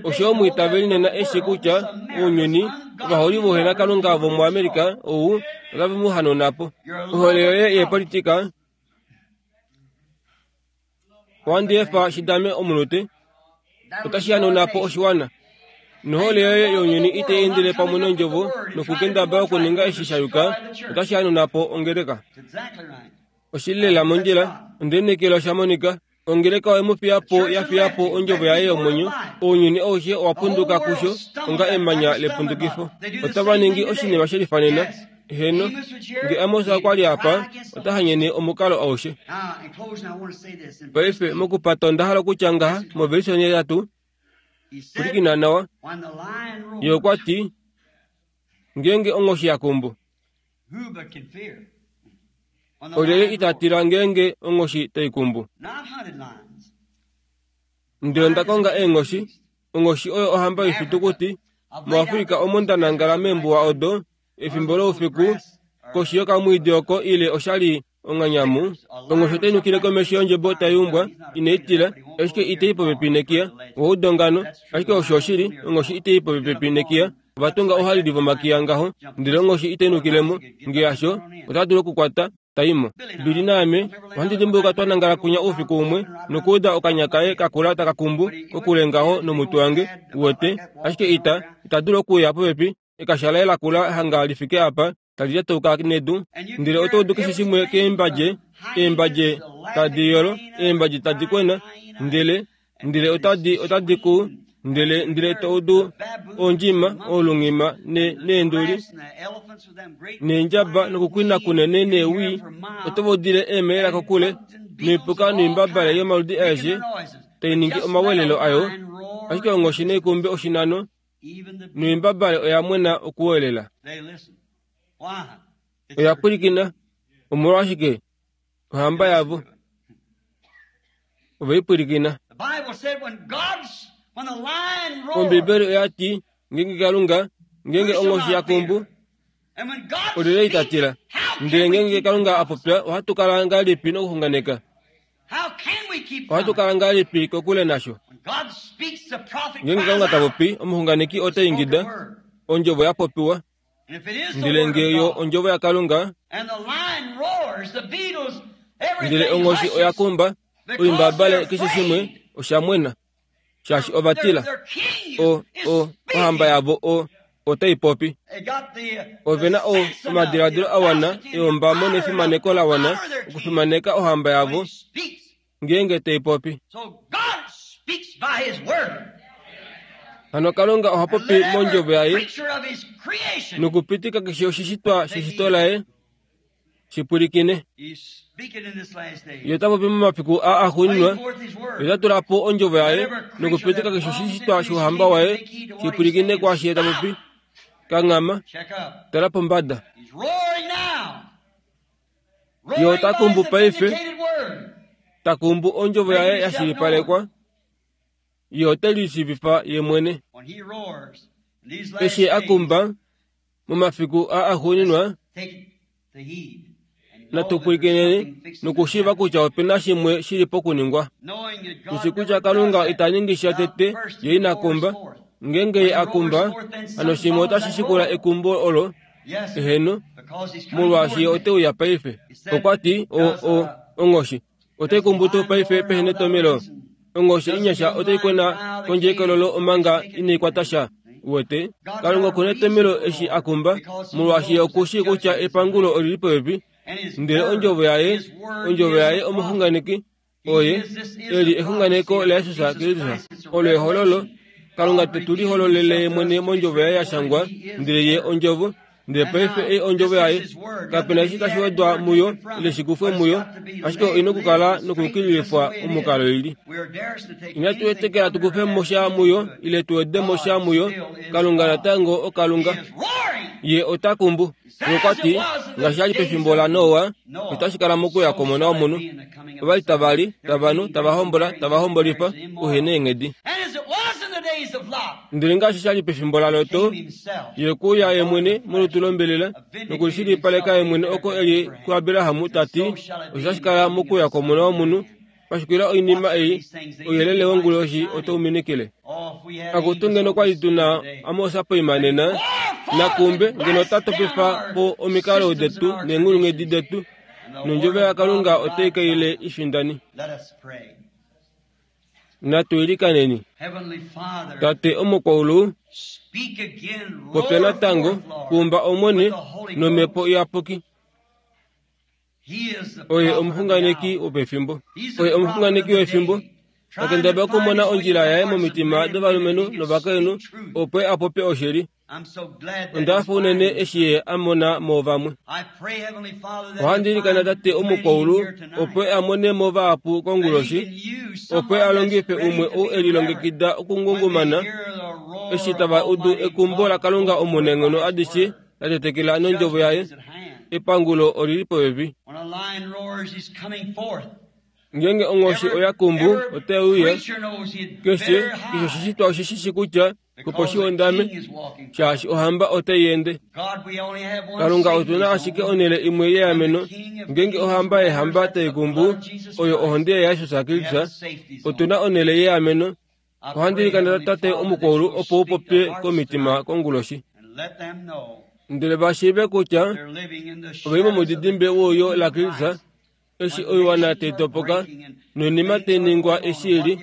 Osho omwiitaveli nena e shi kutya ounyuni, ovaholi vouhenakalunga vomuAmerica ou, otave mu hanauna po. Ohole yoye yeepolitika, ohandi efa shi dame omunute, otashi hanauna po oshiwana. Nohole yoye younyuni itai endele pamwe nondjovo nokukendabala okuninga eshi sha yuka, otashi hanauna po ongeleka. Oshi li lela mondjila. Onde lineekela osha monika. Ongeleka oye mu fiya po, ya fiya po ondjovo yaye yomwenyo. Ounyuni aushe owa punduka kusho onga emanya lepundukifo. Otava ningi oshinima she lifanena. Heeno. Nge Amos okwa li apa, ota hanyene omukalo aushe. Paife, mokupata onda hala okutya ngaha, movelishe onhetatu, pwilikina nawa. Ye okwa ti, Ngeenge onghoshi ya kumbu, Olyelye ita tila ngeenge onghoshi tai kumbu? Ndele onda konga eenghoshi, onghoshi oyo ohamba yoifitukuti. MuAfrika omo nda nangala meembuwa odo. Efimbo loufiku, koshi yokamwiidi oko ile osha li onganyamu, onghoshi otai nukile komesho yondjebo tai umbwa, inai tila, ashike itai popepi nekiya. Owaudongano, ashike osho oshili, onghoshi itai popepi nekiya. Ova tunga ouhalili vomakiya ngaho, ndele onghoshi itai nukile mo. Nge hasho, ota dulu okukwata, tai mo. Billy naame ohandi dimbuluka twa nangala kwinya oufiku umwe nokuuda okanya kaye kakula taka kumbu kokule ngaho nomutwe wange, uwete, ashike ita, ita dulu okuuya popepi, ekasha laye lakula hanga li fike apa, tali lyatauka nedu. Ndele oto udu keshe shimwe keembadje, eembadje tadi yolo, eembadje tadi kwena, ndele, ndele otadi, otadi ku, ndele, ndele to udu ondjima, oolungima, ne, neenduli, neendjaba nokukwina kunene newi, oto va udile eemhelela kokule, noipuka noimbabale yomaludi aeshe tai ningi omawelelo ayo, ashike onghoshi neikumbe oshinano, noimbabale oya mwena okuwelela. Oya pwilikina. Omolwashike? Ohamba yavo. Ove i pwilikina. Ombibeli oya ti, Ngeenge Kalunga, ngeenge onghoshi ya kumbu, olyelye ita tila? Ndele ngeenge Kalunga a popya, ohatu kala ngahelipi nokuxunganeka? Ohatu kala ngahelipi kokule nasho? Ngeenge Kalunga ta popi, omuxunganeki ota ingida, Ondjovo ya popiwa. Ndele nge yo ondjovo yaKalunga, ndele onghoshi oya kumba, oimbabale keshe shimwe osha mwena, shaashi ova tila. O, o, ohamba yavo o, otai popi. Ove na o, omadiladilo a wana eombamo nefimaneko la wana okufimaneka ohamba yavo ngeenge tai popi. Hano Kalunga oha popi mondjovo yaye nokupitika keshe oshishitwa sheshito laye shi pwilikine. Ye ota popi momafiku aa axuuninwa, ye ota tula po ondjovo yaye nokupitika keshe oshishitwa shouhamba waye shi pwilikine kwaashi ye ta popi. Kanghama, tala pombada. Ye ota kumbu paife, ta kumbu ondjovo yaye ya shilipalekwa. Ye ote lishiivifa ye mwene. Eshi a kumba momafiku aa axuuninwa, natu pwilikineni nokushiiva kutya ope na shimwe shi li pokuningwa. Tu shi kutya Kalunga ita ningi sha tete ye ina kumba. Ngeenge ye a kumba, hano shimwe otashi shikula ekumbo olo. Eheno, molwaashi ye ote uya paife. Okwa ti, o, o, onghoshi otai kumbu tuu paife pehe netomelo? Onghoshi inyasha otai kwena kondje yekololo omanga inai kwata sha. Uwete? Kalunga oku netomelo eshi a kumba, molwaashi ye oku shii kutya epangulo oli li popepi. Ndele ondjovo yaye, ondjovo yaye omuxunganeki, Oye e li exunganeko laJesus Kristus. Olo ehololo. Kalunga te tu lihololele ye mwene mondjovo yaye ya shangwa, ndele ye ondjovo. Ndele paife ei ondjovo yaye. Kape na eshi tashi wedwa muyo ile shi kufwe muyo, ashike oi na okukala nokuyukililifwa omukalo i li. Inatu etekela tu kufe mo sha muyo ile tu wede mo sha muyo. Kalunga natango oKalunga. Ye ota kumbu. Okwa ti, ngaashi sha li pefimbo laNoa, otashi kala mokuya kwOmona wOmunhu. Ova li tava li, tava nu, tava hombola, tava hombolifa, uhe neenghedi. Ndele ngaashi sha li pefimbo laLot, ye okwe uya ye mwene molutu lombelela nokulishilipaleka ye mwene oko e li kuAbraham, ta ti, Osho tashi kala mokuya kwOmona wOmunhu. Pashukila oinima ei, ouyelele wonguloshi otau minikile. Akutu ngeno kwa li tu na Amos poima nena, nakumbe ngeno ota topifa po omikalo detu neenghulunghedi detu, nondjovo yaKalunga otai kaile i findani. Natu ilikaneni. Tate omukwaulu, popya natango, kumba Omwene nomhepo iyapuki. Oye omuxunganeki wopefimbo. Oye omuxunganeki wefimbo. Ta kendabala okumona ondjila yaye momitima dovalumenhu novakainhu opo a popye oshili. Onda hafa unene eshi ye a mona mo vamwe. Ohandi ilikana Tate omukwaulu opo a mone mo vahapu konguloshi, opo a longife umwe ou e lilongekida okungungumana eshi tava udu ekumbo laKalunga omunaenghono adishe la tetekela nondjovo yaye. Epangulo oli li popepi. Ngeenge onghoshi oya kumbu, otai uya. Keshe, keshe oshishitwa oshi shi shi kutya opo shi hondame, shaashi ohamba otai ende. Kalunga, otu na ashike onhele imwe yeameno. Ngeenge ohamba yeehamba tai kumbu, oyo ohonde yaJesus Kristus, otu na onhele yeameno. Ohandi ilikana Tate omukwaulu opo u popye komitima konguloshi. Ndele va shiive kutya ove li momudidimbe wouyo laKristus, eshi oiwana tai topoka noinima tai ningwa eshi i li.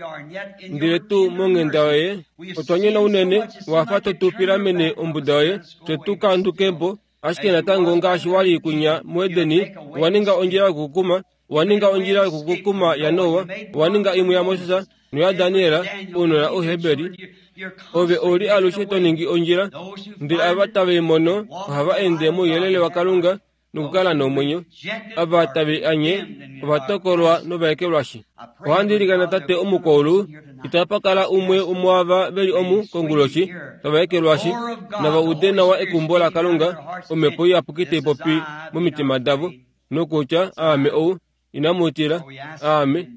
Ndele tuu monghenda yoye otwa nyona unene, wa fa to tu pilamene ombuda yoye, fye tu kanduke po. Ashike natango ngaashi wa li kwinya muEdeni, owa ninga ondjila yokukuma, owa ninga ondjila yokukukuma yaNoa, owa ninga imwe yaMoses noyaDaniel, ounona Ouheberi. Ove ou li alushe to ningi ondjila, ndele ava tave i mono ohava ende mouyelele waKalunga nokukala nomwenyo. Ava tave i anye ova tokolwa nova ekelwashi. Ohandi ilikana Tate omukwaulu, itapa kala umwe womuava ve li omu konguloshi tava ekelwashi, nava ude nawa ekumbo laKalunga, Omhepo Iyapuki tai popi momitima davo, nokutya, Aame ou, inamu tila, Aame.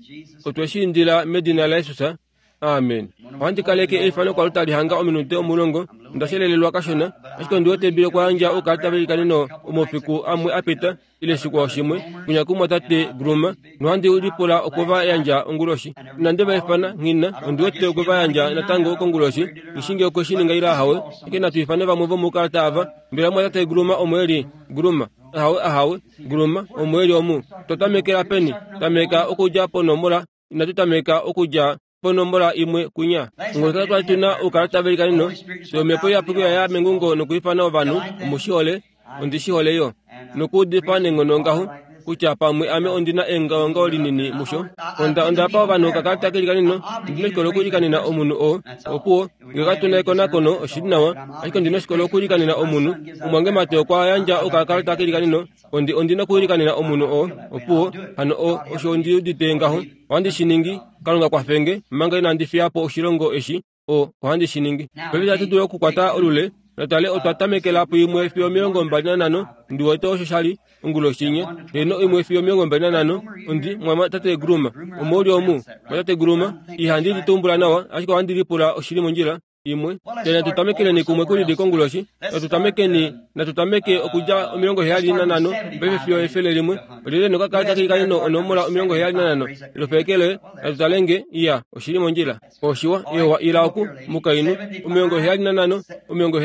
Otwe shi indila medina laJesus. Amen. Ohandi kaleke eifano kwalu tali hanga ominute 10. Onda shelelelwa kashona, ashike ondi wete bile okwa yandja oukalata velikaneno omofiku amwe a pita, ile shikwao shimwe, kwinya kumwatate Groomer, nohandi lipula okwe va yandja onguloshi. Inandi va ifana, nghi na, ondi wete okwe va yandja natango konguloshi, nghi shii ngee okwe shi ninga ile ahawe. Ashike natu ifane vamwe vomoukalata ava. Mbela mumwatate Groomer omo e li? Groomer? Ahawe, ahawe. Groomer, omo e li omu? Otwa tamekela peni? Tameka okudja ponomola Inatu tameka okudja ponomola imwe kwinya. Ngolota twali tu na oukalata velikaneno, fye Omhepo Iyapuki oya ya mengungo nokwiifana ovanhu, Omu shi hole, ondi shi hole yo. Nokuudifa neenghono ngaho, kutya pamwe ame ondi na engaongao linini musho. Onda, onda pa ovanhu okakalata kelikaneno, ndi noshikolo okuilikanena omunhu oo. Opuwo, nge katu na ekonakono, oshi li nawa, ashike ondi noshikolo okuilikanena omunhu. Omumwange Mate okwa yandja okakalata kelikaneno, Ondi, ondi nokuilikanena omunhu oo. Opuwo, hano o, osho ondi udite ngaho. Ohandi shi ningi. Kalunga kwafe nge, manga inandi fiya po oshilongo eshi. O, ohandi shi ningi. Paife itatu dulu okukwata olule. Natale otwa tamekela puimwe fiyo 25, ndi wete osho sha li, onguloshi inya. Heeno, imwe fiyo 25. Ondi, mwa, Tate Groomer. Omo u li omu, Mwatate Groomer? Ihandi li tumbula nawa, ashike ohandi lipula oshi li mondjila. imwe. Ndele natu tamekeleni kumwe ku lili konguloshi. Natu tamekeni, natu tameke okudja 75 paife fiyo 101. Olyelye nokakalata keikaneno onomola 75? Lofeekele, natu tale nge, iya, oshi li mondjila. Oshiwa, ewa, ila oku, mukainhu. 75, 74,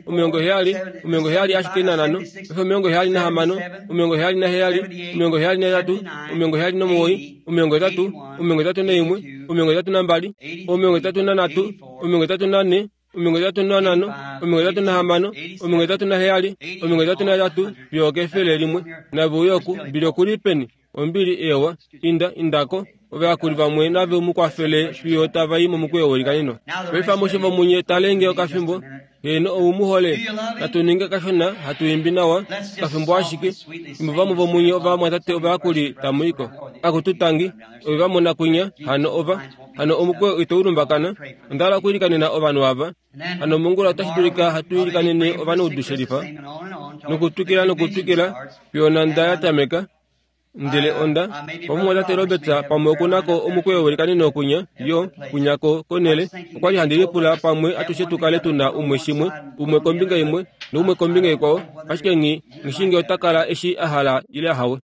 70, 70 ashike nanhano, paife 76, 77, 78, 79, 80, 81, 82, 83, 84, 85, 86, 87, 88 fiyo okefele limwe. Nave uye oku, Billy oku li peni? Ombili, ewa, inda, indako. Ovayakuli vamwe nave mu kwafele fiyo tava i momukweyo welikaneno. Paife amushe vomunye talenge okafimbo. Heeno, ou mu hole. Natu ninge kashona, hatu imbi nawa, okafimbo ashike. Fimbo vamwe vomunye ovamwatate ovayakuli tamu i ko. Akutu tangi, ove va mona kwinya, hano ova, hano omukweyo ito u lumbakana. Onda hala okuilikanena ovanhu ava. Hano mongula otashi dulika hatu ilikanene ovanaudu shelifa, nokutwikila nokutwikila, fiyo onhanda ya tameka. Ndele onda, omumwatate Roberts pamwe oku na ko omukweyo welikaneno kwinya, yo, kwinya ko, konhele. Okwa li handi lipula pamwe atushe tu kale tu na umwe shimwe, umwe kombinga imwe, noumwe kombinga ikwao, ashike nghi, nghi shii nge ota kala eshi a hala ile ahawe.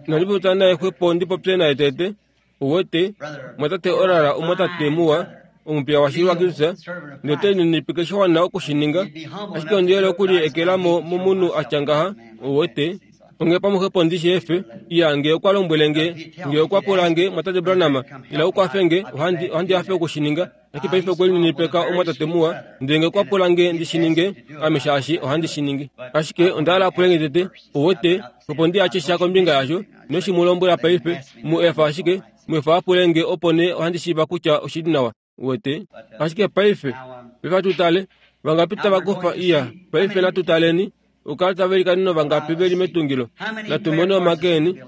Inandi popya naye xwepo ndi popye naye tete. Uwete, mwatate Oral omwatate muwa, omupiya washili waKristus, note lininipike sha wana oku shi ninga, ashike ondi yele oku li ekela mo momunhu a tya ngaha, uwete. Onghee pamwe xwepo ndi shi efe. Iya, nge okwa lombwele nge, nge okwa pula nge, Mwatate Branham, ila u kwafe nge, ohandi, ohandi hafe oku shi ninga. Ashike paife okwe lininipika omwatate muwa, ndele nge okwa pula nge ndi shi ninge, ame shaashi ohandi shi ningi. Ashike onda hala a pule nge tete, uwete, opo ndi atye sha kombinga yasho, noshi mu lombwela paife, mu efa ashike, mu efa a pule nge opo nee ohandi shiiva kutya oshi li nawa, uwete. Ashike paife, paife atu tale, vangapi tava kufa, iya, paife natu taleni, okukala tava ilikanene vangapi ve li metungilo. Natu mone omake eni.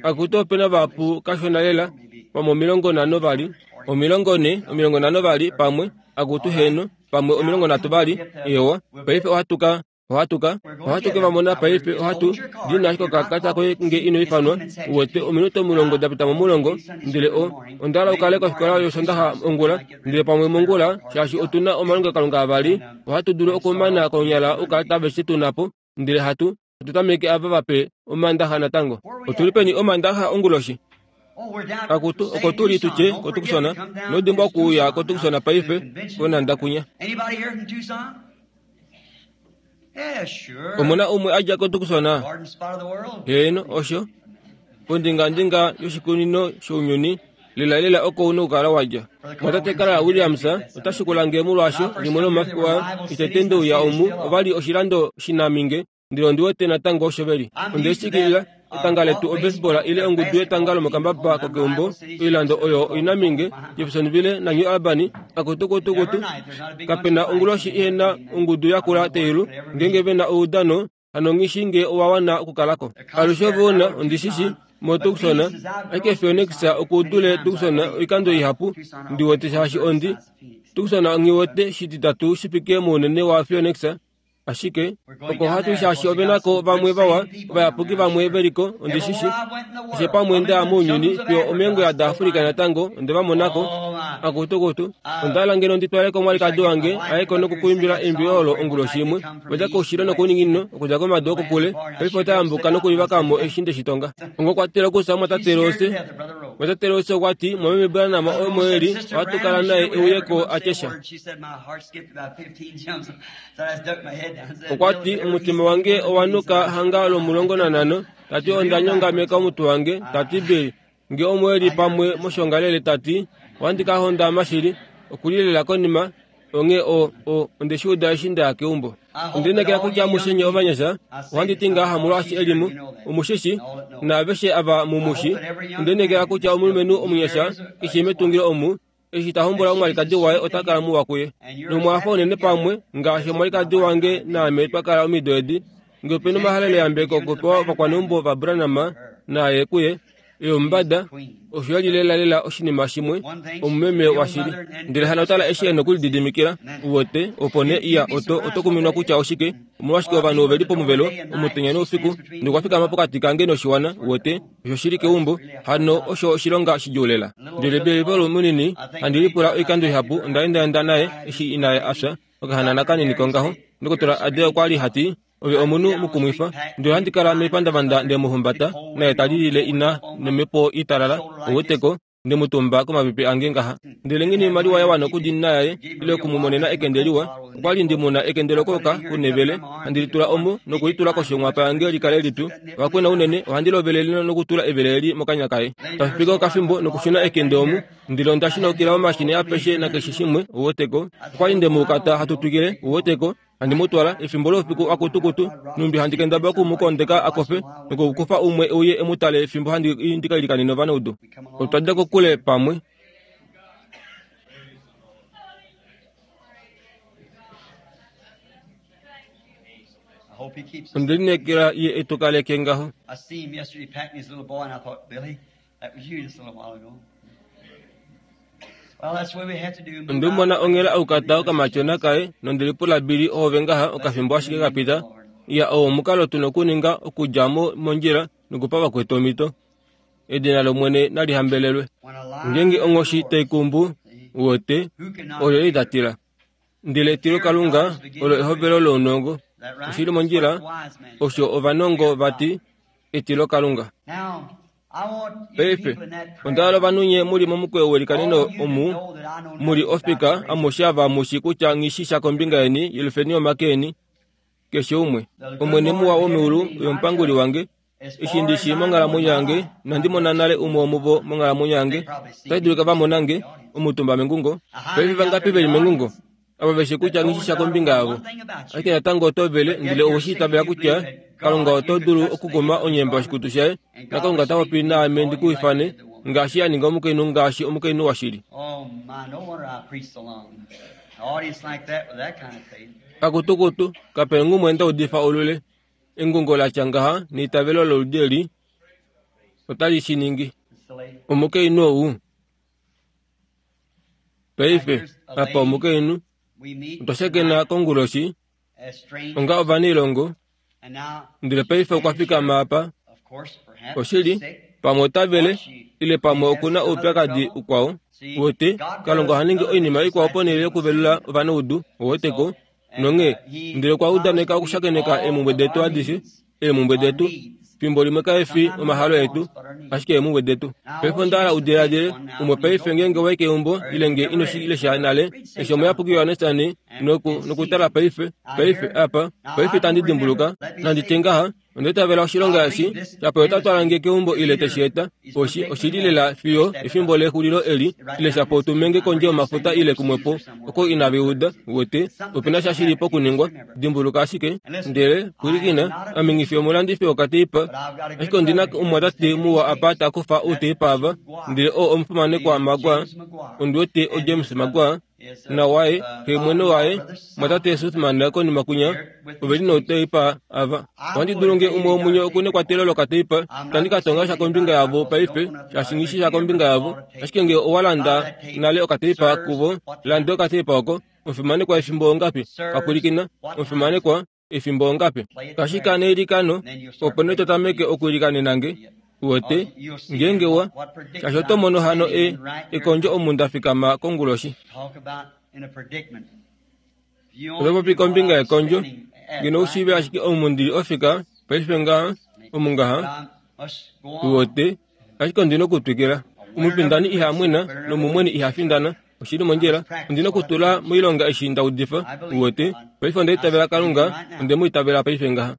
Akutu ope na vahapu kashona lela, pamwe 50 vali, 40, 50 vali, pamwe, akutu heeno, pamwe 30 vali, eewa. Paife ohatu ka. Ohatu ka, ohatu ke va mona paife. Ohatu dina ashike okakata koye nge ino ifanwa. Uwete, ominute omulongo da pita momulongo. Ndele o, onda hala u kale kofikola yOshondaxa ongula, ndele pamwe mongula, shaashi otu na omalongelokalunga avali, ohatu dulu okumana konyala oukalata aveshe tu na po, ndele hatu, hatu tameke ava vape Omandaxa natango. Otu li peni Omandaxa onguloshi? Akutu, oko tu li tu tye koTucson, nodimbwa okuuya koTucson paife, konhanda kunya. Omu na umwe a dja koTucson? Heeno, osho. Pondingandinga yoshikunino shounyuni, lelalela oko u nokukala wa dja. Mwatate Carl Williams ota shikula nge molwaasho limwe lomomafiku aa, etete nde uya omu, ova li oshilando shinaminge, Ndele ondi wete natango osho ve li. Onde shikilila, etanga letu obaseball ile ongudu yetanga lomokambaba kokeumbo, oilando oyo oinaminge, Jeffersonville naNew Albany, akutukutukutu. Kape na onguloshi ihe na ongudu yakula teilu, ngeenge ve na oudano, hano nghi shii ngee owa wana okukala ko. Alushe ove u na, ondi shi shii, moTucson, ashike Phoenix oku dule Tucson oikando ihapu, ndi wete shaashi ondi. Tucson nghi wete shititatu shi fike mounene waPhoenix, Ashike oko ohatu shaashi ove na ko vamwe vawa, ovayapuki vamwe ve li ko, ondi shi shi. Keshe pamwe nda ya mounyuni, fiyo omeengwela daAfrika natango, onde va mona ko. Akutukutu, onda hala ngeno ndi twale ko omwalikadi wange a ye ko nokukuimbila eimbilo olo onguloshi imwe. Okwa dja koushilo nokouninginino, okudja komadu okokule, paife ota yambuka nokulivaka mo eshi nde shi tonga. Onga okwa tila okusa mwatate Rose. Mwatate Rose okwa ti, Mwameme Branham omo e li, ohatu kala naye e uye ko a tye sha. Okwa ti, Omutima wange owa nuka hanga lomulongo nanhano. Ta ti, Onda nyongameka omutwe wange. Ta ti, Bill, nge omo e li pamwe moshongalele, ta ti, ohandi ka hondama shili. Oku li lela konima. Onghee o, o, onde shi uda eshi nda ya keumbo. Onde lineekela kutya amushe nye ovanyasha, ohandi ti ngaha molwaashi e li mu, omu shi shi, naaveshe ava mu mu shi. Onde lineekela kutya omulumenhu omunyasha keshe metungilo omu, Eshi ta hombola omwalikadi waye ota kala muwa kuye. Nomwafa unene pamwe, ngaashi omwalikadi wange naame twa kala omido edi. Nge ope nomahaleleyambeko okupewa ovakwaneumbo vaBranham naye kuye, eyomumbada, osho ya li lelalela oshinima shimwe, omumeme washili. Ndele hano tala eshi e nokulididimikila, uwete, opo nee iya, oto, oto kuminwa kutya oshike, omolwashike ovanhu ove li pomuvelo, omutenya noufiku, nokwa fikama pokati kange noshiwana, uwete. Osho shi li keumbo, hano osho oshilonga shidjuu lela. Ndele Billy Paul munini, handi lipula oikando ihapu, onda endaenda naye eshi inaye a fya, okahanana kanini kongaho. Ndokotola Adair okwa li ha ti, Ove omunhu mukumwifa. Ndele ohandi kala mepandavanda nde mu humbata, naye ta lilile ina nomhepo italala, ou weteko, nde mu tumba komapepe ange ngaha. Ndele nghene oimaliwa ya wana okudiinina yaye, ile oku mu monena ekende liwa, okwa li ndi mu na ekende lokooka kunevele, handi li tula omu nokulitula koshi yonghwapa yange li kale lipyu. Oha kwena unene, ohandi lovelele nokutula evele eli mokanya kaye. Tashi piti okafimbo nokushuna ekende omu, ndele onda shinaukila momashini apeshe nakeshe shimwe, ou weteko. Okwa li nde mu ukata hatu twikile, ou weteko. Handi mu twala, efimbo loufiku akutukutu, nhumbi handi kendabala oku mu kondeka a kofe, nokukufa umwe e uye e mu tale fimbo handi i ndi ka ilikanene ovanaudu. Otwa dja kokule pamwe. Onde lineekela Ye e tu kaleke ngaho. Onde mu mona onghela aukata okamatyona kaye nonde lipula Billy oove ngaha okafimbo ashike ka pita. Iya, oo omukalo tu na okuninga okudja mo mondjila nokupa vakwetu omhito. Edina lOmwene nali hambelelwe. Ngeenge onghoshi tai kumbu, uwete, oyo ei ta tila. Ndele etilokalunga olo ehovelo lounongo. Oshi li mondjila, osho ovanongo va ti, etilokalunga. Paife, onda hala ovanhu nye mu li momukweyo welikaneno omu mu li ofika amushe ava mu shi kutya nghi shi sha kombinga yeni, yelufeni omake eni, keshe umwe. Omwene muwa womeulu oye omupanguli wange, eshi ndi shii monghalamwenyo yange, inandi mona nale umwe womuvo monghalamwenyo yange. Otashi dulika va mona nge, omutumba mengungo. Paife vangapi ve li mengungo? Ava ve shi kutya nghi shi sha kombinga yavo. Ashike natango oto vele, ndele owe shi itavela kutya Kalunga oto dulu okukuma onyemba yoshikutu shaye, naKalunga ota popi naame ndi ku ifane, ngaashi a ninga omukainhu ngaashi omukainhu washili. Akutukutu, kape ngumwe nda udifa olule. Engungo la tya ngaha neitavelo loludi eli otali shi ningi. Omukainhu ou. Paife, apa omukainhu. Otwa shakena konguloshi. Onga ovanailongo, ndele paife okwa fikama apa. Oshili, pamwe ota vele, ile pamwe oku na oupyakadi ukwao. Wote, Kalunga oha ningi oinima ikwao ponhele yokuvelula ovanaudu, woteko. Nonghee, ndele okwa udaneka okushakeneka eemhumbwe detu adishe, eemhumbwe detu. Fimbo limwe kae fi omahalo etu, ashike eemhumbwe detu. Paife onda hala u diladile, umwe paife ngeenge wa i keumbo, ile nge ino shi lesha nale, eshi Omuyapuki Johannes noku, nokutala paife, paife apa, paife itandi dimbuluka, nandi tye ngaha, Onda itavela oshilonga eshi, shapo ota twala nge keumbo ile te shi eta. Oshi, oshi li lela fiyo efimbo lexulilo eli, ile shapo tu menge kondje yomafuta ile kumwepo oko inave uda. Uwete, ope na sha shi li pokuningwa. Dimbuluka ashike. Ndele, pwilikina, ame nghi fi omulandifi wokateipa, ashike ondi na omumwatate muwa apa ta kufa outeipa ava, ndele oo omufimanekwa Maguire, ondi wete oJames Maguire, na waye, xe mwene waye, mwatate Suthman konima kwinya, ove li nouteipa ava. Ohandi dulu nge umwe womunye oku nekwatelo lokateipa, itandi ka tonga sha kombinga yavo paife, shaashi nghi shi sha kombinga yavo. Ashike nge owa landa nale okateipa kuvo, lande okateipa oko. Omufimanekwa efimbo ongapi? Ka pwilikina, omufimanekwa, efimbo ongapi? Kashika neilikano, opo nee to tameke okuilikanena nge. Uwete, ngeenge wa, shaashi oto mono hano e, ekondjo omu nda fikama konguloshi. Oto popi kombinga yekondjo, ngeno u shiive ashike omu ndi li ofika paife ngaha, omu ngaha. Uwete, ashike ondi na okutwikila. Omufindani iha mwena nomumweni iha findana. Oshi li mondjila. Ondi na okutula moilonga eshi nda udifa. Uwete, paife onda itavela Kalunga, onde mu itavela paife ngaha.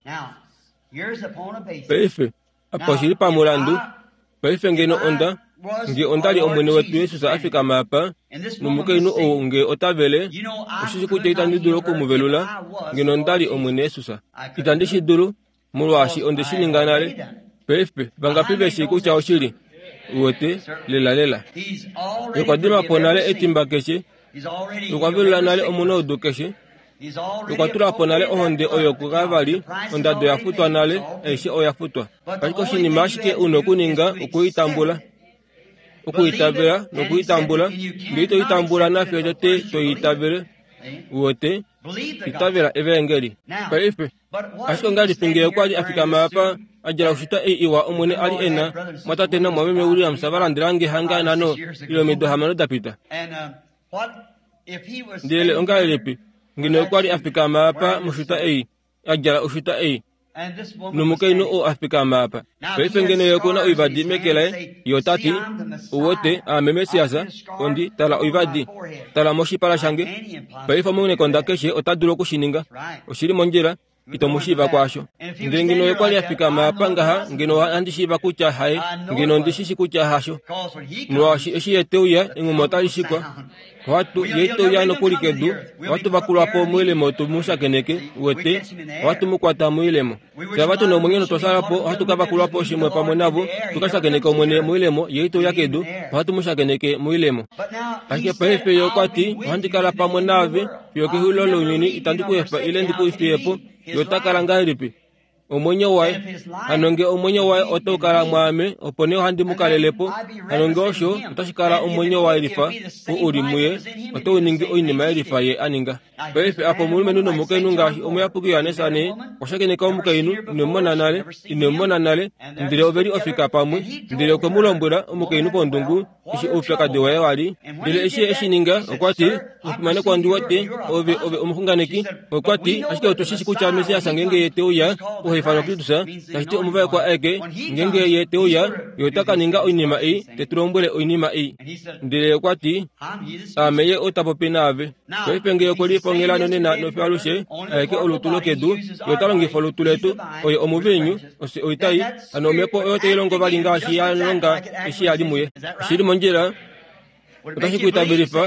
Paife, apa oshi li pamulandu. Paife ngeno onda, nge onda li Omwene wetu Jesus a fikama apa, nomukainhu ou nge ota vele, oshishi kutya itandi dulu oku mu velula, ngeno onda li Omwene Jesus. Itandi shi dulu, molwaashi onde shi ninga nale. Paife, vangapi ve shii kutya oshili? Uwete, lelalela. Ye okwa dima po nale etimba keshe. Ye okwa velula nale omunaudu keshe. Okwa tula po nale ohonde oyo kuKalvari, ondado ya futwa nale, aishe oya futwa. Ashike oshinima ashike u nokuninga oku i tambula, oku itavela noku i tambula. Nge ito i tambula nafye tete to i itavele, uwete, itavela Evaengeli. Paife, ashike ongahelipi nge okwa li a fikama apa, a djala oshuta ei iwa Omwene a li e na, mwatate namwameme Williams va landela nge hanga nhano ile omido hamano da pita? Ndele ongahelipi ngeno okwa li a fikama apa moshuta ei, a djala oshuta ei, nomukainhu oo a fikama apa? Paife ngeno ye oku na oivadi meke laye, ye ota ti, Uwete, aame Messias, ondi tala oivadi. Tala moshipala shange. Paife omunekonda keshe ota dulu oku shi ninga. Oshi li mondjila. Ito mu shiiva kwaasho. Ndele ngeno ye kwa li a fikama apa ngaha, ngeno ohandi shiiva kutya haye, ngeno ondi shi shi kutya hasho. Molwaashi eshi ye te uya, enghuma otali shikwa. Ohatu, ye ite uya nokuli kedu, ohatu vakulwa po moilemo tu mu shakeneke, uwete, ohatu mu kwata moilemo. Fye ava tu na omwenyo notwa sala po, ohatu ka vakulwa po shimwe pamwe navo, tu ka shakeneke Omwene moilemo, ye ite uya kedu, ohatu mu shakeneke moilemo. Ashike paife ye okwa ti, Ohandi kala pamwe naave fiyo kexulilo lounyuni, itandi ku efa ile ndi ku fiye po. Ye ota kala ngahelipi? Omwenyo waye. Hano nge omwenyo waye otau kala mwaame, opo nee ohandi mu kalele po. Hano nge osho, otashi kala omwenyo waye lifa, oo u li muye, otau ningi oinima yelifa ye a ninga. Paife apa omulumenhu nomukainhu ngaashi omuyapuki Johannes ane okwa shakeneka omukainhu ine mu mona nale, ine mu mona nale, ndele ove li ofika pamwe, ndele okwe mu lombwela omukainhu pondungu eshi oupyakadi waye wa li. Ndele eshi ye e shi ninga, okwa ti, Omufimanekwa ondi wete, ove, ove omuxunganeki. Okwa ti, Ashike otu shi shi kutya Messias ngeenge ye te uya, oha ifanwa Kristus, tashi ti omuvaekwa aeke, ngeenge ye te uya, ye ota ka ninga oinima ei, te tu lombwele oinima ei. Ndele okwa ti, Aame ye ou ta popi naave. Paife nge okwe lipongela nonena nofiyo alushe, aeke olutu lokedu, ye ota longifa olutu letu, oye omuviinyu, ofye oitai, hano omhepo oyo tai longo vali ngaashi ya longa eshi ya li muye. Oshi li mondjila, otashi ku itavelifa,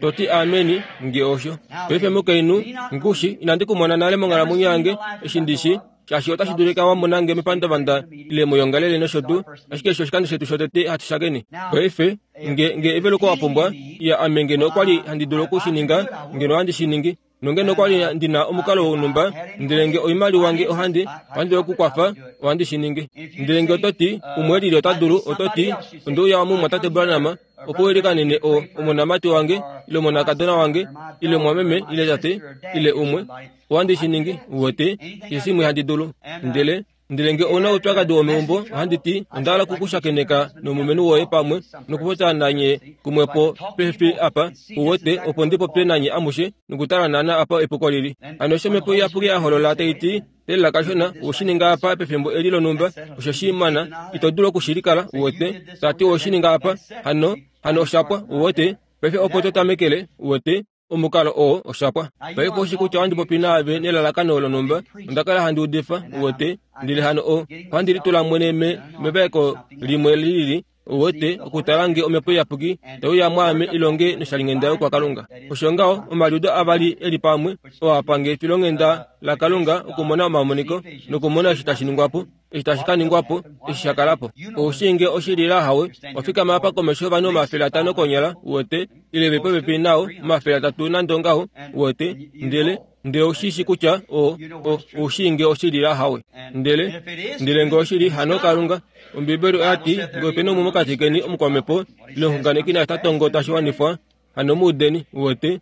to ti ameni, nge osho. Paife mukainhu, ngushi, inandi ku mona nale monghalamwenyo yange, eshi ndi shi, shaashi otashi dulika wa mona nge mepandavanda ile moyongalele nosho tuu, ashike eshi oshikando shetu shotete hatu shakene. Paife, nge, nge eveluko wa pumbwa, ya ame ngeno okwa li handi dulu oku shi ninga, ngeno ohandi shi ningi. Nongeno okwa li ndi na omukalo wonhumba, ndele nge oimaliwa nge ohandi, ohandi dulu okukwafa, ohandi shi ningi. Ndele nge oto ti, umwe lili ota dulu, oto ti, Onde uya mumwatate Branham, opo u ilikanene o, omonamati wange, ile omonakadona wange, ile omwameme, ile tate, ile umwe. Ohandi shi ningi, uwete, keshe shimwe handi dulu. Ndele Ndele nge ou na oupyakadi womeumbo, ohandi ti, onda hala oku ku shakeneka nomulumenhu woye pamwe, nokupopya nanye kumwepo pehe apa, uwete, opo ndi popye nanye amushe, nokutala naana apa epuko lili. Hano eshi Omhepo Iyapuki ya holola tai ti, Teelela kashona, owe shi ninga apa pefimbo eli lonhumba, osho shi mana, ito dulu oku shi likala, uwete, ta ti owe shi ninga apa, hano, hano osha pwa, uwete, paife opo to tamekele, uwete. Omukalo oo osha pwa. Paife oshi kutya ohandi popi naave nelalakano lonhumba. Onda kala handi udifa, uwete, ndele hano o, ohandi litula mwene me, mevaeko limwe lilili, uwete, okutala nge Omhepo Iyapuki tai uya mwaame i longe noshalinghenda yokwaKalunga. Osho ngaho, omaliudo avali e li pamwe, oo a pa nge efilonghenda laKalunga okumona omamoniko nokumona eshi tashi ningwa po. Eshi tashi ka ningwa po, eshi sha kala po. Ou shii nge oshili la hawe, wa fikama apa komesho yovanhu 500 konyala, uwete, ile ve popepi nao, 300 nande ongaho, uwete, ndele, ndele ou shi shi kutya o, o, ou shii nge oshili la hawe. Ndele, ndele nge oshili, hano Kalunga. Ombibeli oya ti, Nge ope na umwe mokati keni omukwamhepo, ile omuxunganeki naashi ta tongo tashi wanifwa, hano mu udeni, uwete.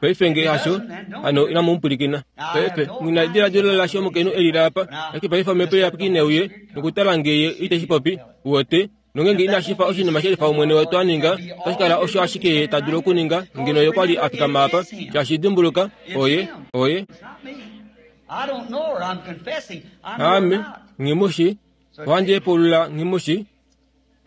Paife nge hasho, hano inamu mu pwilikina. Paife, nghi na ediladilo lasho omukainhu e lile apa, ashike paife omhepo iyapuki ne uye nokutala nge ye ite shi popi, uwete, nongenge inashi fa oshinima shelifa Omwene wetu a ninga, otashi kala osho ashike ye ta dulu okuninga ngeno ye kwa li a fikama apa, shaashi dimbuluka, oye, oye. Aame, nghi mu shi, ohandi hepulula nghi mu shi.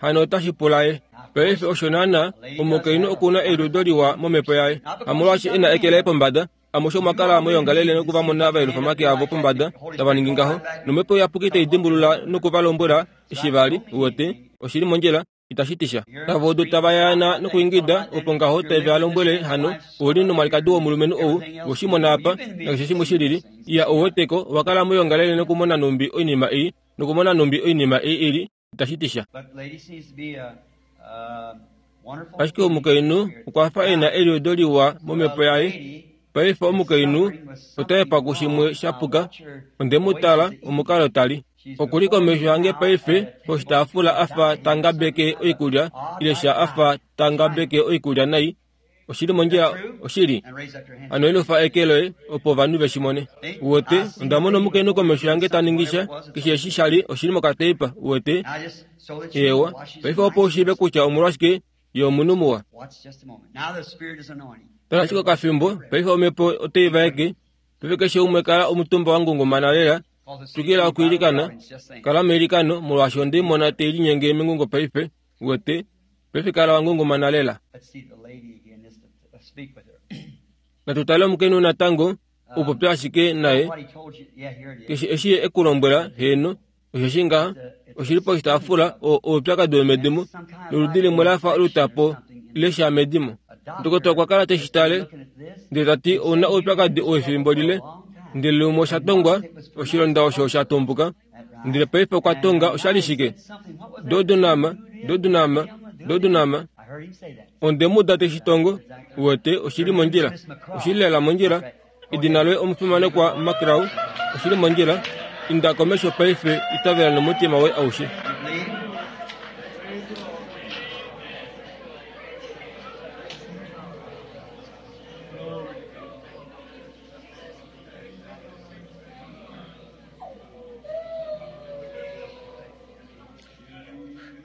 Hano otashi pula ye. Paife osho naana, omukainhu oku na eliudo liwa momhepo yaye. Hamolwaashi e na eke laye pombada, amushe omwa kala moyoongalele noku va mona va yelufa omake avo pombada, tava ningi ngaho, nOmhepo Iyapuki tai dimbulula noku va lombwela eshi va li, uwete, oshi li mondjila, itashi ti sha. Tava udu tava yaana nokuingida, opo ngaho tave va lombwele hano, Ou li nomwalikadi womulumenhu ou, we shi mona apa, nakeshe shimwe shi lili. Iya, ou weteko, owa kala moyoongalele nokumona nhumbi oinima ei, nokumona nhumbi oinima ei i li. itashi ti sha. Ashike omukainhu okwa fa e na eliudo liwa momhepo yaye. Paife omukainhu ota yepa kushimwe sha puka. Onde mu tala omukalo ta li. Oku li komesho yange paife poshitaafula a fa ta ngabeke oikulya ile sha a fa ta ngabeke oikulya nai. Oshili mondjila, oshili. Hano elufa eke loye opo ovanhu ve shi mone. Uwete, onda mona omukainhu komesho yange ta ningi sha, keshe eshi sha li, oshili mokateipa, uwete. Eewa, paife opo u shiive kutya omolwashike ye omunhu muwa. Tala ashike okafimbo, paife omhepo otai vaeke. Paife keshe umwe kala omutumba wa ngungumana lela, twikila okwiilikana, kala meilikano, molwaashi onde mona te linyenge mengungo paife, uwete. Paife kala wa ngungumana lela. Natu tale omukainhu natango, u popye ashike naye. Keshe eshi ye e ku lombwela, heeno, osheshi ngaha, oshi li poshitaafula, o, oupyakadi womedimo, noludi limwe la fa olutapo ile sha medimo. Ndokotola okwa kala te shi tale, ndele ta ti, Ou na oupyakadi wefimbo lile. Ndele lumwe osha tongwa, oshilonda osho osha tumbuka. Ndele paife okwa tonga osha li shike? Dodunama, dodunama, dodunama. Onde mu uda te shi tongo. Uwete, oshi li mondjila. Oshi li lela mondjila. Edina loye omufimanekwa McRaw. Oshi li mondjila. Inda komesho paife, itavela nomutima woye aushe.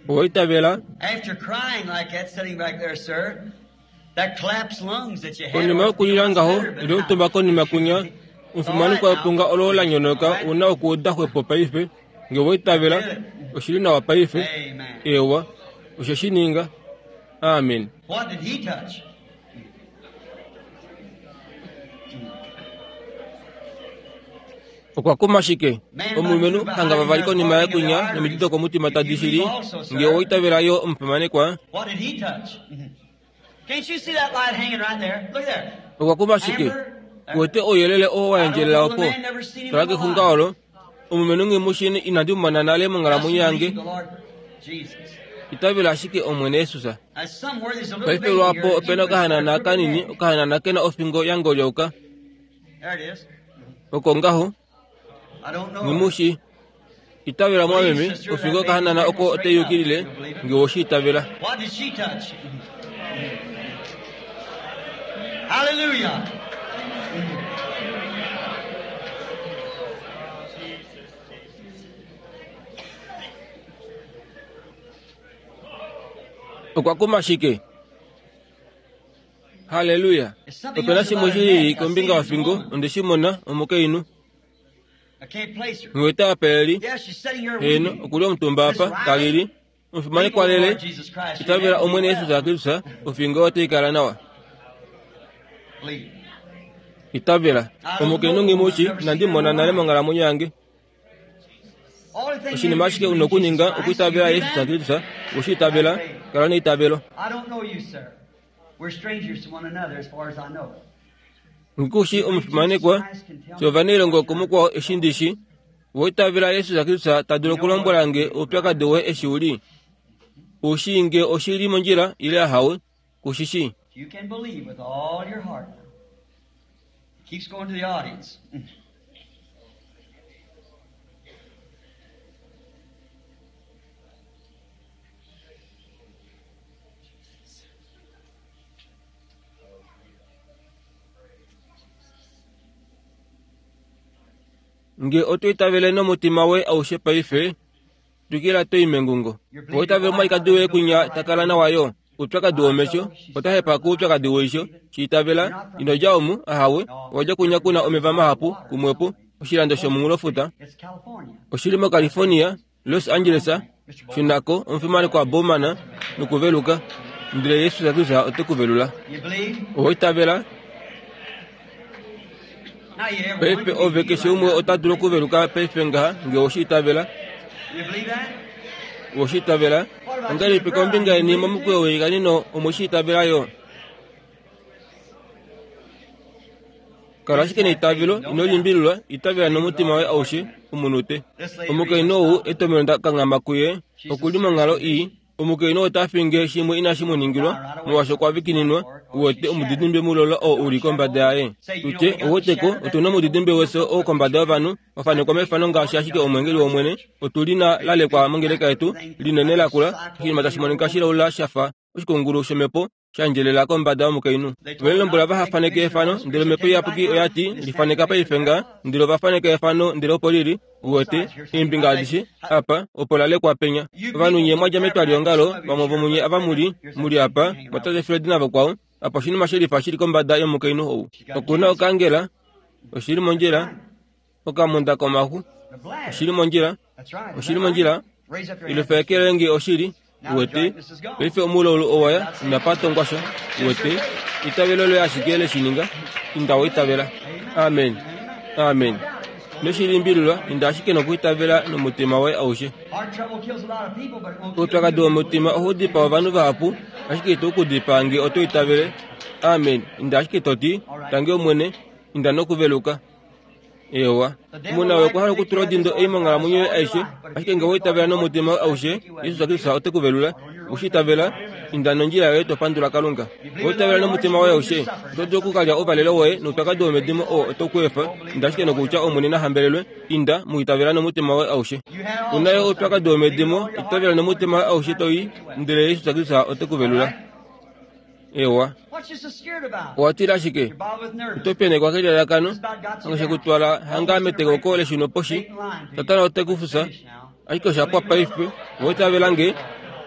Owa itavela? Konima yokulila ngaho, li omutumba konima kunya, omufimanekwa wepunga olo la nyonoka u na okuuda xwepo paife. Nge owa itavela, oshi li nawa paife. Eewa, oshe shi ninga. Amen. Okwa kuma shike? Omulumenhu hanga vavali konima yaye kunya nomiti dokomutima tadi shili, nge owa itavela yo omufimanekwa. Okwa kuma shike? Uwete ouyelele oo wa endjelela opo? Tala kexunga olo. Omulumenhu nghi mu shii inandi mu mona nale monghalamwenyo yange. Itavela ashike Omwene Jesus. Paife lwaapo ope na okahanana kanini, okahanana ke na ofingo ya ngolyauka. Oko ngaho. Nghimushi. Itavela mwameme, ofingo okahanana oko otai yukilile, nge oweshi itavela. What did she touch? Hallelujah. Okwa kuma shike? Halleluya! Ope na shimwe shi lili kombinga yofingo, onde shi mona, omukainhu. Nghiwete apa e li. Heeno, oku li omutumba apa, ta lili. Omufimanekwa lele, itavela Omwene Jesus Kristus, ofingo otai kala nawa. Itavela. Omukainhu nghi mu shi, inandi mu mona nale monghalamwenyo yange. Oshinima ashike u nokuninga okuitavela Jesus Kristus, we shi itavela, kala neitavelo. Nghi ku shi omufimanekwa, fye ovanailongo kumukwao eshi ndi shi. Owa itavela Jesus Kristus ta dulu okulombwela nge oupyakadi woye eshi u li? U shii nge oshi li mondjila ile ahawe, ku shi shii? You can believe with all your heart. Keeps going to the audience. Nge oto itavele nomutima woye aushe paife, twikila to i mengungo. Owa itavela omwalikadi woye kwinya ta kala nawa yo? Oupyakadi womesho, ota hepa koupyakadi weisho. Shi itavela, ino dja omu, ahawe, owa dja kwinya ku na omeva mahapu, kumwepo, oshilando shomunghulofuta. Oshi li moCalifornia, Los Angeles, shuna ko, omufimanekwa Bowman, nokuveluka. Ndele Jesus Kristus ote ku velula. Owa itavela? Paife ove keshe umwe ota dulu okuveluka paife ngaha nge owe shi itavela. Owe shi itavela? Ongahelipi kombinga yeni momukweyo weikanino omwe shi itavela yo? Kala ashike neitavelo, ino limbililwa, itavela nomutima woye aushe, omunute. Omukainhu ou etomheno nda kanghama kuye, oku li monghalo ii. Omukainhu ota finge shimwe inashi mu ningilwa, molwaashi okwa vikininwa, uwete omudidimbe mulola oo u li kombada yaye. Tutye, ouweteko, otu na omudidimbe wefyo oo kombada yovanhu, wa fanekwa mefano ngaashi ashike omweengeli wOmwene. Otu li na lalekwa mongeleka yetu, linene lakula, oshinima tashi monika shilaula sha fa oshikungulu shomhepo, sha ndjelela kombada yomukainhu. Ove mu lombwela vaha faneke efano, ndele Omhepo Iyapuki oya ti, Li faneka paife nga. Ndele ova faneka efano, ndele opo li li, uwete, eembinga adishe, apa, opo la lekwa penya. Ovanhu nye mwa dja metwaliongalo, vamwe vomunye ava mu li, mu li apa, mwatate Fred navakwao, apa oshinima shelifa shi li kombada yomukainhu ou. Oku na okangela, oshi li mondjila, okamunda komaxu, oshi li mondjila, oshi li mondjila, ile feekele nge oshili. Uwete, paife omulaulu owa ya, inapa tongwa sha. Uwete, eitavelo loye ashike le shi ninga. Inda wa itavela. Amen. Amen. Ino shi limbililwa, inda ashike nokwiitavela nomutima woye aushe. Oupyakadi womutima ohau dipaa ovanhu vahapu, ashike itau ku dipaa nge oto itavele. Amen. Inda ashike to ti, Tangi Omwene, inda nokuveluka. Eewa. Omunhu okwa hala okutula odindo ei monghalamwenyo yoye aishe, ashike nge owa itavela nomutima woye aushe, Jesus Kristus ote ku velula. Owe shi itavela? Inda nondjila yoye to pandula Kalunga. Owa itavela nomutima woye aushe? Oto dulu oku ka lya ouvalelo woye noupyakadi womedimo oo oto ku efa. Inda ashike nokutya Omwene na hambelelwe. Inda, mu itavela nomutima woye aushe. U na yo oupyakadi womedimo, itavela nomutima woye aushe to i, ndele Jesus Kristus ote ku velula. Ewa. Owa tila shike? Oto penekwa kelalakano, ange ku twala hanga metekoko leshuno poshi. Satana ote ku fusa. Ashike osha pwa paife. Owa itavela nge?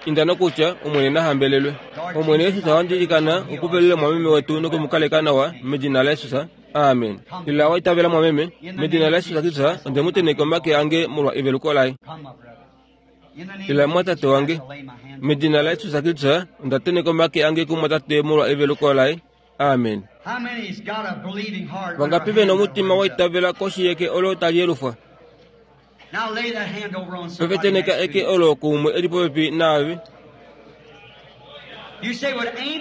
Inda nokutya, Omwene na hambelelwe. Omwene Jesus ohandi ilikana u kuvelule mwameme wetu noku mu kaleka nawa, medina laJesus. Amen. Ila wa itavela mwameme, medina laJesus Kristus onde mu tenheka omake ange molwa eveluko laye. Ila mwatate wange, medina laJesus Kristus onda tenheka omake ange kumwatate molwa eveluko laye. Amen. Vangapi ve na omutima wa itavela koshi yeke olo tali yelufwa? Paife tenheka eke olo kuumwe e li popepi naave.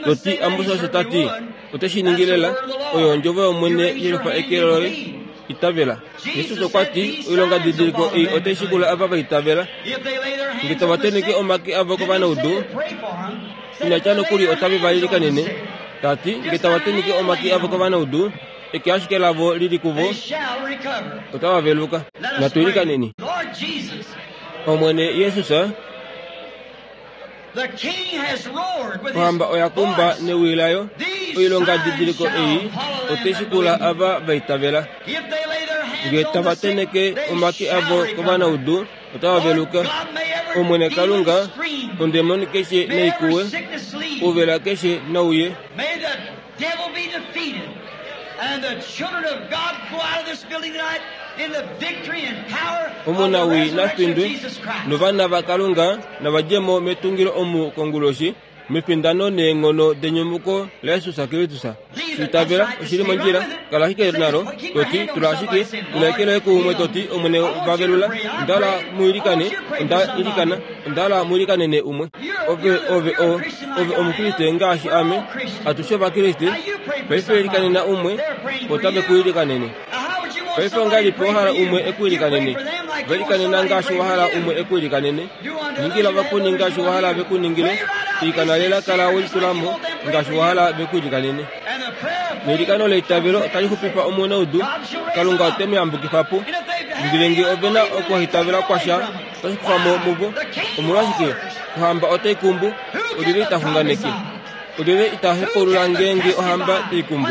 To ti, Amos osho ta ti, ote shi ningi lela. Oyo ondjovo yOmwene, yelufa eke loye. Itavela. Jesus okwa ti, Oilongadidiliko ei otai shikula ava va itavela. Nge tava tenheke omake avo kovanaudu, ina tya nokuli otave va ilikanene. Ta ti, Nge tava tenheke omake avo kovanaudu, Eke ashike lavo li li kuvo, otava veluka. Natu ilikaneni. Omwene Jesus, ohamba oya kumba newi layo, oilongadidiliko ei otai shikula ava va itavela. Nge tava tenheke omake avo kovanaudu, otava veluka. Omwene Kalunga, ondemoni keshe nai kuwe, ouvela keshe nau ye. Omunawii na findwe, novana vaKalunga nava dje mo metungilo omu konguloshi, mefindano neenghono denyumuko laJesus Kristus. Shi itavela, oshi li mondjila. Kala ashike nalo, to ti, Tula ashike, tula eke loye kuumwe, to ti, Omwene va velula. Onda hala mu ilikane. Onda ilikana. Onda hala mu ilikanene umwe. Ove, ove o, ove Omukriste ngaashi ame. Atushe Ovakriste. Paife ilikanena umwe, otave ku ilikanene. Paife ongahelipi wa hala umwe e ku ilikanene? Va ilikanena ngaashi wa hala umwe e ku ilikanene. Ningila ovakweni ngaashi wa hala ve ku ningile. Ilikana lela kala we litula mo ngaashi wa hala ve ku ilikanene. Neilikano leitavelo otali xupifa omunaudu, Kalunga ote mu yambukifa po. Ndele nge ove na okuhaitavela kwasha, otashi kufa mo muvo. Omolwashike, ohamba otai kumbu, olyelye ita xunganeke? Olyelye ita hepaulula ngeenge ohamba tai kumbu?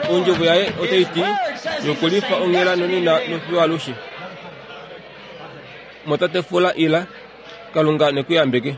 Ondjovo yaye otai ti, Yokulifa onghela nonena nofiyo alushe. Motate fula ila, Kalunga ne ku yambeke.